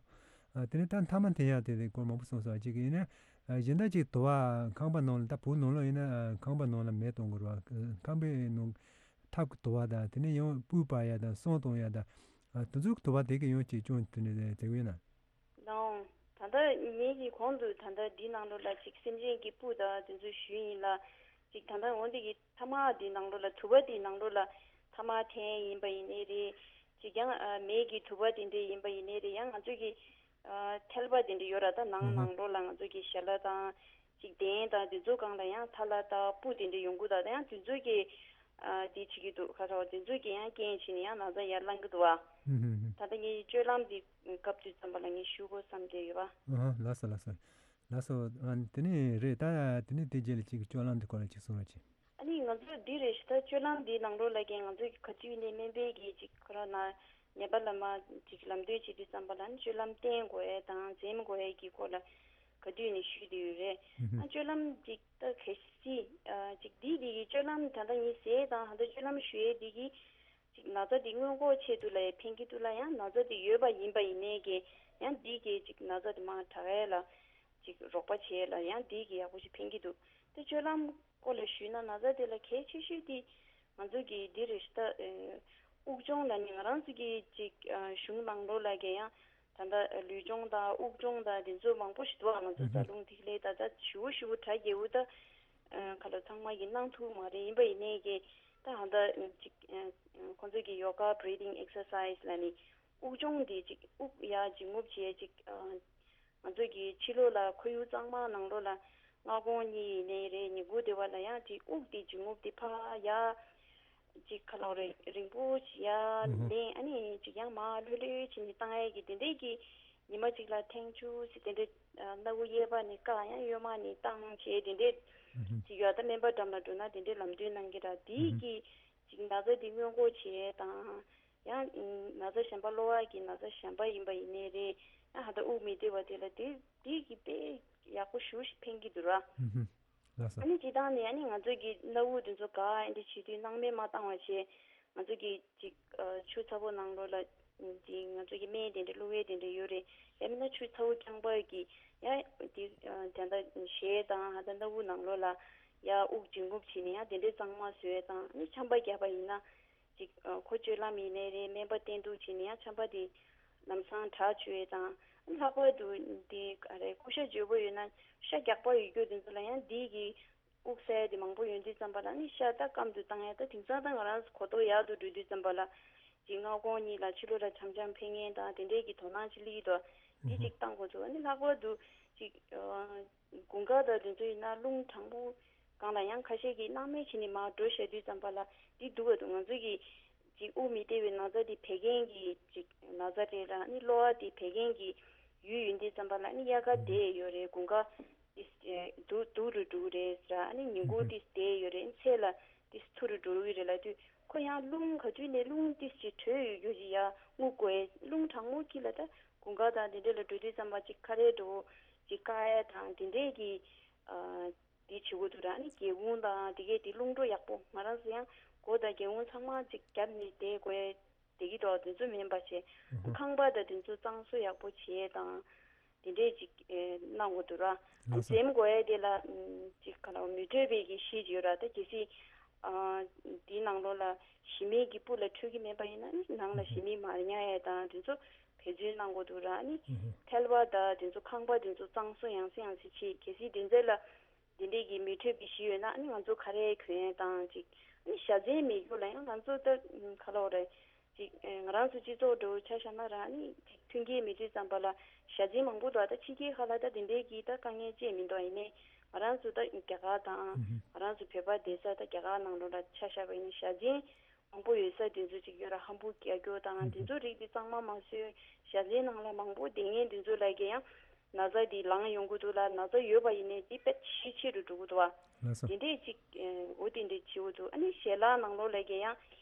ཨ་དེ་ནས་ད་མཐའ་མ་དེ་ཡང་དེ་དེ་སྐོར་མང་པོ་གསུངས་སོང་། ཅིག་ཡིན་ན་ཨ་གཞན་དག་ཅིག་དུ་བ་ཁང་པ་ནང་ལ་ད་བུ་ནང་ལོགས་ཡིན་ན་ཨ་ཁང་པ་ནང་ལ་མེ་གཏོང་དགོས་རེད་བ། ཁང་པའི་ནང་ཐབ་ཀྱི་དུ་བ་དང་དེ་ནས་ཡང་སྤོས་སྤར་ཡ་དང་སོན་གཏོང་ཡ་དང་ཨ་དེ་ཚོའི་དུ་བ་དེ་གི་ཡང་ཅིག་སྐྱོན་དེ་ནས་དེ་ཡོད་ན། ལའང་ད་ལྟ་ངེད་ཀྱི་གོང་དུ་ད་ལྟ་འདི་ནང་ལོགས་ལ་ཅིག་སེམས་ཅན་གྱི་སྤུ་དང་དེ་ཚོ་ཞུས་ཡིན་ལ། ཅིག་ད་ལྟ་འོང་དེ་གི་ཐ་མག་འདི་ནང་ལོགས་ལ་དུ་བ་འདི་ནང་ལོགས་ལ་ཐ་མག་འཐེན་ཡིན་པ་ཡིན་ནའི་རེད། ཅིག་ཡང་ཨ་མེ་གི་དུ་བ་དེ་འདྲས་ཡིན་པ་ཡིན་ནའི་རེད། ཡང་ང་ཚོ་གི་ཨ་ཐལ་བ་དེ་འདྲས་ཡོད་ར། ད་ནང་ཨུ་ཧུ། ནང་ལོགས་ལ་ང་ཚོ་གི་ཞལ་ལག་དང་ཅིག་གདན་དང་དེ་ཚོ་སྒང་ལ་ཡང་ཐལ་བ་དང་སྤུ་དེ་འདྲས་ཡོང་གི་འདུག་ད་ཡང་དེ་ཚོ་གི་ཨ་དེ་བྱེད་ཀྱི་འདུག་ཁ་ཁ་བ་དེ་ཚོ་གི་ཡང་རྐྱེན་བྱས་ནས་ཡང་ན་ཚ་ཡར་ལངས་ཀྱི་འདུག་བ། ཨུ་ཧུ་ཧུ། ད་ལྟ་ངའི་སྤྱོད་ལམ་འདི་སྐབས་དུས་ཙམ་པ་ལ་ངས་ཞུ་དགོས་བསམ་བསྡད་ཡོད་པ། ཨ་ལགས་སོ་ལགས་སོ། ལགས་སོ། ཨ་དེ་ནས་རེད་ད། དེ་ནས་དེ་རྗེས་ལ་ཅིག་སྤྱོད་ལམ་འདི་སྐོར་ལ་ཅིག་གསུང་རོགས་གྱིས། ཨ་ནི་ང་ཚོ་འདི་རེད་ཤི་ད་སྤྱོད་ལམ་འདི་ནང་ལོགས་ལ་ཀྱང་ང་ཚོ་གི་ག་དུས་ནས་སྨན་པའི་གི་ཅིག་ཁོ་རང་ན་ནད་པ་ལ་མ་ཅིག་ལམ་སྟོན་བྱེད་དུས་ཙམ་པ་ལ་ནི་སྤྱོད་ལམ་བསྟེན་དགོས་ཡས་དང་འཛེམ་དགོས་ཡས་ཀྱི་སྐོར་ལ་ག་དུས་ནས་ཞུས་བསྡད་ཡོད་རེད། ཨ་སྤྱོད་ལམ་ཅིག་ད་གལ་སྲིད་ཅིག་འདི་འདི་གི་སྤྱོད་ལམ་ད་ལྟ་ངས་ཟས་དང་ད་ལྟ་སྤྱོད་ལམ་ཞུ་ཡས་འདི་གི་ཅིག་ན་ཚ་འདི་སྔོན་འགོག་ཆེད་དུ་ལ་ཡང་ཕན་གྱི་འདུག་ལ། ཡང་ན་ཚ་འདི་ཡོད་པ་ཡིན་པ་ཡིན་ནའི་གི་ཡང་འདི་གི་ཅིག་ན་ཚ་འདི་མར་དྲག་ཡས་ལ་ཅིག་རོགས་པ་བྱེད་ཡས་ལ་ཡང་འདི་གི་ཡག་པོ་ཞིག་ཕན་གྱི་འདུག་དེ་སྤྱོད་ལམ་སྐོར་ལ་ཞུས་ན་ན་ཚ་འདི་ལ་གལ་ཆེ་ཤོས་འདི་ང་ཚོ་གི་འདི་རེད་ཤི་ད། དབུགས་སྦྱོང་ལ་ནི་ང་རང་ཚོ་གི་ཅིག་གཞུང་ནང་ལོགས་ལ་གི་ཡང་ད་ལྟ་ལུས་སྦྱོང་དང་དབུགས་སྦྱོང་དང་དེ་ཚོ་མང་པོ་ཞིག་འདུག་ང་ཚོ་རྩ་རླུང་ཐིག་ལེ་ད་ལྟ་ཞུ་བོ་ཞུ་བོ་གྲ་རྒྱས་བོ་ད། ཁ་ལོ་ཚང་མ་གི་གནང་ཐུབ་མ་རེད། ཡིན་པ་ཡིན་ནའི་གི་ད་ཧ་ད་ཅིག་ཁོང་ཚོ་གི་ཡོ་ག་breathing exercise་ལ་ནི་དབུགས་སྦྱོང་འདི་ཅིག་དབུགས་ཡར་འབྱིན་རྔུབ་བྱས་ཅིག་ང་ཚོ་གི་ཕྱི་ལོགས་ལ་ཁོར་ཡུག་གཙང་མ་ནང་ལོགས་ལ་སྔ་དགོང་གཉིད་ཡིན་ནའི་རེད། ཉིན་གུང་དེ་བ་ལ་ཡང་ཅིག་དབུགས་འདི་འབྱིན་རྔུབ་འདི་ཕར་ཡར་ཅིག་ཁ་ལོ་རེ་རིང་པོ་ཅིག་ཡར་ལེན། ཨ་ནི་ཅིག་ཡང་མར་ལྷོད་ལྷོད་བྱས་ནས་བཏང་ཡས་ཀྱི་དེ་འདྲས་ཀྱི་ཉི་མ་གཅིག་ལ་ཐེངས་བཅུ་ཙམ་དེ་འདྲས་སྣ་བུག་གཡས་པ་ནས་བཀག་ཡང་གཡོན་མ་ནས་བཏང་བྱས་དེ་འདྲས་ཅིག་ཡོད། ད་སྨན་པ་འགྲམ་ལ་འགྲོ་ན་དེ་འདྲས་ལམ་སྟོན་གནང་གི་ར། དེའི་གི་ཅིག་ན་ཚ་དེ་སྔོན་འགོག་བྱས་དང་ཡང་ན་ཚ་གཞན་པ་གློ་བ་གི་ན་ཚ་གཞན་པ་ཡིན་པ་ཡིན་ནའི་རེད། ཡང་ཧ་ད་དབུགས་མི་བདེ་བ་དེ་ལ་དེ་དེའི་གི་དཔེ་ཡག་པོ་ཞེ་པོ་ཞིག་ཕན་གྱི་འདུག་ར། ལགས་སོ། ཨ་ནི་སྤྱིར་བཏང་ནས་ཨ་ནི་ང་ཚོ་གི་སྣ་བུག་དེ་ཚོ་ག་ཨེ་འདྲ་བྱེད་དུས་སྣང་མེད་མ་བཏང་བ་བྱས། ང་ཚོ་གི་ཅིག་ཆུ་ཚ་པོ་ནང་ལོགས་ལ་དེ་ང་ཚོ་གི་སྨན་དེ་འདྲ་བླུག་ཡས་དེ་འདྲ་ཡོད་རེད། ཡང་མིན་ན་ཆུ་ཚ་པོ་རྐྱང་པ་གི་ཡང་དེ་ད་ལྟ་ཞལ་དང་ཧ་ད་སྣ་བུག་ནང་ལོགས་ལ་ཡང་དབུགས་འབྱིན་རྔུབ་བྱས་ནས་ཡང་དེ་འདྲའི་གཙང་མ་བཟོ་ཡས་དང་ཨ་ནི་ཆམ་པ་བརྒྱབ་པ་ཡིན་ན། ཅིག་ཁོ་སྤྱོད་ལམ་ཡིན་ནའི་རེད། སྨན་པ་བསྟེན་གཏུག་བྱས་ནས་ཡང་ཆམ་པ་དེ་ལམ་སང་དྲག་བཅུག་ཡས་དང་། ལྷག་པར་དུ་འདི་ག་རེ་ཀུ་ཤ་འཇོལ་པོ་ཡོད་ན་ཤ་རྒྱགས་པ་ཡོད་རྒྱུ་དེ་ཚོ་ལ་ཡང་འདི་གི་དབུགས་བསལ་དེ་མང་པོ་ཡོང་དུས་ཙམ་པ་ལ་ནི་ཤ་ད་སྐམ་དུ་བཏང་ཡས། ད་དེང་སང་ད་ང་རང་གོ་རྟོགས་ཡག་ཏུ་འགྲོ་དུས་ཙམ་པ་ལ་ཅིག་སྔ་དགོང་གཉིད་ལ་ཕྱི་ལོགས་ལ་འཆམ་འཆམ་ཕེབས་མཁན་དང་དེ་འདྲས་ཀྱི་དོ་སྣང་ཅིག་སླེབས་ཀྱི་འདུག་འདི་ཅིག་བཏང་དགོས་ཚུལ། ཨ་ནི་ལྷག་པར་དུ་ཅིག་དགུན་ཁ་དང་དེ་ཚོ་ཡིན་ན་རླུང་གྲང་མོ་སྒང་ལ་ཡང་ཁ་ཤས་ཀྱིས་སྣང་མེད་བྱས་ནས་མར་འགྲོ་བཞག་དུས་ཙམ་པ་ལ་འདི་སྡུག་པ་འདུག་ང་ཚོ་གི་ཅིག་དབུགས་མི་བདེ་བའི་ན་ཚ་འདི་བད་ཀན་གྱི་ཅིག་ན་ཚ་རེད་ལ་ནི་གློ་བ་འདི་བད་ཀན་གྱི་ཡུལ་ཡིན་དུས་ཙམ་པ་ལ་ནི་དབྱར་ཁ་བསྡད་ཡོད་རེད། དགུན་ཁ་འདི་སྡུག་སྡུག་རུ་འགྲོ་གི་རེད་ཟེར། ཨ་ནི་ཉིན་གུང་འདི་བསྡད་ཡོད་རེད། ཚེས་ལ་འདི་ཚུར་རུ་འགྲོ་གི་རེད་ལབ་དུས་ཁོ་ཡང་རླུང་ག་དུས་ནས་རླུང་འདི་ཅིག་དྲོད་ཡོད་རྒྱུ་ཅིག་ཡར་རྔུབ་དགོས། རླུང་གྲང་མོ་དཀྱིལ་ལ་ད་དགུན་ཁ་དང་འདི་འདྲ་ལ་འགྲོ་དུས་ཙམ་པ་ཅིག་ཁ་རས་འགྲོ་ཅིག་བཀག་ཡས་དང་འདི་འདྲས་ཀྱི་འདི་བྱེད་དགོས་འདུག་ར། ཨ་ནི་སྒེའུ་ཁུང་དང་དེ་གས་དེ་རླུང་འགྲོ་ཡག་པོ་ང་རང་ཚོ་ཡང་སྒོ་དང་སྒེའུ་ཁུང་ཚང་མ་ཅིག་བརྒྱབ་ནས་བསྡད་དགོས་བསྡད་ཀྱི་འདུག་དེ་ཚོ་མིན་པ་བྱས་ཁང་པ་དང་དེ་ཚོ་གཙང་བཟོ་ཡག་པོ་བྱས་དང་དེ་འདྲས་ཅིག་གནང་དགོས་འདུག་ར། ཨ་ནི་འཛེམ་དགོས་ཡས་དེ་ལ་ཅིག་ག་ལ་མི་འཕྲོད་པའི་གི་གཞི་ཅིག་ཡོད་ར། ད་གལ་སྲིད་འདིའི་ནང་ལོགས་ལ་ཞི་མི་གི་སྤུ་ལ་འཕྲོད་ཀྱི་མེད་པ་ཡིན་ན་ནི་ནང་ལ་ཞི་མི་མ་ཉར་ཡས་དང་དེ་ཚོ་འབད་བརྩོན་གནང་དགོས་འདུག་ར། ཨ་ནི་ཐལ་བ་དང་དེ་ཚོ་ཁང་པ་དེ་ཚོ་གཙང་བཟོ་ཡང་སེ་ཡང་སེ་བྱེད། གལ་སྲིད་དེ་ཚོ་ལ་ དེ་འདྲས་ཀྱི་མི་འཕྲོད་པའི་གཞི་ཡོད་ན་ཨ་ནི་ང་ཚོ་ག་རེ་གྱོན་ཡས་དང་ཅིག་ཨ་ནི་བཞའ་ཚན་མེད་རྒྱུ་ལ་ཡང་ང་ཚོ་ད་ག་ལབ་དགོས་རེད། ཅིག་ཨེ་ང་རང་ཚོ་སྤྱི་ཚོགས་འདྲ་བོ་ཆ་བཞག་ན་རང་ཨ་ནི་ཅིག་མཐུན་རྐྱེན་མེད་དུས་ཙམ་པ་ལ་བཞའ་ཚན་མང་པོ་འདུག་ད་ཕྱི་རྒྱལ་ཁག་ལ་ད་དེ་འདྲའི་གི་ད་དཀའ་ངལ་ཅིག་མི་འདུག་ཡིན་ནའི་ང་རང་ཚོ་ད་རྒྱ་གར་དང་ང་རང་ཚོ་བོད་པ་བསྡད་ས་ད་རྒྱ་གར་ནང་ལོགས་ལ་ཆ་བཞག་པ་ཡིན་ན་བཞའ་ཚན་མང་པོ་ཡོད་ས་དེ་ཚོ་ཅིག་ཡོད་ར། ཧམ་བུ་རྒྱག་རྒྱུ་དང་དེ་ཚོ་རིགས་དེ་གཙང་མ་མ་བཟོས། བཞའ་ཚན་ནང་ལ་མང་པོ་བསྡད་མཁན་དེ་ཚོ་ལ་གི་ཡང་ན་ཚ་དེ་ལངས་ཡོང་གི་འདུག་ལ། ན་ཚ་ཡོད་པ་ཡིན་ནའི་དེ་དཔེ་ཞེ་ཆེ་རུ་འགྲོ་གི་འདུག་བ། ལགས་སོ། དེ་འདྲས་ཅིག་ཨེ་འོ་དེ་འདྲས་བྱེད་འོ་འདུག་ཨ་ནི་ཞལ་ལག་ནང་ལོགས་ལ་གི་ཡང་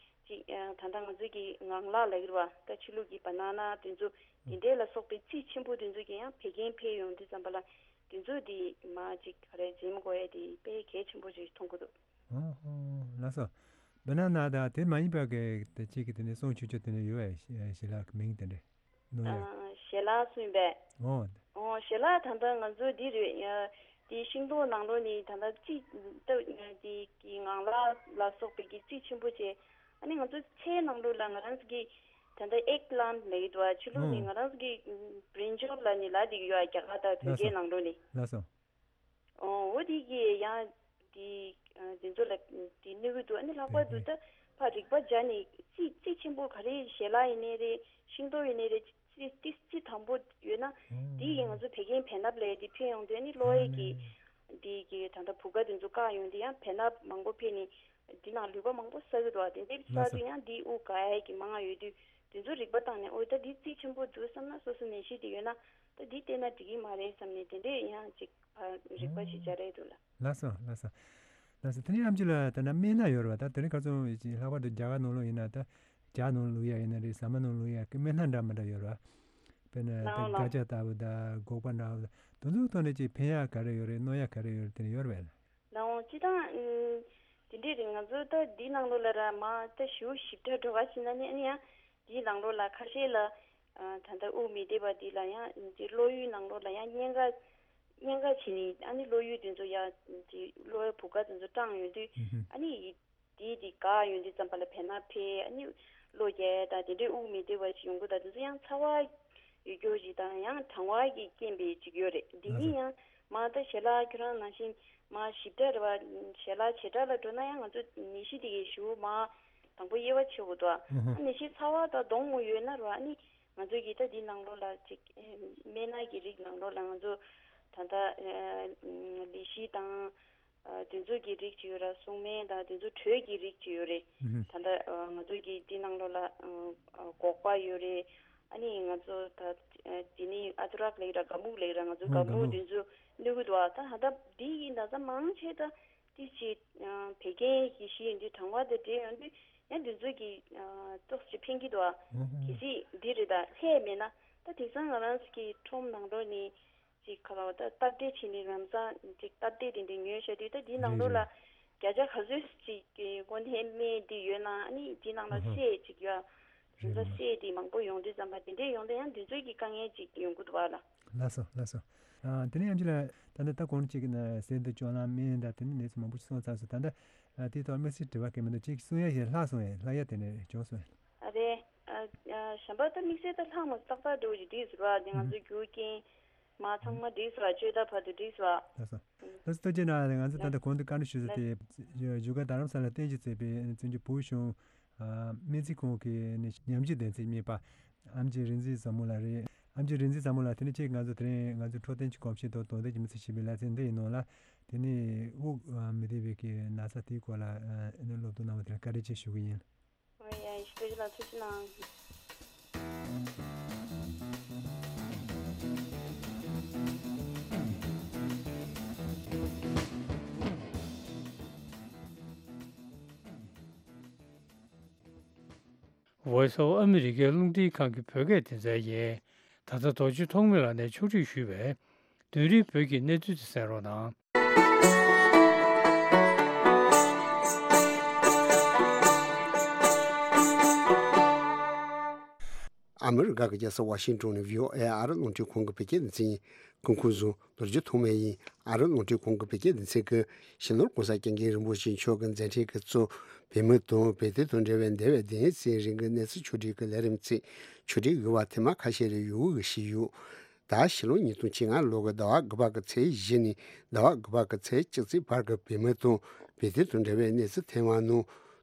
ཅིག་ཨེ་ད་ལྟ་ང་ཚོ་གི་ངང་ལག་ལབ་ཀྱི་རེད་བ། ད་ཕྱི་ལུགས་ཀྱི་བ་ན་ན་དེ་ཚོ་དེ་འདྲས་ལ་སོགས་པའི་རྩིས་ཆེན་པོ་དེ་ཚོ་གི་ཡང་བད་ཀན་འཕེལ་ཡོང་དུས་ཙམ་པ་ལ་དེ་ཚོ་དེ་མ་ཅིག་ག་རེ་འཛེམ་དགོས་ཡ་དེ་དཔེ་གལ་ཆེན་པོ་ཅིག་མཐོང་གི་འདུག་ཨོ་ཧོ། ལགས་སོ། བ་ན་ན་དང་དེ་མ་ཡིན་པ་གི་དེ་གཅིག་གི་དེ་ནས་སྲུང་བྱེད་ཆོག་དེ་ནས་ཡོད་པས། ཞལ་ལག་གི་མིང་དེ་འདྲས་ནོར་ཡོད། ཨ་ཞལ་ལག་སྲུང་པས། ཨོ། ཨོ་ཞལ་ལག་ད་ལྟ་ང་ཚོ་འདི་རེད། ཨ་དེ་ཤིང་ཏོག་ནང་ལོགས་ནས་ད་ལྟ་རྩིས་ད་དེ་གི་ངང་ལག་ལ་སོགས་པའི་གི་རྩིས་ཆེན་པོ་བྱས། ཨ་ནི་ང་ཚོ་ཚལ་ནང་ལོགས་ལ་ང་རང་ཚོ་གི་ད་ལྟ་ཨེག་པི་ལན་ལབ་ཀྱི་འདུག་ཨ་ཕྱི་ལོགས་ནས་ཨོ། ང་རང་ཚོ་གི་བྷི་རིན་ཇལ་ལབ་ནས་ལབ་བསྡད་ཀྱི་ཡོད། རྒྱ་གར་དང་བོད་ལགས་སྐད་སོ། ནང་ལོགས་ནས། ལགས་སོ། ཨོ་འོ་དེ་གི་ཡང་དེ་ཨ་དེ་ཚོ་ལ་དེ་གནོད་གི་འདུག་ཨ་ནི་ལྷག་པར་དུ་ད་ཕར་རིག་པ་སྦྱར་ནས་རྩིས་རྩིས་ཆེན་པོ་ག་རེ་ཞལ་ལག་ཡིན་ནའི་རེད། ཤིང་ཏོག་ཡིན་ནའི་རེད། རྩིས་རྩིས་རྩིས་དམ་པོ་ཡོད་ན་དེ་ཡིས་ང་ཚོ་བད་ཀན་བེ་སྣབས་ལས་དེ་ཕན་ཡོང་དུས་ཨ་ནི་གློ་བའི་གི་དེ་གི་ད་ལྟ་བུ་ག་དེ་ཚོ་བཀག་ཡོང་དུས་ཡང་བེ་སྣབས་མང་པོ་ཕན་ནས་དེ་ནང་ལུད་པ་མང་པོ་བསགས་གི་འདུག་དེ་འདྲའི་བསགས་དུས་ཡང་དེ་དབུགས་འགག་ཡ་གི་མང་ང་ཡོད་དུས་དེ་ཚོ་རིག་པ་བཏང་ནས་ཨོ་ད་དེ་རྩིས་ཆེན་པོ་འདུག་བསམ་ན་སོ་སོ་ནད་གཞི་དེ་ཡོད་ན་ད་དེ་བལྟས་ན་འགྲིག་གི་མ་རེད་བསམ་ནས་དེ་འདྲས་ཡང་ཅིག་ཨ་རིག་པ་ཞིག་སྦྱར་ཡས་འདུག་ལ། ལགས་སོ། ལགས་སོ། ལགས་སོ། དེ་ནས་ཨེམ་ཆི་ལགས་ད་ལྟ་སྨན་སྣ་ཡོད་རེད་བ། ད་དེ་རིང་ཁ་སང་ལྷག་པར་དུ་རྒྱ་གར་ནང་ལོགས་ཡིན་ན་ད་ཇ་ནང་བླུག་ཡ་ཡིན་ན་རེད། ཟ་མ་ནང་བླུག་ཡ་གི་སྨན་སྣ་འདྲ་མི་འདྲ་ཡོད་རེད་བ། དཔེར་ན་ད་ལའོ་ལའོ། སྒ་ཆ་ལྟ་བུ་དང་སྒོག་པ་འདྲ་བོ་དང་དེ་ཚོའི་ཐོག་ནས་ཅིག་ཕན་ཡག་ག་རེ་ཡོད་རེད། གནོད་ཡག་ག་རེ་ཡོད་རེད། དེ་ནས་ཡོད་རེད་བས། ལའོ་སྤྱི་བཏང་ཨུམ་དེ་འདྲས་རེད། ང་ཚོ་ད་འདི་ནང་ལོགས་ལ་ར་མ་ད་ཞུ་ཞིབ་ཕྲ་འགྲོ་ག་ཕྱིན་ན་ནི་ཨ་ནི་ཡང་འདིའི་ནང་ལོགས་ལ་ཁ་ཤས་ལ་ཨ་ད་ལྟ་དབུགས་མི་བདེ་བ་འདི་ལ་ཡང་འདི་གློ་ཡུལ་ནང་ལོགས་ལ་ཡང་གཉན་ཁ་གཉན་ཁ་བྱས་ནས་ཨ་ནི་གློ་ཡུལ་དེ་ཚོ་ཡང་འདི་གློ་བའི་བུ་ག་དེ་ཚོ་སྐྲངས་ཡོང་དུས་ཨ་ནི་འདི་འདི་འགག་ཡོང་དུས་ཙམ་པ་ལ་བེ་སྣབས་འཕེལ། ཨ་ནི་གློ་རྒྱག་དང་དེ་འདྲའི་དབུགས་མི་བདེ་བ་ཞིག་ཡོང་གི། ད་དེ་ཚོ་ཡང་ཚ་བ་ཡོད་རྒྱུ་ཞིག་དང་ཡང་གྲང་བ་གི་རྐྱེན་པས་ཅིག་ཡོད་རེད། འདི་གཉིས་ཡང་མ་ད་ཞལ་ལག་ཁྱོད་རང་ནང་བཞིན་མ་ཞིབ་ཕྲ་རེད་བ། ཞལ་ལག་བྱེ་བྲག་ལ་འགྲོ་ན་ཡང་ང་ཚོ་ནད་གཞི་དེ་གའི་ཞུ་མ་དང་པོ་དབྱེ་བ་ཕྱེ་དགོས་འདུག་ཨ་ནད་གཞི་ཚ་བ་དང་གདོང་མོ་ཡོད་ན་རེད་བ། ཨ་ནི་ང་ཚོ་གིས་ད་འདི་ནང་ལོགས་ལ་ཅིག་སྨན་སྣ་གི་རིགས་ནང་ལོགས་ལ་ང་ཚོ་ད་ལྟ་ལི་ཤི་དང་། ཨ་དེ་ཚོ་གི་རིགས་ཅིག་ཡོད་ར། སྲུང་སྨན་དང་དེ་ཚོ་དྲོད་ཀྱི་རིགས་ཅིག་ཡོད་རེད། ད་ལྟ་ཨ་ང་ཚོ་གི་འདི་ནང་ལོགས་ལ་ཨ་ཨ་སྒོག་པ་ཡོད་རེད། ཨ་ནི་ང་ཚོ་ད་ཨ་དེ་ནི་ཨ་དུ་རག་ལེགས་ར་ག་མུག་ལེགས་ར། ང་ཚོ་ག་མུག་དེ་ཚོ་གནོད་གི་འདུག་ཨ་ད་ཧ་ད་འདི་ཡིན་ད་ས་མང་ཆེ་ད་དེ་ཅི་ཨ་བད་ཀན་གྱི་གཞི་ཡིན་དུས་གྲང་བ་དང་འདྲེས་ཡོང་དུས་ཡང་དེ་ཚོ་གི་ཨ་ཏོག་ཙམ་ཕན་གི་འདུག་ཨ། གལ་སྲིད་འདི་རེད་ད་ལྷད་མེད་ན་ད་དེང་སང་ང་རང་ཚོ་གི་ཁྲོམ་ནང་ལོགས་ནས། ཅིག་ཁ་ལོ་ད་སྟབས་བདེ་བྱས་ནས་ལམ་སང་ཅིག་སྟབས་བདེ་དེ་འདྲ་ཉོས་བྱས་དུས་ད་འདི་ནང་ལོགས་ལ་རེད་རེད། བརྒྱ་ཆ་ག་ཚོད་ཅིག་གི་དངོས་གནས་སྨན་འདི་ཡོད་ན་ཨ་ནི་འདི་ནང་ལ་ཨ་ཧ། སྲས་ཅིག་ཡོད། རེད་ལམ་སང་རེད། སྲས་དེ་མང་པོ་ཡོང་དུས་ཙམ་པ་དེ་འདྲས་ཡོང་དུས་ཡང་འདི་ཚོའི་གི་དཀའ་ངལ་ཅིག་ཡོང་གི་འདུག་བ་ལ། ལགས་སོ་ལགས་སོ། ཨ་དེ་ནས་ཨེམ་ཆི་ལགས་ད་ནི་ད་གོང་གཅིག་གི་ན་ཟས་དང་སྤྱོད་ལམ་སྨན་དང་དེ་ནས་ནས་ཚོ་མང་པོ་ཞིག་གསུངས་ཚར་སོང་། ད་ལྟ་ཨ་དེའི་ཐོག་དམིགས་བསལ་དྲི་བ་གང་མི་འདུག་ཅིག་གསུང་ཡ་ཞིག་ལྷག་སོང་ཡ། ལྷག་ཡ་དེ་ནས་བྱུང་སོང་ཡ། ཨ་རེད། ཨ་ཨ་གཞན་པ་ད་དམིགས་བསལ་ད་ལྷག་མ་ཏག་ཏག་འགྲོ་བཞིན་འདུག་ཟེར་བ་དེ་ང་ཚོ་རྒྱུ་རྐྱེན་མ་ཚང་མ་འགྲིག་སོང་བ། བཅོས་ཐབས་བར་དུ་འགྲིག་སོང་བ། ལགས་སོ། ལགས་སོ། ཐུགས་རྗེ་གནང་། ང་ཚོ་ད་ལྟ་གོང་དུ་བཀའ་འདྲི་ཞུས་ས་དེ་བཞུགས་སྒར་རྡ་རམ་ས་ལ་རྟེན་གཞི་བྱས་པའི་བཙན་བྱོལ་བོད་གཞུང་སྨན་རྩིས་ཁང་གི་ནས་ཉམས་ཞིབ་བདེན་ཚིག་གཉེར་པ་ཨེམ་ཆི་རིག་འཛིན་བཟང་མོ་ལགས་རེད། ཨེམ་ཆི་རིག་འཛིན་བཟང་མོ་ལགས་དེ་ནས་ཁྱེད་ང་ཚོ་དེ་རིང་ང་ཚོ་འཕྲོད་བསྟེན་གྱི་གོམས་གཤིས་དང་དོ་དམ་གྱི་མི་ཚེ་ཞེས་པའི་ལེ་ཚན་འདི་ཡི་ནང་ལ་དེ་ནས་དབུགས་མི་བདེ་བའི་གི་ན་ཚ་དེའི་སྐོར་ལ་སློབ་སྟོན་གནང་བ་དེ་ལ་བཀའ་དྲིན་ཆེ་ཞུ་གི་ཡིན། ཨོ་ཡ་ཡ་ཞིག་ལ་ཐུགས་རྗེ་གནང་། Voice of America རླུང་འཕྲིན་ཁང་གི་བོད་སྐད་སྡེ་ཚན་ཡིན། ད་ལྟ་རྡོ་རྗེ་ཐོགས་མེད་ལགས་ནས་ཕྱོགས་སྒྲིག་ཞུས་པའི་དུས་རིང་བོད་ཀྱི་གནས་ཚུལ་དེ་གསན་རོགས་གནང་། ཨ་མི་རི་ཀ་གི་རྒྱལ་ས་ཝ་ཤིང་ཏོན་ནས་བྷི་ཨོ་ཨེ་ཨ་རི་རླུང་འཕྲིན་ཁང་གི་བོད་སྐད་སྡེ་ཚན་ཡིན། སྐུ་ཁམས་བཟང་། རྡོ་རྗེ་ཐོགས་མེད་ཡིན། ཨ་རི་རླུང་འཕྲིན་ཁང་གི་བོད་སྐད་སྡེ་ཚན་གྱིས་སྤྱི་ནོར་༸གོང་ས་༸སྐྱབས་མགོན་རིན་པོ་ཆེ་མཆོག་གི་མཛད་འཕྲིན་གྱི་གཙོ་བོད་མི་དང་བོད་དོན་དང་འབྲེལ་བའི་འདས་པའི་བདུན་ཕྲག་རིང་གི་གནས་ཚུལ་ཕྱོགས་སྒྲིག་གི་ལས་རིམ་ཚིག་ཕྱོགས་སྒྲིག་ཡོད་པ་དེ་མ་ཁ་ཤས་རེ་ཡོད་གི་ཞིག་ཡོད། ད་ཕྱི་ལོ་ཉིས་སྟོང་བཅོ་ལྔ་ལོ་གི་ཟླ་བ་དགུ་པ་གི་ཚེས་བཞི་ནས་ཟླ་བ་དགུ་པ་གི་ཚེས་བཅུ་གཅིག་བར་གྱི་བོད་མི་དང་བོད་དོན་དང་འབྲེལ་བའི་གནས་ཚུལ་ཐོན་པ་ནང་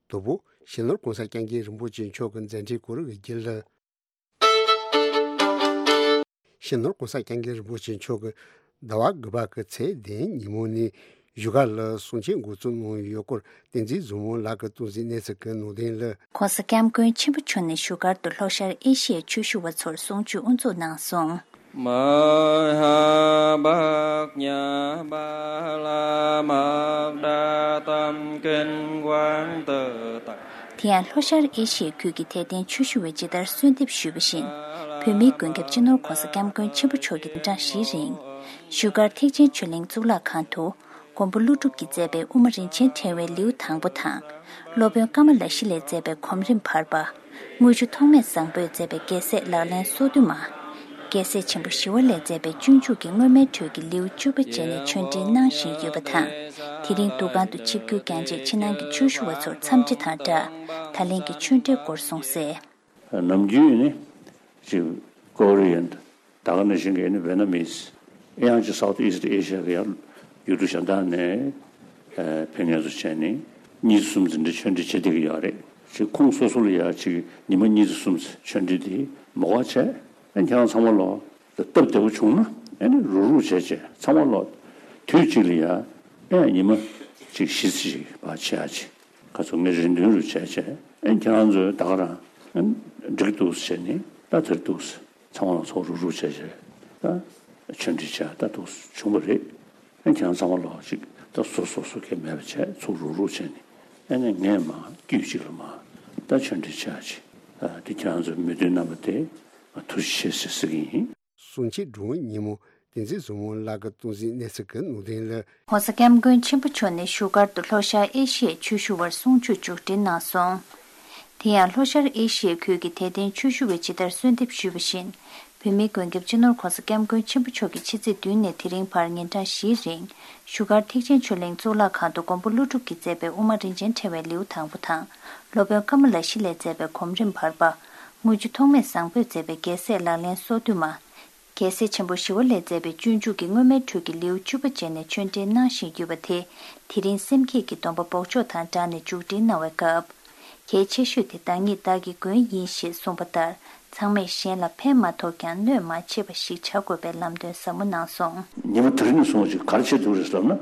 དོ་པོ་སྤྱི་ནོར་གོང་ས་སྐྱབས་མགོན་རིན་པོ་ཆེ་མཆོག་གི་མཛད་འཕྲིན་སྐོར་གྱི་རྒྱུན་ལ། སྤྱི་ནོར་གོང་ས་སྐྱབས་མགོན་རིན་པོ་ཆེ་མཆོག་གིས་ཟླ་བ་དགུ་པ་གི་ཚེས་བདུན་ཉིན་མོ་ནས་བཞུགས་སྒར་ལ་གསུང་ཆོས་འགོ་འཛུགས་གནང་ཡོད་སྐོར་བསྟན་འཛིན་བཟང་མོ་ལགས་ཀྱིས་གཏོང་གཟིགས་གནས་ཚུལ་གྱི་ནང་དོན་ལ། གོང་ས་སྐྱབས་མགོན་ཆེན་པོ་མཆོག་ནས་བཞུགས་སྒར་དུ་ལྷོ་ཤར་ཨེ་ཤི་ཡའི་ཆོས་ཞུ་བ་ཚོར་གསུང་ཆོས་དབུ་འཛུགས་གནང་སོང་། མ་ཧཱ་པྲཛྙཱ་པཱ་ར་མ་ཏྲ་ཏམ་ཀིན་ཝང་ཏུ་ཏ། དེ་ཡང་ལྷོ་ཤར་ཨེ་ཤི་ཡའི་ཁུལ་གྱི་དད་ལྡན་ཆོས་ཞུ་བས་ཇི་ལྟར་གསོལ་འདེབས་ཞུས་པ་བཞིན། བོད་མིའི་མགོན་སྐྱབས་སྤྱི་ནོར་གོང་ས་སྐྱབས་མགོན་ཆེན་པོ་མཆོག་གིས་ཉིན་གྲངས་བཞིའི་རིང་། བཞུགས་སྒར་ཐེག་ཆེན་ཆོས་གླིང་གཙུག་ལག་ཁང་དུ། མགོན་པོ་ཀླུ་སྒྲུབ་ཀྱིས་མཛད་པའི་དབུ་མ་རིན་ཆེན་ཕྲེང་བའི་ལེའུ་དང་པོ་དང་། སློབ་དཔོན་ཀ་མ་ལ་ཤཱི་ལས་མཛད་པའི་གོམ་རིམ་བར་པ། དངུལ་ཆུ་ཐོགས་མེད་བཟང་པོས་མཛད་པའི་རྒྱལ་སྲས་ལག་ལེན་སོ་བདུན་མ། རྒྱལ་སྲས་ཆེན་པོ་ཞི་བ་ལྷས་མཛད་པའི་སྤྱོད་འཇུག་གི་སྔོན་མའི་འགྲོས་ཀྱི་ལེའུ་བཅུ་པ་བཅས་ནས་ཆོས་འབྲེལ་གནང་བཞིན་ཡོད་པ་དང་། དེ་རིང་འདུ་ཁང་དུ་ཆིབས་བསྒྱུར་བསྐྱངས་རྗེས་ཕྱི་ནང་གི་ཆོས་ཞུ་བ་ཚོར་འཚམས་འདྲི་དང་སྦྲགས། ད་ལན་གྱི་ཆོས་འབྲེལ་སྐོར་གསུངས་གསལ། ནམ་རྒྱུན་ནི་ཅིག་ཀོ་རི་ཡན། ད་ག་ནང་བཞིན་གྱི་ནི་ཝེ་ནམ་མིས། ཨེ་ཡང་ཅིག་སའུ་ཐི་ཨི་སི་ཊི་ཨེ་ཤི་ཡ་གི་ཡང་ཡུལ་གྲུ་གཞན་དག་ནས་ཕེབས་མཁན་ཚོ་བྱས་ནས་གཉིས་གསུམ་ཙམ་འདྲ་ཆོས་འབྲེལ་བྱེད་བསྡད་ཀྱི་ཡོད་རེད། ཅིག་ཁོང་སོ་སོ་ལ་ཡང་ཅིག་ཉི་མ་གཉིས་ཙམ་གསུམ་ཙམ་ཆོས་འབྲེལ་དེ་མོ་ག་བྱས། ཨེ་ཁྱེད་རང་ཚང་མ་ལོ་སྟབས་བདེ་པོ་བྱུང་ན་ཨེ་ནི་རུག་རུག་བྱས་བྱས་ཚང་མ་ལོ་དུས་གཅིག་ལ་ཡང་ཨེ་ཉི་མ་ཅིག་བཞི་ཙམ་ཅིག་ཕར་བྱེད་ཡ་ཅིག་ག་ཚོད་ངས་རེ་འདུན་རུ་བྱས་བྱས། ཨེ་ཁྱེད་རང་ཚོས་ད་ག་རང་ཨེ་འགྲིག་འདུག་བྱས་ནས་ད་དེར་འདུག་ཚང་མ་ལ་ཚོགས་རུག་རུག་བྱས་བྱས་ད་ཆོས་འབྲེལ་བྱས་ད་འདུག་བྱུང་བ་རེད། ཨེ་ཁྱེད་རང་ཚང་མ་ལོ་ཅིག་ད་སོ་སོ་སོ་སྐད་མེད་པ་བྱས་ཚོགས་རུག་རུག་བྱས་ནས་ཨེ་ནས་ངས་མ་དཀྱུས་གཅིག་ལ་མ་ད་ཆོས་འབྲེལ་བྱས་ཅིག་དེ་ཁྱེད་རང་ཚོས་མོས་མཐུན་གནང་བ་དེ་ང་ཐུགས་རྗེ་ཆེ་ཟེར་ཟེར་གྱི་ཡིན། གསུང་ཆོས་སྒྲུབ་ཉིན་མོ་བསྟན་འཛིན་བཟང་མོ་ལགས་ཀྱིས་གཏོང་གཟིགས་གནས་ཚུལ་གྱི་ནང་དོན་ལ། ༸གོང་ས་༸སྐྱབས་མགོན་ཆེན་པོ་མཆོག་ནས་བཞུགས་སྒར་དུ་ལྷོ་ཤར་ཨེ་ཤི་ཡའི་ཆོས་ཞུ་བར་གསུང་ཆོས་མཇུག་སྒྲིལ་གནང་སོང་། དེ་ཡང་ལྷོ་ཤར་ཨེ་ཤི་ཡའི་ཁུལ་གྱི་དད་ལྡན་ཆོས་ཞུ་བས་ཇི་ལྟར་གསོལ་འདེབས་ཞུས་པ་བཞིན། བོད་མིའི་མགོན་སྐྱབས་སྤྱི་ནོར་༸གོང་ས་༸སྐྱབས་མགོན་ཆེན་པོ་མཆོག་གིས་ཕྱི་ཚེས་བདུན་ནས་དེ་རིང་བར་ཉིན་གྲངས་བཞིའི་རིང་། བཞུགས་སྒར་ཐེག་ཆེན་ཆོས་གླིང་གཙུག་ལག་ཁང་དུ་མགོན་པོ་ཀླུ་སྒྲུབ་ཀྱིས་མཛད་པའི་དབུ་མ་རིན་ཆེན་ཕྲེང་བའི་ལེའུ་དང་པོ་དང་། སློབ་དཔོན་ཀ་མ་ལ་ཤཱི་ལས་མཛད་པའི་གོམ་རིམ་བར་པ། དངུལ་ཆུ་ཐོགས་མེད་བཟང་པོས་མཛད་པའི་རྒྱལ་སྲས་ལག་ལེན་སོ་བདུན་མ། རྒྱལ་སྲས་ཆེན་པོ་ཞི་བ་ལྷས་མཛད་པའི་སྤྱོད་འཇུག་གི་སྔོན་མའི་འགྲོས་ཀྱི་ལེའུ་བཅུ་པ་བཅས་ནས་ཆོས་འབྲེལ་གནང་བཞིན་ཡོད་པ་དེ། དེ་རིང་སེམས་བསྐྱེད་ཀྱི་སྡོམ་པ་འབོགས་ཆོག་དང་སྦྲགས་ནས་མཇུག་སྒྲིལ་གནང་བའི་སྐབས། གལ་ཆེ་ཤོས་དེ་བདག་ཉིད་བདག་གི་མགོན་ཡིན་ཞེས་གསུངས་པ་ལྟར། ཚང་མས་གཞན་ལ་ཕན་མ་ཐོགས་ཀྱང་གནོད་མ་བྱེད་པ་ཞིག་བྱ་དགོས་པའི་ལམ་སྟོན་ཟབ་མོ་གནང་སོང་། ཉི་མ་དེ་རིང་ནས་བཟུང་ཅིག་ག་རེ་བྱེད་ཐུབ་རེད་ཟེར་ན།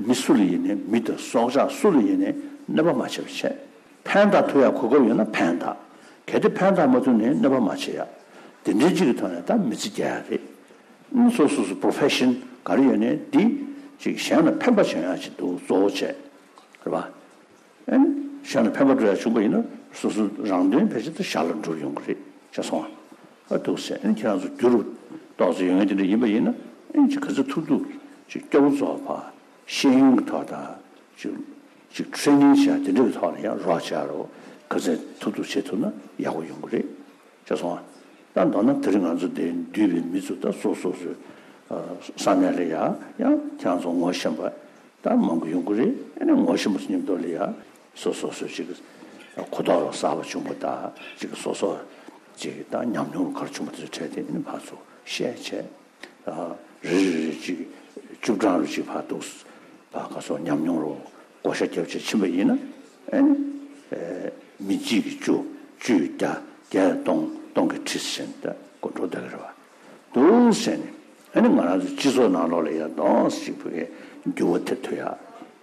མི་སུ་ལ་ཡིན་ནའི་མི་དང་སྲོག་ཆགས་སུ་ལ་ཡིན་ནའི་གནོད་པ་མ་བྱེད་པ་བྱས། ཕན་བཏགས་ཐུབ་ཡག་གོ་སྐབས་ཡོད་ན་ཕན་བཏགས། གལ་ཏེ་ཕན་བཏགས་མ་ཐུབ་ནའི་གནོད་པ་མ་བྱེད་ཡག་དེ་འདྲའི་གཅིག་གི་ཐོག་ནས་ད་མི་ཚེ་རྒྱག་ཡག་རེད། ཨ་སོ་སོ་སོ་པྲོ་ཕེ་ཤན་ག་རེ་ཡོད་ནའི་འདི་ཅིག་གཞན་ལ་ཕན་པ་བྱུང་ཡག་ཅིག་འདུག་གཙོ་བོ་བྱས། རེད་པ། ཨ་ནི་གཞན་ལ་ཕན་པ་འགྲོ་ཡག་བྱུང་པ་ཡིན་ན་སོ་སོ་རང་དོན་ཕལ་ཆེར་དུ་ཞར་ལ་འགྲུབ་ཡོང་གི་རེད་བྱས་སོང་ཨ། འདུག་ཟེར། ཨ་ནི་ཁྱེད་རང་ཚོ་འགྱུར་ཏོག་ཙམ་ཡོང་ཡག་དེ་འདྲ་ཡིན་པ་ཡིན་ན་ཨ་ནི་ཅིག་ག་ཚོད་ཐུབ་ཐུབ་ཅིག་སྐྱོ་བོ་རྫོགས་པ། ཤེས་ཡོན་གྱི་ཐོག་དང་། ཅིག་ཅིག་ཊེ་རེ་ནིང་བྱས་དེ་འདྲ་གི་ཐོག་ལ་ཡང་རོགས་བྱ་རོགས་ག་ཚད་ཐུབ་ཐུབ་བྱེད་ཐུབ་ན་ཡག་པོ་ཡོང་གི་རེད། བྱས་སོང་ཨ། ད་མདོར་ན་དེ་རིང་ང་ཚོ་འདིར་འདུས་པའི་མི་ཚོ་ད་སོ་སོ་སོའི་ས་གནས་ལ་ཡ་ཡང་ཁྱེད་རང་ཚོ་ངོ་ཤེས་པ་ད་མང་པོ་ཡོང་གི་རེད། ཨ་ནི་ངོ་ཤེས་པ་ཚོ་མཉམ་དུ་ལ་ཡ་སོ་སོ་སོའི་ཅིག་གོ་རྟོགས་རོ་གསར་པ་བྱུང་པ་དང་ཅིག་སོ་སོ་ཅིག་ད་ཉམས་མྱོང་རུ་ག་རེ་བྱུང་པ་དེ་ཚོ་འཕྲད་དེ་ཨ་ནི་ཕར་ཚུར་བཤད་བྱས། རེ་རེ་རེ་གཅིག་བཅུ་གྲངས་རུ་གཅིག་ཕར་འདུག་ཕར་ག་སོགས་ཉམས་མྱོང་རུ་བགོ་བཤའ་རྒྱབ་བྱས་ཕྱིན་པ་ཡིན་ན་ཨ་ནི་མི་གཅིག་གིས་བཅུ་བཅུས་བརྒྱ་བརྒྱས་སྟོང་སྟོང་གིས་ཁྲི་ཟེར་ད་གོ་འགྲོ་བསྡད་ཀྱི་རེད་བ། འདུག་ཟེར་ནས་ཨ་ནི་ང་རང་ཚོ་སྤྱི་ཚོགས་ནང་ལོགས་ལ་ཡང་འདུག་ཟེར་གྱི་བུ་གའི་འགྱུར་བ་ཐེབས་ཐུབ་ཡ།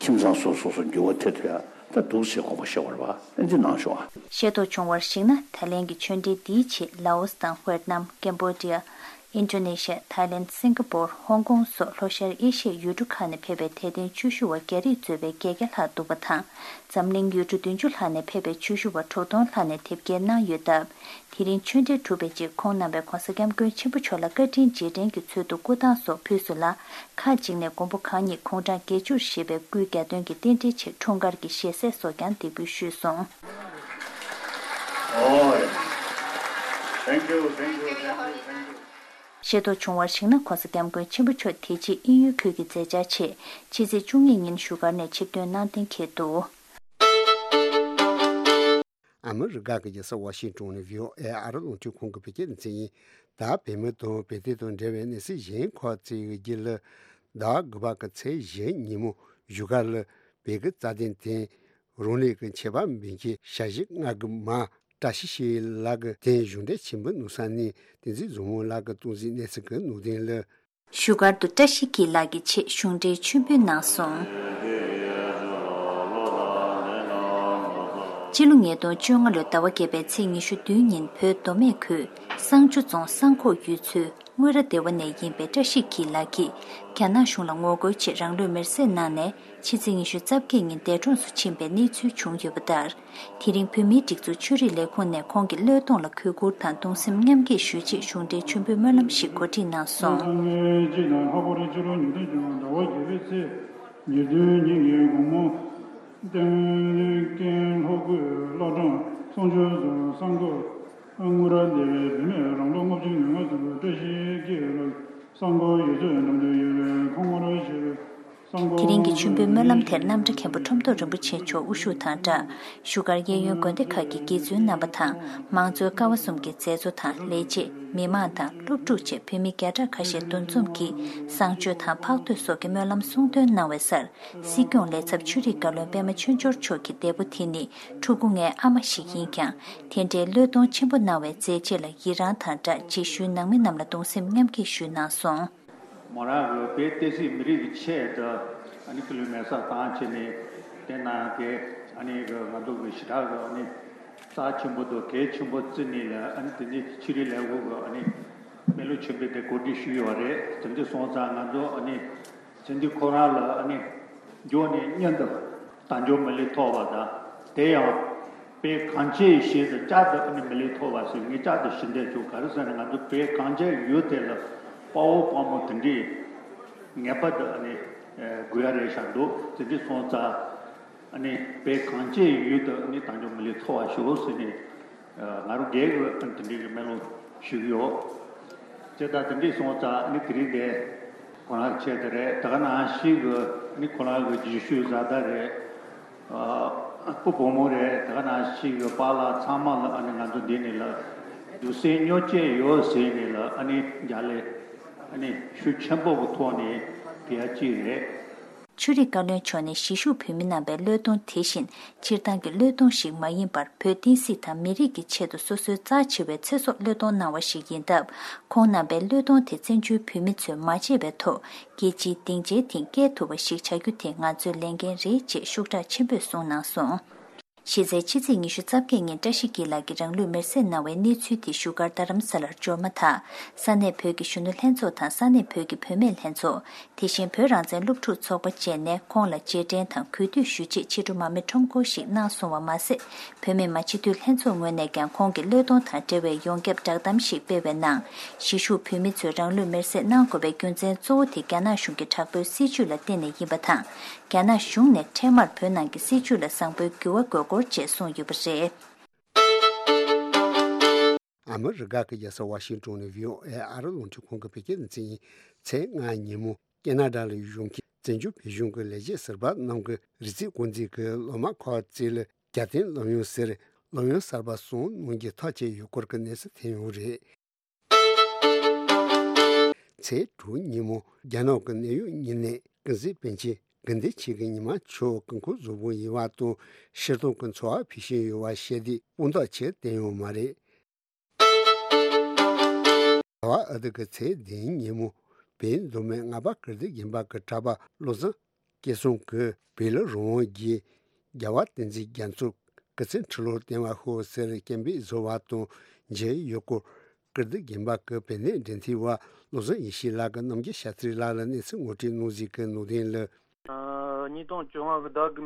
ཁྱིམ་ཚང་སོ་སོ་སོ་འགྱུར་བ་ཐེབས་ཐུབ་ཡ་ད་འདུག་ཟེར་དགོངས་པ་བཞེས་པ་རེད་བ། ཨ་འདི་གནང་ཤོག་ཨ། ཤེས་རྟོགས་བྱུང་བར་གཞིགས་ན་ད་ལན་གྱི་ཆོས་འབྲེལ་འདིའི་ཆེད་ལའོ་སི་དང་ཝེར་ནམ། ཀེམ་བོ་ཌི་ཡ། ཨིན་ཌོ་ནེ་ཤི་ཡ། ཐའི་ལེན། སིང་ག་པོར། ཧོང་ཀོང་སོགས་ལྷོ་ཤར་ཨེ་ཤི་ཡའི་ཡུལ་གྲུ་ཁག་ནས་ཕེབས་པའི་དད་ལྡན་ཆོས་ཞུ་བ་བརྒྱ་རིགས་གཙོས་པའི་བརྒྱད་བརྒྱ་ལྷག་འདུག་པ་དང་། འཛམ་གླིང་ཡུལ་གྲུ་བདུན་ཅུ་ལྷག་ནས་ཕེབས་པའི་ཆོས་ཞུ་བ་དྲུག་སྟོང་ལྷག་ནས་དེབ་སྐྱེལ་གནང་ཡོད་སྟབས། དེ་རིང་ཆོས་འབྲེལ་གྲུབ་པའི་རྗེས་ཁོང་རྣམ་པས་༸གོང་ས་༸སྐྱབས་མགོན་ཆེན་པོ་མཆོག་ལ་བཀའ་དྲིན་རྗེས་དྲན་གྱི་ཚུལ་དུ་སྐུ་ཐང་སོགས་ཕུལ་སོང་ལ། ཁག་ཅིག་ནས་མགོན་པོ་གང་ཉིད་དགུང་གྲངས་བརྒྱད་ཅུར་བཞེས་པའི་སྐུའི་གྱ་སྟོན་གྱི་རྟེན་འབྲེལ་ཆེད་འཁྲུངས་སྐར་གྱི་ཞལ་ཟས་སོགས་ཀྱང་འདེགས་འབུལ་ཞུས་སོང་། Thank you, thank you, thank you, thank you. ཤེས་རྟོགས་བྱུང་བར་གཞིགས་ན་༸གོང་ས་༸སྐྱབས་མགོན་ཆེན་པོ་མཆོག་དེ་རྗེས་དབྱིན་ཡུལ་ཁུལ་གྱི་མཛད་འཆར་ཆེད་ཕྱི་ཚེས་བཅུ་གཉིས་ཉིན་བཞུགས་སྒར་ནས་ཆིབས་ཐོན་གནང་གཏན་འཁེལ་འདུག་ཨ་མི་རི་ཀ་གི་རྒྱལ་ས་ཝ་ཤིང་ཏོན་ནས་བྷི་ཨོ་ཨེ་ཨ་རི་རླུང་འཕྲིན་ཁང་གི་བོད་སྐད་སྡེ་ཚན་ཡིན། ད་བོད་མི་དང་བོད་དོན་དང་འབྲེལ་བའི་གནས་ཚུལ་གཞན་ཁག་ཅིག་ཡོད་རྒྱུ་ལ། ཟླ་བ་དགུ་པ་གི་ཚེས་བཞི་ཉིན་མོ་བཞུགས་སྒར་ལ་བོད་ཀྱི་རྩ་དོན་དང་རང་ལུས་ཀྱི་ཆེད་ཕམ་འབུལ་མཁན་ཞལ་བཞི་ལྔ་གི་མ་བཀྲ་ཤིས་ཞུ་ཡི་ལགས་ཀྱི་དོན་གཞུང་འབྲེལ་ཆེན་པོ་གནང་ས་ནས་བསྟན་འཛིན་བཟང་མོ་ལགས་ཀྱིས་གཏོང་གཟིགས་གནས་ཚུལ་གྱི་ནང་དོན་ལ། བཞུགས་སྒར་དུ་བཀྲ་ཤིས་འཁྱིལ་ལགས་ཀྱི་ཆེད་གཞུང་འབྲེལ་མཆོད་འབུལ་གནང་སོང་། སྤྱི་ལོ་ཉིས་སྟོང་བཅོ་ལྔ་ལོའི་ཟླ་བ་བརྒྱད་པའི་ཚེས་ཉི་ཤུ་བདུན་ཉིན་བོད་མདོ་སྨད་ཁུལ་བསང་ཆུ་རྫོང་བསང་ཁོག་ཡུལ་ཚོའི་དངུལ་ར་སྡེ་བ་ནས་ཡིན་པའི་བཀྲ་ཤིས་འཁྱིལ་ལགས་ཀྱིས་རྒྱ་ནག་གཞུང་ལ་ངོ་རྒོལ་ཆེད་རང་ལུས་མེར་སྲེག་གནང་ནས་ཕྱི་ཚེས་ཉི་ཤུ་རྩ་བརྒྱད་ཉིན་འདས་གྲོངས་སུ་ཕྱིན་པའི་གནས་ཚུལ་བྱུང་ཡོད་པ་ལྟར། དེ་རིང་བོད་མིའི་སྒྲིག་འཛུགས་ཆོས་རིག་ལས་ཁུངས་ནས་ཁོང་གི་བློས་གཏོང་ལ་གུས་བཀུར་དང་གདུང་སེམས་མཉམ་སྐྱེད་ཞུ་ཆེད་གཞུང་འབྲེལ་མཆོད་འབུལ་སྨོན་ལམ་ཞིག་གོ་སྒྲིག་གནང་སོང་། སང་ཉིན་སྤྱི་ཟླ་ལྷག་པར་སྤྱི་ལོ་ཉིས་སྟོང་བཅོ་ལྔ་ཟླ་བ་བརྒྱད་པའི་ཚེས་ཉེར་བདུན་ཉིན་གྱི་དགོང་མོ། སྟེང་ཀན་ལྷོ་ཁུལ་བླ་བྲང་བསང་ཆུ་རྫོང་བསང་ཁོག་དངུལ་ར་སྡེ་བའི་བུད་མེད་རང་ལོ་ལྔ་བཅུ་ང་ལྔ་ཟིན་པའི་བཀྲ་ཤིས་སྐྱིད་ལགས་བསང་ཁོག་ཡུལ་ཚོའི་འགྲམ་དུ་ཡོད་པའི་ཁོང་ངོར་ཞེས་པའི། དེ་རིང་གི་མཆོད་འབུལ་སྨོན་ལམ་དེར་རྣམ་གྲྭ་མཁན་པོ་ཁྲོམ་ཐོག་རིན་པོ་ཆེ་མཆོག་དབུ་བཞུགས་དང་སྦྲགས། བཞུགས་སྒར་གཡས་གཡོན་དགོན་སྡེ་ཁག་གི་དགེ་བཙུན་རྣམ་པ་དང་མང་གཙོའི་ཀ་བ་གསུམ་གྱི་མཛད་གཙོ་དང་ལས་བྱེད། མི་མང་དང་སློབ་ཕྲུག་བཅས་བོད་མི་བརྒྱ་ཕྲག་ཁ་ཤས་འདུ་འཛོམས་ཀྱིས་བསང་མཆོད་དང་ཕག་ཐོད་སོགས་ཀྱི་སྨོན་ལམ་གསུང་འདོན་གནང་བའི་སར། སྲིད་སྐྱོང་ལས་ཚབ་ཆོས་རིག་བཀའ་བློན་པད་མ་ཆོས་འབྱོར་མཆོག་གིས་འདས་པོ་དེ་ནི་ཕྲུ་གུ་ལྔའི་ཨ་མ་ཞིག་ཡིན་ཀྱང་། དེ་འདྲའི་བློས་གཏོང་ཆེན་པོ་གནང་བའི་མཛད་རྗེས་ལ་ཡི་རངས་དང་སྦྲགས་རྗེས་ཤུལ་ནང་མི་རྣམས་ལ་གདུང་སེམས་མཉམ་སྐྱེད་ཞུས་གནང་སོང་། མོ་རང་གི་བོད་བསྟན་སྲིད་མི་རིགས་ཀྱི་ཆེད་དུ་ཨ་ནི་སྐུ་ལུས་མེ་སྲེག་བཏང་བྱས་ནས་དེ་ནང་གི་ཨ་ནི་གི་ང་ཚོ་གི་ཞེ་དྲག་གི་ཨ་ནི་རྩ་ཆེན་པོ་དང་གལ་ཆེན་པོ་བརྩིས་ནས་ལ་ཨ་ནི་དེ་ནི་ཆོས་རིག་ལས་ཁུངས་གི་ཨ་ནི་སྨོན་ལམ་ཆེན་པོ་དེ་གོ་སྒྲིག་ཞུས་ཡོད་རེད། དེ་འདྲ་སོང་ཙང་ང་ཚོ་ཨ་ནི་དེ་འདྲ་ཁོ་རང་ལ་ཨ་ནི་འབྱོར་ནས་མཉམ་དུ་དལ་འབྱོར་མི་ལུས་ཐོབ་པ་དང་དེ་ཡང་། བོད་གངས་ཅན་ཞེས་སུ་བསྐྱར་དུ་ཨ་ནི་མི་ལུས་ཐོབ་པ་ཟེར་ངས་བསྐྱར་དུ་ཞུ་འདོད་བྱུང་། ག་རེ་ཟེར་ན་ང་ཚོ་བོད་གངས་ཅན་ཡུལ་དེ་ལ་དཔའ་བོ་དཔའ་མོ་དེ་འདྲས་ངེས་པར་དུ་ཨ་ནི་དགོས་ཡ་རེད་ཤག་འདུག་དེ་འདྲས་སོང་ཙང་ཨ་ནི་བོད་གངས་ཅན་ཡུལ་དུ་ཨ་ནི་དལ་འབྱོར་མི་ལུས་ཐོབ་པ་ཞུ་ཟེར་ནས་ང་རང་སྒེར་གྱི་ཨ་ནི་དེ་འདྲས་ཀྱི་སྨོན་ལམ་ཞུ་གི་ཡོད། དེ་ལྟར་དེ་འདྲས་སོང་ཙང་ཨ་ནི་དེ་རིང་དེ་ཁོ་རང་ཆེད་དུ་རེད། ད་ག་ནང་བཞིན་གྱི་ཨ་ནི་ཁོ་རང་གི་རྗེས་ཤུལ་བཟའ་ཟླ་རེད། ཨ་སྤུ་བོ་མོ་རེད། དེ་ག་ནང་བཞིན་གྱི་པཱ་ལགས་ཚང་མ་ལ་ཨ་ནི་ང་ཚོ་འདི་ནས་ལ་གདུང་སེམས་མཉམ་སྐྱེད་ཡོད་ཟེར་ནས་ལ་ཨ་ནི་རྒྱ་ལས་ཨ་ནི་ཤུགས་ཆེན་པོ་གི་ཐོག་ནས་ཕུལ་ཡ་གཅིག་རེད། ཆོས་རིག་བཀའ་བློན་མཆོག་ནས་གཞིས་བཞུགས་བོད་མི་རྣམ་པའི་བློས་གཏོང་དེ་བཞིན་སྤྱིར་བཏང་གི་བློས་གཏོང་ཞིག་མ་ཡིན་པར་བོད་བསྟན་སྲིད་དང་མི་རིགས་ཀྱི་ཆེད་དུ་སོ་སོའི་རྩ་ཆེ་བའི་ཚེ་སྲོག་བློས་གཏོང་གནང་བ་ཞིག་ཡིན་སྟབས། ཁོང་རྣམ་པའི་བློས་གཏོང་དེ་བཙན་བྱོལ་བོད་མི་ཚོས་མ་བརྗེད་པའི་ཐོག་རྒྱལ་སྤྱིའི་སྡིངས་ཆའི་སྟེང་སྐྱེལ་ཐུབ་པ་ཞིག་བྱ་རྒྱུ་དེ་ང་ཚོའི་ལས་འགན་རེད་ཅེས་ཤུགས་དྲག་ཆེན་པོས་གསུངས་གནང་སོང་། གཞི་རྩའི་ཕྱི་ཚེས་ཉི་ཤུ་རྩ་བརྒྱད་ཉིན་བཀྲ་ཤིས་འཁྱིལ་ལགས་ཀྱིས་རང་ལུས་མེར་སྲེག་གནང་བའི་གནས་ཚུལ་དེ་བཞུགས་སྒར་རྡ་རམ་ས་ལར་འབྱོར་མ་ཐག་ས་གནས་བོད་ཀྱི་གཞོན་ནུ་ལྷན་ཚོགས་དང་ས་གནས་བོད་ཀྱི་བུད་མེད་ལྷན་ཚོགས། དེ་བཞིན་བོད་རང་བཙན་སློབ་ཕྲུག་ཚོགས་པ་བཅས་ནས་ཁོང་ལ་རྗེས་དྲན་དང་གུས་འདུད་ཞུ་ཆེད་ཕྱི་དྲོ་མར་མེ་ཁྲོམ་སྐོར་ཞིག་གནང་སོང་བ་མ་ཟད། བོད་མི་མང་སྤྱི་འཐུས་ལྷན་ཚོགས་ངོས་ནས་ཀྱང་ཁོང་གི་བློས་གཏོང་དང་འབྲེལ་བའི་ཡོངས་ཁྱབ་བསྒྲགས་གཏམ་ཞིག་སྤེལ་བའི་ནང་། གཞིས་བཞུགས་བོད་མི་ཚོས་རང་ལུས་མེར་སྲེག་གནང་དགོས་པའི་རྒྱུ་མཚན་གཙོ་བོ་དེ་རྒྱ་ནག་གཞུང་གི་དྲག་པོའི་སྲིད་བྱུས་ལ་བརྟེན་ནས་ཡིན་པ་དང་། རྒྱ་ནག་གཞུང་ནས་འཕྲལ་མར་བོད་ནང་གི་སྲིད་བྱུས་ལ་བཟང་པོའི་འགྱུར་བ་དགོས་སྐོར་བཅས་གསུངས་ཡོད་པ་རེད། ཨ་མི་རི་ཀ་གི་རྒྱལ་ས་ཝ་ཤིང་ཏོན་ནས་བྷི་ཨོ་ཨེ་ཨ་རི་རླུང་འཕྲིན་ཁང་གི་བོད་སྐད་སྡེ་ཚན་ཡིན། ཚེས་ལྔ་ཉིན་མོ་ཁེ་ན་ཌ་ལ་བཞུགས་མཁན་བཙན་བྱོལ་བོད་གཞུང་གི་ལས་བྱེད་ཟུར་པ་རྣམས་ཀྱིས་རི་རྩེ་དགོན་རྩེ་གི་སློབ་མ་ཁག་ཅིག་ལ་རྒྱལ་བསྟན་སློབ་ཡོན་ཟེར་སློབ་ཡོན་གསར་པ་གསུམ་གནང་རྒྱུའི་ཐག་བཅད་ཡོད་སྐོར་གྱི་གནས་ཚུལ་ཐོན་ཡོད་རེད། ཚེས་དྲུག་ཉིན་མོ་རྒྱ་ནག་གི་གནད་ཡོད་བརྙན་གནས་ཀུན་གཟིགས་པཎ་ཆེན་དགེ་འདུན་ཆོས་ཀྱི་ཉི་མ་མཆོག་སྐུ་འཁོར་གཟུགས་པོ་ཡིན་པ་དང་ཤི་སྟོང་གི་འཚོ་བ་ཕུལ་བཞིན་ཡོད་པ་བཤད་དུས་དཔང་རྟགས་ཆེར་བསྟན་ཡོད་མ་རེད། ཟླ་བ་ཨ་ཐུར་གྱི་ཚེས་བདུན་ཉིན་མོ་བོད་མདོ་སྨད་རྔ་པ་ཀིརྟི་དགོན་པ་གི་གྲྭ་པ་བློ་བཟང་སྐལ་བཟང་གིས་བོད་ལ་རང་དབང་རྒྱལ། རྒྱལ་བ་བསྟན་འཛིན་རྒྱ་མཚོ་སྐུ་ཚེ་ཁྲི་ལོར་བརྟན་པར་ཤོག་ཟེར་སྐད་འབོད་བཟོ་བ་དང་མཇལ་ཡོད་སྐོར་ཀིརྟི་དགོན་པ་གི་བོད་གནས་འབྲེལ་མཐུད་པ་བློ་བཟང་ཡེ་ཤེས་ལགས་ཀྱིས་རྣམ་རྒྱལ་ཤཱ་ཏྲི་ལགས་ལ་གནས་ཚུལ་ངོ་སྤྲོད་གནང་གཟིགས་ཀྱི་ནང་དོན་ལ། ཉིས་སྟོང་བཅོ་ལྔ་གི་ཟླ་དགུ་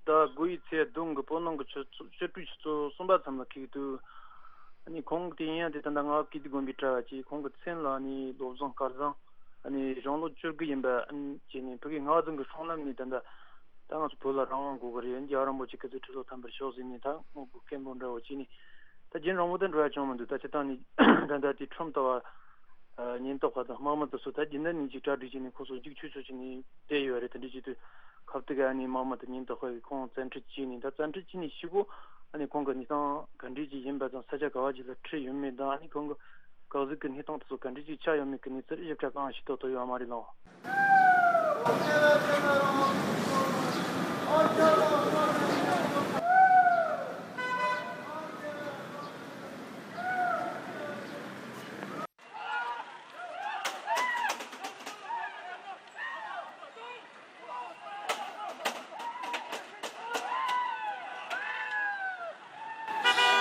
ཟླ་དགུ་ཡི་ཚེས་བདུན་གི་བོད་ནང་གི་ཆུ་ཚོད་ཆུ་ཚོད་ཆུ་ཚོད་གསུམ་པ་ཙམ་ལ་ཁེལ་དུས། ཨ་ནི་ཁོང་གི་དེ་ཡིན་ཡང་དེ་ད་ལྟ་རྔ་བ་ཀིརྟི་དགོན་པའི་གྲྭ་བ་གཅིག་ཁོང་གི་མཚན་ལ་ཨ་ནི་བློ་བཟང་སྐལ་བཟང་། ཨ་ནི་གཞུང་ལོ་བཅུ་དགུ་ཡིན་པ་ཨ་ནི་བྱས་ནས་ཕ་གི་རྔ་བ་ཙམ་གི་སྲང་ལམ་ནས་ད་ལྟ་ད་ང་ཚོ་བོད་ལ་རང་དབང་དགོས་གི་རེད། རྒྱལ་བ་རིན་པོ་ཆེ་སྐུ་ཚེ་ཁྲི་ལོ་ཐམ་པར་ཤོག་ཟེར་ནས་ད་དངོས་པོ་སྐད་འབོད་འདྲ་བོ་བྱས་ནས་ད་རྒྱུན་རིང་པོ་ད་འགྲོ་ཡ་བྱུང་མི་འདུག་ད་སྤྱིར་བཏང་ནས་ད་ལྟ་དེ་ཁྲོམ་ལྟ་བ་ཉེན་རྟོག་པ་དང་དམག་མི་དེ་ཚོ་ད་རྒྱུན་ལྡན་ནས་ཅིག་གྲ་སྒྲིག་བྱས་ནས་ཁོ་ཚོ་རྒྱུག་ཆུ་ཆུ་བྱས་ནས་བསྡད་ཡོད་རེད། དེ་འདྲ་བྱེད་དུས་ཁ་ཐུག་ག་ཨ་ནི་དམག་མི་དང་ཉེན་རྟོག་པ་གིས་ཁོང་བཙན་ཁྲིད་བྱས་ནས་ད་བཙན་ཁྲིད་བྱས་ནས་ཤི་བོ། ཨ་ནི་ཁོང་གི་གནས་སྟངས་ག་འདྲས་ཅིག་ཡིན་པ་དང་ས་ཆ་ག་བ་ཅིག་ལ་ཁྲིད་ཡོད་མེད་དང་ཨ་ནི་ཁོང་གི་གག་གཟུགས་ཀྱི་གནས་སྟངས་དེ་ཚོ་ག་འདྲས་ཅིག་ཆགས་ཡོད་མེད་ཀྱི་གནས་ཚུལ་ཞིབ་ཕྲ་གང་ཤེས་རྟོགས་ཐུབ་ཡོད་མ་རེད་ལགས།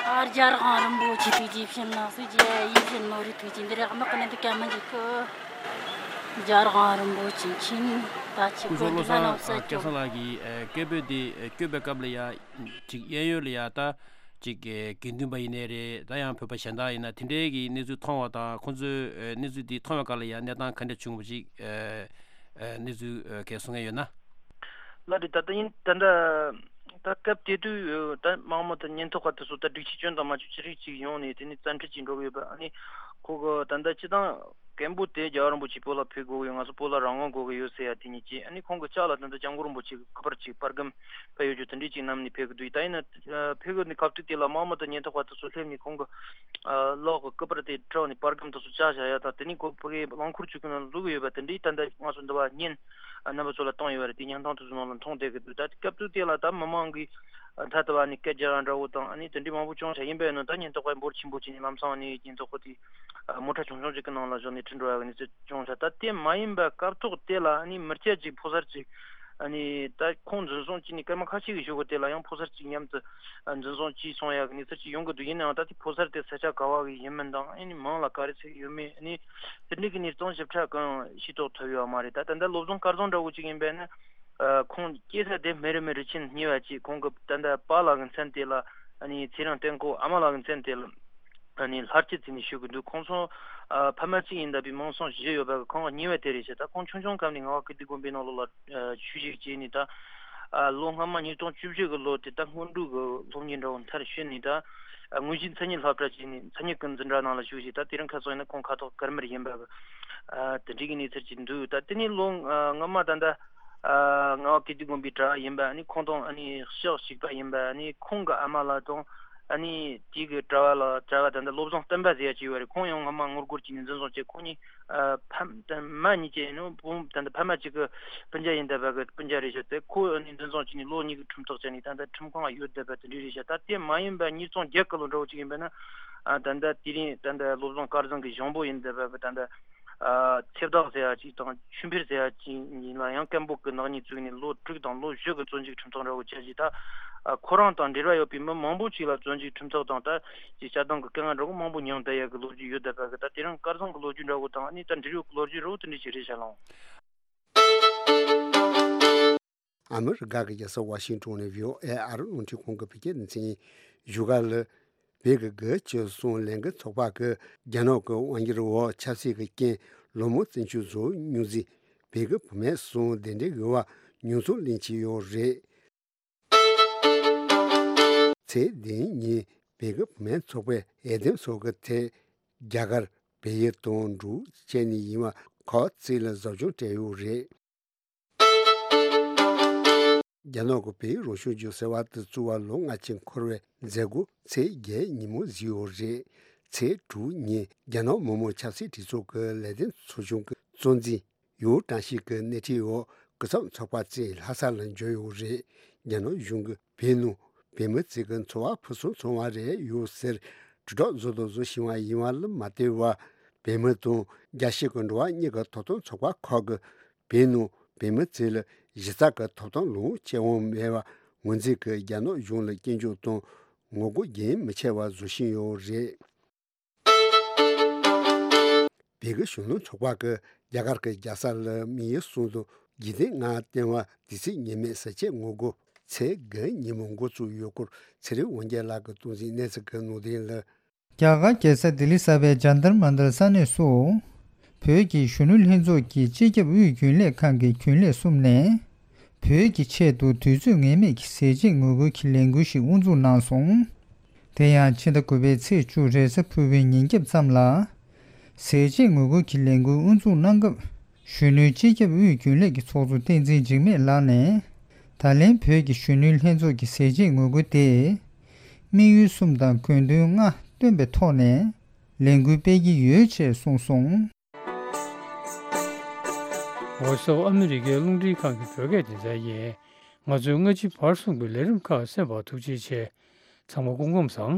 ཨ་རྒྱལ་དབང་རིན་པོ་ཆེ་ཐུགས་རྗེ་ཆེ་གནང་སྲིད་ཀྱི་ཡིད་བཞིན་ནོར་བུའི་ཐུགས་རྗེ་འདི་རེད། དམག་གི་ནི་འདི་ག་མི་འཇིག་གི། རྒྱལ་དབང་རིན་པོ་ཆེ་མཁྱེན། ད་ཆེ་སྐུ་གོ་ཚོགས་བློ་འདི་ལ་བཟང་ནོར་སྲིད་སྐལ་བཟང་ལགས་ཀྱིས་ཨ་སྐད་འབོད་འདི་ཨ་བསྐྱོད་པའི་སྐབས་ལ་ཡ་ཅིག་གཡས་གཡོན་ལ་ཡ་ད་ཅིག་ཨ་དགེ་འདུན་པ་ཡིན་ནའི་རེད། ད་ཡང་བོད་པ་གཞན་དག་ཡིན་ན་དེ་འདྲའི་གི་གནས་ཚུལ་མཐོང་བ་དང་ཁོང་ཚོས་ཨ་གནས་ཚུལ་འདི་མཐོང་བའི་སྐབས་ལ་ཡ་གནས་སྟངས་ག་འདྲ་བྱུང་བ་ཅིག་ཨ་ཨ་གནས་ཚུལ་ཨ་གས་གསུང་མཁན་ཡོད་ན། ལགས་རེད། ད་ལྟ་ཡིན་ད་ལྟ་ད་སྐབས་དེ་དུས་ད་དམག་མི་དང་ཉེན་རྟོག་པ་དེ་ཚོ་ད་སྒྲིག་ཆས་སྐྱོན་དང་མ་སྐྱོན་ཅི་རིགས་ཅིག་ཡོང་ནས་དེ་ནས་བཙན་ཁྲིད་ཅིག་འགྲོ་གི་ཡོད་པ། ཨ་ནི་ཁོ་གི་ད་ལྟ་སྤྱི་བཏང་སྐད་འབོད་དེ་རྒྱལ་བ་རིན་པོ་ཆེ་བོད་ལ་ཕེབས་དགོས་ཀྱི་ཡོད། ང་ཚོ་བོད་ལ་རང་དབང་དགོས་ཀྱི་ཡོད་ཟེར་ཡ་དེ་གཉིས་ཀྱིས། ཨ་ནི་ཁོང་གི་ལྕགས་ལ་ད་ལྟ་སྐྱབས་མགོན་རིན་པོ་ཆེ་གི་སྐུ་པར་ཅིག་པར་སྒམ་ཕུལ་ཡོད་རྒྱུ་དེ་འདྲས་ཅིག་བསྣམས་ནས་ཕེབས་ཀྱི་འདུག་ད་ཡིན་ན་ཕེབས་ཀྱི་ནི་སྐབས་དུས་དེ་ལ་དམག་མི་དང་ཉེན་རྟོག་པ་དེ་ཚོ་སླེབས་ནས་ཁོང་གི་ལག་གི་སྐུ་པར་དེ་དཀྲོགས་ནས་པར་སྒམ་དེ་ཚོ་བཅག་བཞག་ཡ་དང་། དེ་ནས་ཁོ་ཕ་གིའི་རླངས་འཁོར་ཅིག་གི་ནང་འཛུལ་གི་ཡོད་པ་དེ་འདྲའི་ད་ལྟ་ང་ཚོ་འདི་བ་བརྙན་རྣམ་པ་ཚོ་ལ་བཏང་ཡོད་པ་རེད། དེ་བརྙན་ཐུང་དེ་ཚོ་ནང་ལ་མཐོང་བསྡད་ཀྱི་འདུག་ད་སྐབས་དུས་དེ་ལ་ད་མི་མང་གིས་ད་ལྟ་བ་ནས་སྐད་རྒྱག་ཡ་འདྲ་བོ་དང་ཨ་ནི་དེ་འདྲའི་མང་པོ་བྱུང་བཞག་ཡིན་པས་ན། ད་ཉེན་རྟོག་པ་འབོར་ཆེན་པོ་ཅིག་ནས་ལམ་སང་ཨ་ནི་ཉེན་རྟོག་པ་དེ་མོ་ཊ་ཆུང་ཆུང་ཅིག་གི་ནང་ལ་བཞག་ནས་ཁྲིད་འགྲོ་ཡ་གི་གནས་ཚུལ་བྱུང་ཤག་ད་དེ་མ་ཡིན་པ་སྐབས་ཐོག་དེ་ལ་ཨ་ནི་མི་སྐྱ་ཅིག་ཕོ་གསར་ཅིག་ཨ་ནི་ད་ཁོང་འཛིན་བཟུང་བྱས་ནས་སྐར་མ་ཁ་ཤས་ཀྱི་གཞུག་གུ་དེ་ལ་ཡང་ཕོ་གསར་ཅིག་མཉམ་དུ་འཛིན་བཟུང་བྱས་སོང་ཡ་གི་གནས་ཚུལ་ཅིག་ཡོང་གི་འདུག་ཡིན་ནའང་ད་དེ་ཕོ་གསར་དེ་ས་ཆ་ག་བ་གི་ཡིན་མིན་དང་ཨ་ནི་མིང་ལ་ག་རེ་ཟེར་ཡོད་མེད་ཨ་ནི་དེ་འདྲའི་གི་གནས་སྟངས་ཞིབ་ཕྲ་གང་ཤེས་རྟོགས་ཐུབ་ཡོད་མ་རེད། ད་ད་ལྟ་བློ་བཟང་དཀར་བཟང་འདྲ་བོ་ཅིག་ཡིན་པས་ན་ཁོང་སྐྱེས་ས་དེ་སྨན་རི་མི་རི་ཆེན་གཉིས་པ་ཅིག་ཁོང་གི་ད་ལྟ་པཱ་ལགས་ཀྱི་མཚན་དེ་ལ་ཨ་ནི་ཚེ་རིང་བསྟན་འཁོར། ཨ་མ་ལགས་ཀྱི་མཚན་དེ་ལ། ཨ་ནི་ལྷར་བཅས་ཟེར་ནས་ཞུ་གི་འདུག་ཁོང་ཚོ་ཨ་ཕ་མ་གཅིག་ཡིན་ད་པའི་མིང་སྲིང་བཞི་ཡོད་པ་གི་ཁོང་གཉིས་པ་དེ་རེད་ཤག་ད་ཁོང་ཆུང་ཆུང་སྐབས་ནས་ངག་དབང་ཀིརྟི་དགོན་པའི་ནང་ལོགས་ལ་ཨ་ཆོས་ཞུགས་བྱས་ནས་ད་ཨ་ལོ་སྔ་མ་ཉིས་སྟོང་བཅུ་བཞི་གི་ལོ་དེ་ད་སྔོན་འགྲོ་གི་སློབ་གཉེར་འདྲ་བོ་མཐར་ཕྱིན་ནས་ད་ཨ་དངོས་གཞི་མཚན་ཉིད་སློབ་གྲྭ་བྱས་ནས་མཚན་ཉིད་ཀུན་འཛིན་གྲྭ་ནང་ལ་ཞུགས་ཤིང་ད་དེ་རིང་ཁ་སང་ཡིན་ན་ཁོང་ཁ་ཐོག་ཀརྨར་ཡིན་པ་གི་ཨ་དེ་འདྲའི་གི་གནས་ཚུལ་ཅིག་འདུག་ད་དེ་ནས་ལོ་ཨ་སྔ་མ་ད་ད་ཨ་ངག་དབང་ཀིརྟི་དགོན་པའི་གྲྭ་བ་ཡིན་པ་ཨ་ནི་ཁོང་དང་ཨ་ནི་ཕྱག་གཅིག་པ་ཡིན་པ་ཨ་ནི་ཁོང་གི་ཨ་མ་ལགས་དང་ཨ་ནི་དེ་གི་གྲྭ་བ་ལགས་གྲྭ་བ་ད་ལྟ་བློ་བཟང་བསྟན་པ་ཟེར་ཡ་ཅིག་ཡོད་རེད། ཁོང་ཡང་སྔ་མ་ངོ་རྒོལ་བྱས་ནས་འཛིན་བཟུང་བྱས། ཁོང་གཉིས་ཨ་ཕ་ད་མ་གཉིས་ཀྱི་ནོ་བུ་ད་ལྟ་ཕ་མ་གཅིག་གི་སྤུན་ཀྱག་ཡིན་བསྡད་པ་གི་སྤུན་ཀྱག་རེད་ཤག་དེ་ཁོ་ཨ་ནི་འཛིན་བཟུང་བྱས་ནས་ལོ་གཉིས་ཀྱི་ཁྲིམས་ཐག་བཅད་ནས་ད་ལྟ་ཁྲིམས་ཁང་ཡོད་བསྡད་པ་དེ་འདྲ་རེད་ཤག་ད་དེ་མ་ཡིན་པ་ཉིས་སྟོང་བརྒྱད་གི་ལོ་འདྲ་བོ་ཅིག་ཡིན་པ་ན་ཨ་ད་ལྟ་དེ་རིང་ད་ལྟ་བློ་བཟང་དཀར་བཟང་གི་གཞུང་པོ་ཡིན་བསྡད་པ་གི་ད་ལྟ། ཨ་ཚེ་བདག་ཟེར་ཡ་ཅིག་དང་ཆོས་འཕེལ་ཟེར་ཡ་ཅིག་ཡིན་ལ་ཡང་སྐད་འབོད་ཀྱི་ནག་ཉེས་བཙུགས་ནས་ལོ་དྲུག་དང་ལོ་བཞི་གི་བཙོན་འཇུག་ཁྲིམས་ཐག་འདྲ་བོ་བཅད་རྗེས་ད་ཨ་ཁོ་རང་དང་འབྲེལ་བ་ཡོད་པའི་མི་མང་པོ་ཅིག་ལ་བཙོན་འཇུག་ཁྲིམས་ཐག་དང་ད་ཅིག་བཅད་གཏོང་གི་སྐད་ངན་འདྲ་བོ་མང་པོ་མྱངས་བསྡད་ཡ་གི་ལོ་རྒྱུས་ཡོད་བསྡད་པ་གི་ད་དེ་རིང་དཀར་བཟང་གི་ལོ་རྒྱུས་འདྲ་བོ་དང་ཨ་ནི་ད་འབྲེལ་ཡོད་གི་ལོ་རྒྱུས་འདྲ་བོ་དེ་འདྲ་ཞིག་རེད་ཤག་ལགས། ཨ་མི་རི་ཀ་གི་རྒྱལ་ས་ཝ་ཤིང་ཏོན་ནས་བྷི་ཨོ་ཨེ་ཨ་རི་རླུང་འཕྲིན་ཁང་གི་བོད་སྐད་སྡེ་ཚན་ཡིན། བཞུགས་སྒར་ལ་བོད་ཀྱི་དགུ་བཅུ་གསུམ་ལས་འགུལ་ཚོགས་པ་གིས་རྒྱ་ནག་གི་དབང་སྒྱུར་འོག་ཆབ་སྲིད་ཀྱི་རྐྱེན་ལོ་མང་བཙན་བྱོལ་བཟོ་མྱོང་ཟིན་བོད་ཀྱི་བུད་མེད་གསུམ་གདན་འདྲེན་ཞུ་བར་ཉེས་འཛུགས་ལེན་གྱི་ཡོད་རེད། ཚེས་བདུན་ཉིན་བོད་ཀྱི་བུད་མེད་ཚོགས་པས་འོས་འདེམས་སོགས་ཀྱི་ཐད་རྒྱ་གར་བལ་ཡུལ་དང་འབྲུག་བཅས་ནས་ཡིན་པ་ཁག་ཅིག་ལ་ཟབ་སྦྱོང་སྤྲད་ཡོད་རེད། རྒྱ་ནག་གི་བོད་རང་སྐྱོང་ལྗོངས་ཟེར་བ་དེ་བཙུགས་པ་ལོ་ལྔ་ཅན་འཁོར་བའི་མཛད་སྒོ་ཚེས་བརྒྱད་ཉིན་མོ་གཟིགས་ཡོད་རེད། ཚེས་དྲུག་ཉིན་རྒྱ་ནག་མི་དམངས་ཆབ་སྲིད་སྒྲིག་འཛུགས་ཀྱི་ལས་དོན་ཚོགས་ཆུང་གི་གཙོ་འཛིན་ཡུའུ་ཀྲང་ཤིས་ཀྱི་སྣེ་ཁྲིད་འོག་སྐུ་ཚབ་ཚོགས་པ་བཅས་ལྷ་ས་ལ་འབྱོར་ཡོད་རེད། རྒྱ་ནག་གཞུང་གིས་བོད་ནང་བོད་མི་ཚོས་ཀྱི་འཚོ་བ་ཕུན་སུམ་ཚོགས་པ་རེད་ཡོད་ཟེར་དྲིལ་བསྒྲགས་བཟོ་དང་བཟོ་བཞིན་པ་ཡིན་པ་ལ་མ་ལྟོས་པར་བོད་མི་དང་རྒྱལ་སྤྱི་གི་འགྲོ་བ་མིའི་ཐོབ་ཐང་ཚོགས་པ་ཁག་གིས་བོད་ནང་བོད་མི་ཚོ་ལ་གཞི་རྩ་གི་ཐོབ་ཐང་ལོངས་སྤྱོད་དབང་མེད་པ་ངོས་འཛིན་གྱིས་རྒྱ་ནག་གཞུང་ལ་སྐྱོན་བརྗོད་དང་ངོ་རྒོལ་རྒྱུན་མི་ཆད་པར་བཟོ་བཞིན་ཡོད་རེད། བོད་ཀྱི་གཞོན་ནུ་ཚོགས་པ་གིས་རྒྱ་གར་གྱི་རྒྱལ་ས་ལ་དམིགས་ཡུལ་གསུམ་དུ་རྒྱུན་ལྡན་ངང་བསྟན་པ་དུས་ཚོད་ངེས་མེད་ཟས་བཅད་ངོ་རྒོལ་ཚེས་དགུ་ཉིན་མོ་འགོ་བཙུགས་ཡོད་སྐོར་ཚེ་རིང་དབང་རྒྱལ་ལགས་ཀྱིས་སྟོང་འཛིན་གནས་ཚུལ་གྱི་ནང་དོན་ལ། རྒྱ་གར་རྒྱལ་ས་ལྡི་ལི་གསར་པའི་ཇཱན་ཏར་མན་ཏར་ས་གནས་སུ། བོད་ཀྱི་གཞོན་ནུ་ལྷན་ཚོགས་ཀྱི་སྤྱི་ཁྱབ་དབུས་རྒྱུན་ལས་ཁང་གི་རྒྱུན་ལས་གསུམ་ནས། བོད་ཀྱི་ཆེད་དུ་དུས་ཚོད་ངེས་མེད་ཀྱི་ཟས་བཅད་ངོ་རྒོལ་གྱི་ལས་འགུལ་ཞིག་དབུ་འཛུགས་གནང་སོང་། དེ་ཡང་ཕྱི་ཟླ་དགུ་པའི་ཚེས་བཅུ་རེས་གཟའ་ཕུར་བུའི་ཉིན་རྒྱབ་ཙམ་ལ། ཟས་བཅད་ངོ་རྒོལ་གྱི་ལས་འགུལ་དབུ་འཛུགས་གནང་སྐབས། གཞོན་ནུའི་སྤྱི་ཁྱབ་དབུས་རྒྱུན་ལས་ཀྱི་ཚོགས་གཙོ་བསྟན་འཛིན་འཇིགས་མེད་ལགས་ནས། ད་ལན་བོད་ཀྱི་གཞོན་ནུའི་ལྷན་ཚོགས་ཀྱི་ཟས་བཅད་ངོ་རྒོལ་དེ། དམིགས་ཡུལ་གསུམ་དང་དགོས་འདུན་ལྔ་བཏོན་པའི་ཐོག་ནས་ལས་འགུལ་སྤེལ་གྱི་ཡོད་ཅེས་གསུངས་སོང་། ཝོ་སི་ཨོ་ཨ་མི་རི་ཀའི་རླུང་འཕྲིན་ཁང་གི་བོད་སྐད་སྡེ་ཚན་ཡིན། ང་ཚོའི་སྔ་ཕྱི་བར་གསུམ་གྱི་ལས་རིམ་ཁག་གསན་པར་ཐུགས་རྗེ་ཆེ། ཚང་མ་སྐུ་ཁམས་བཟང་།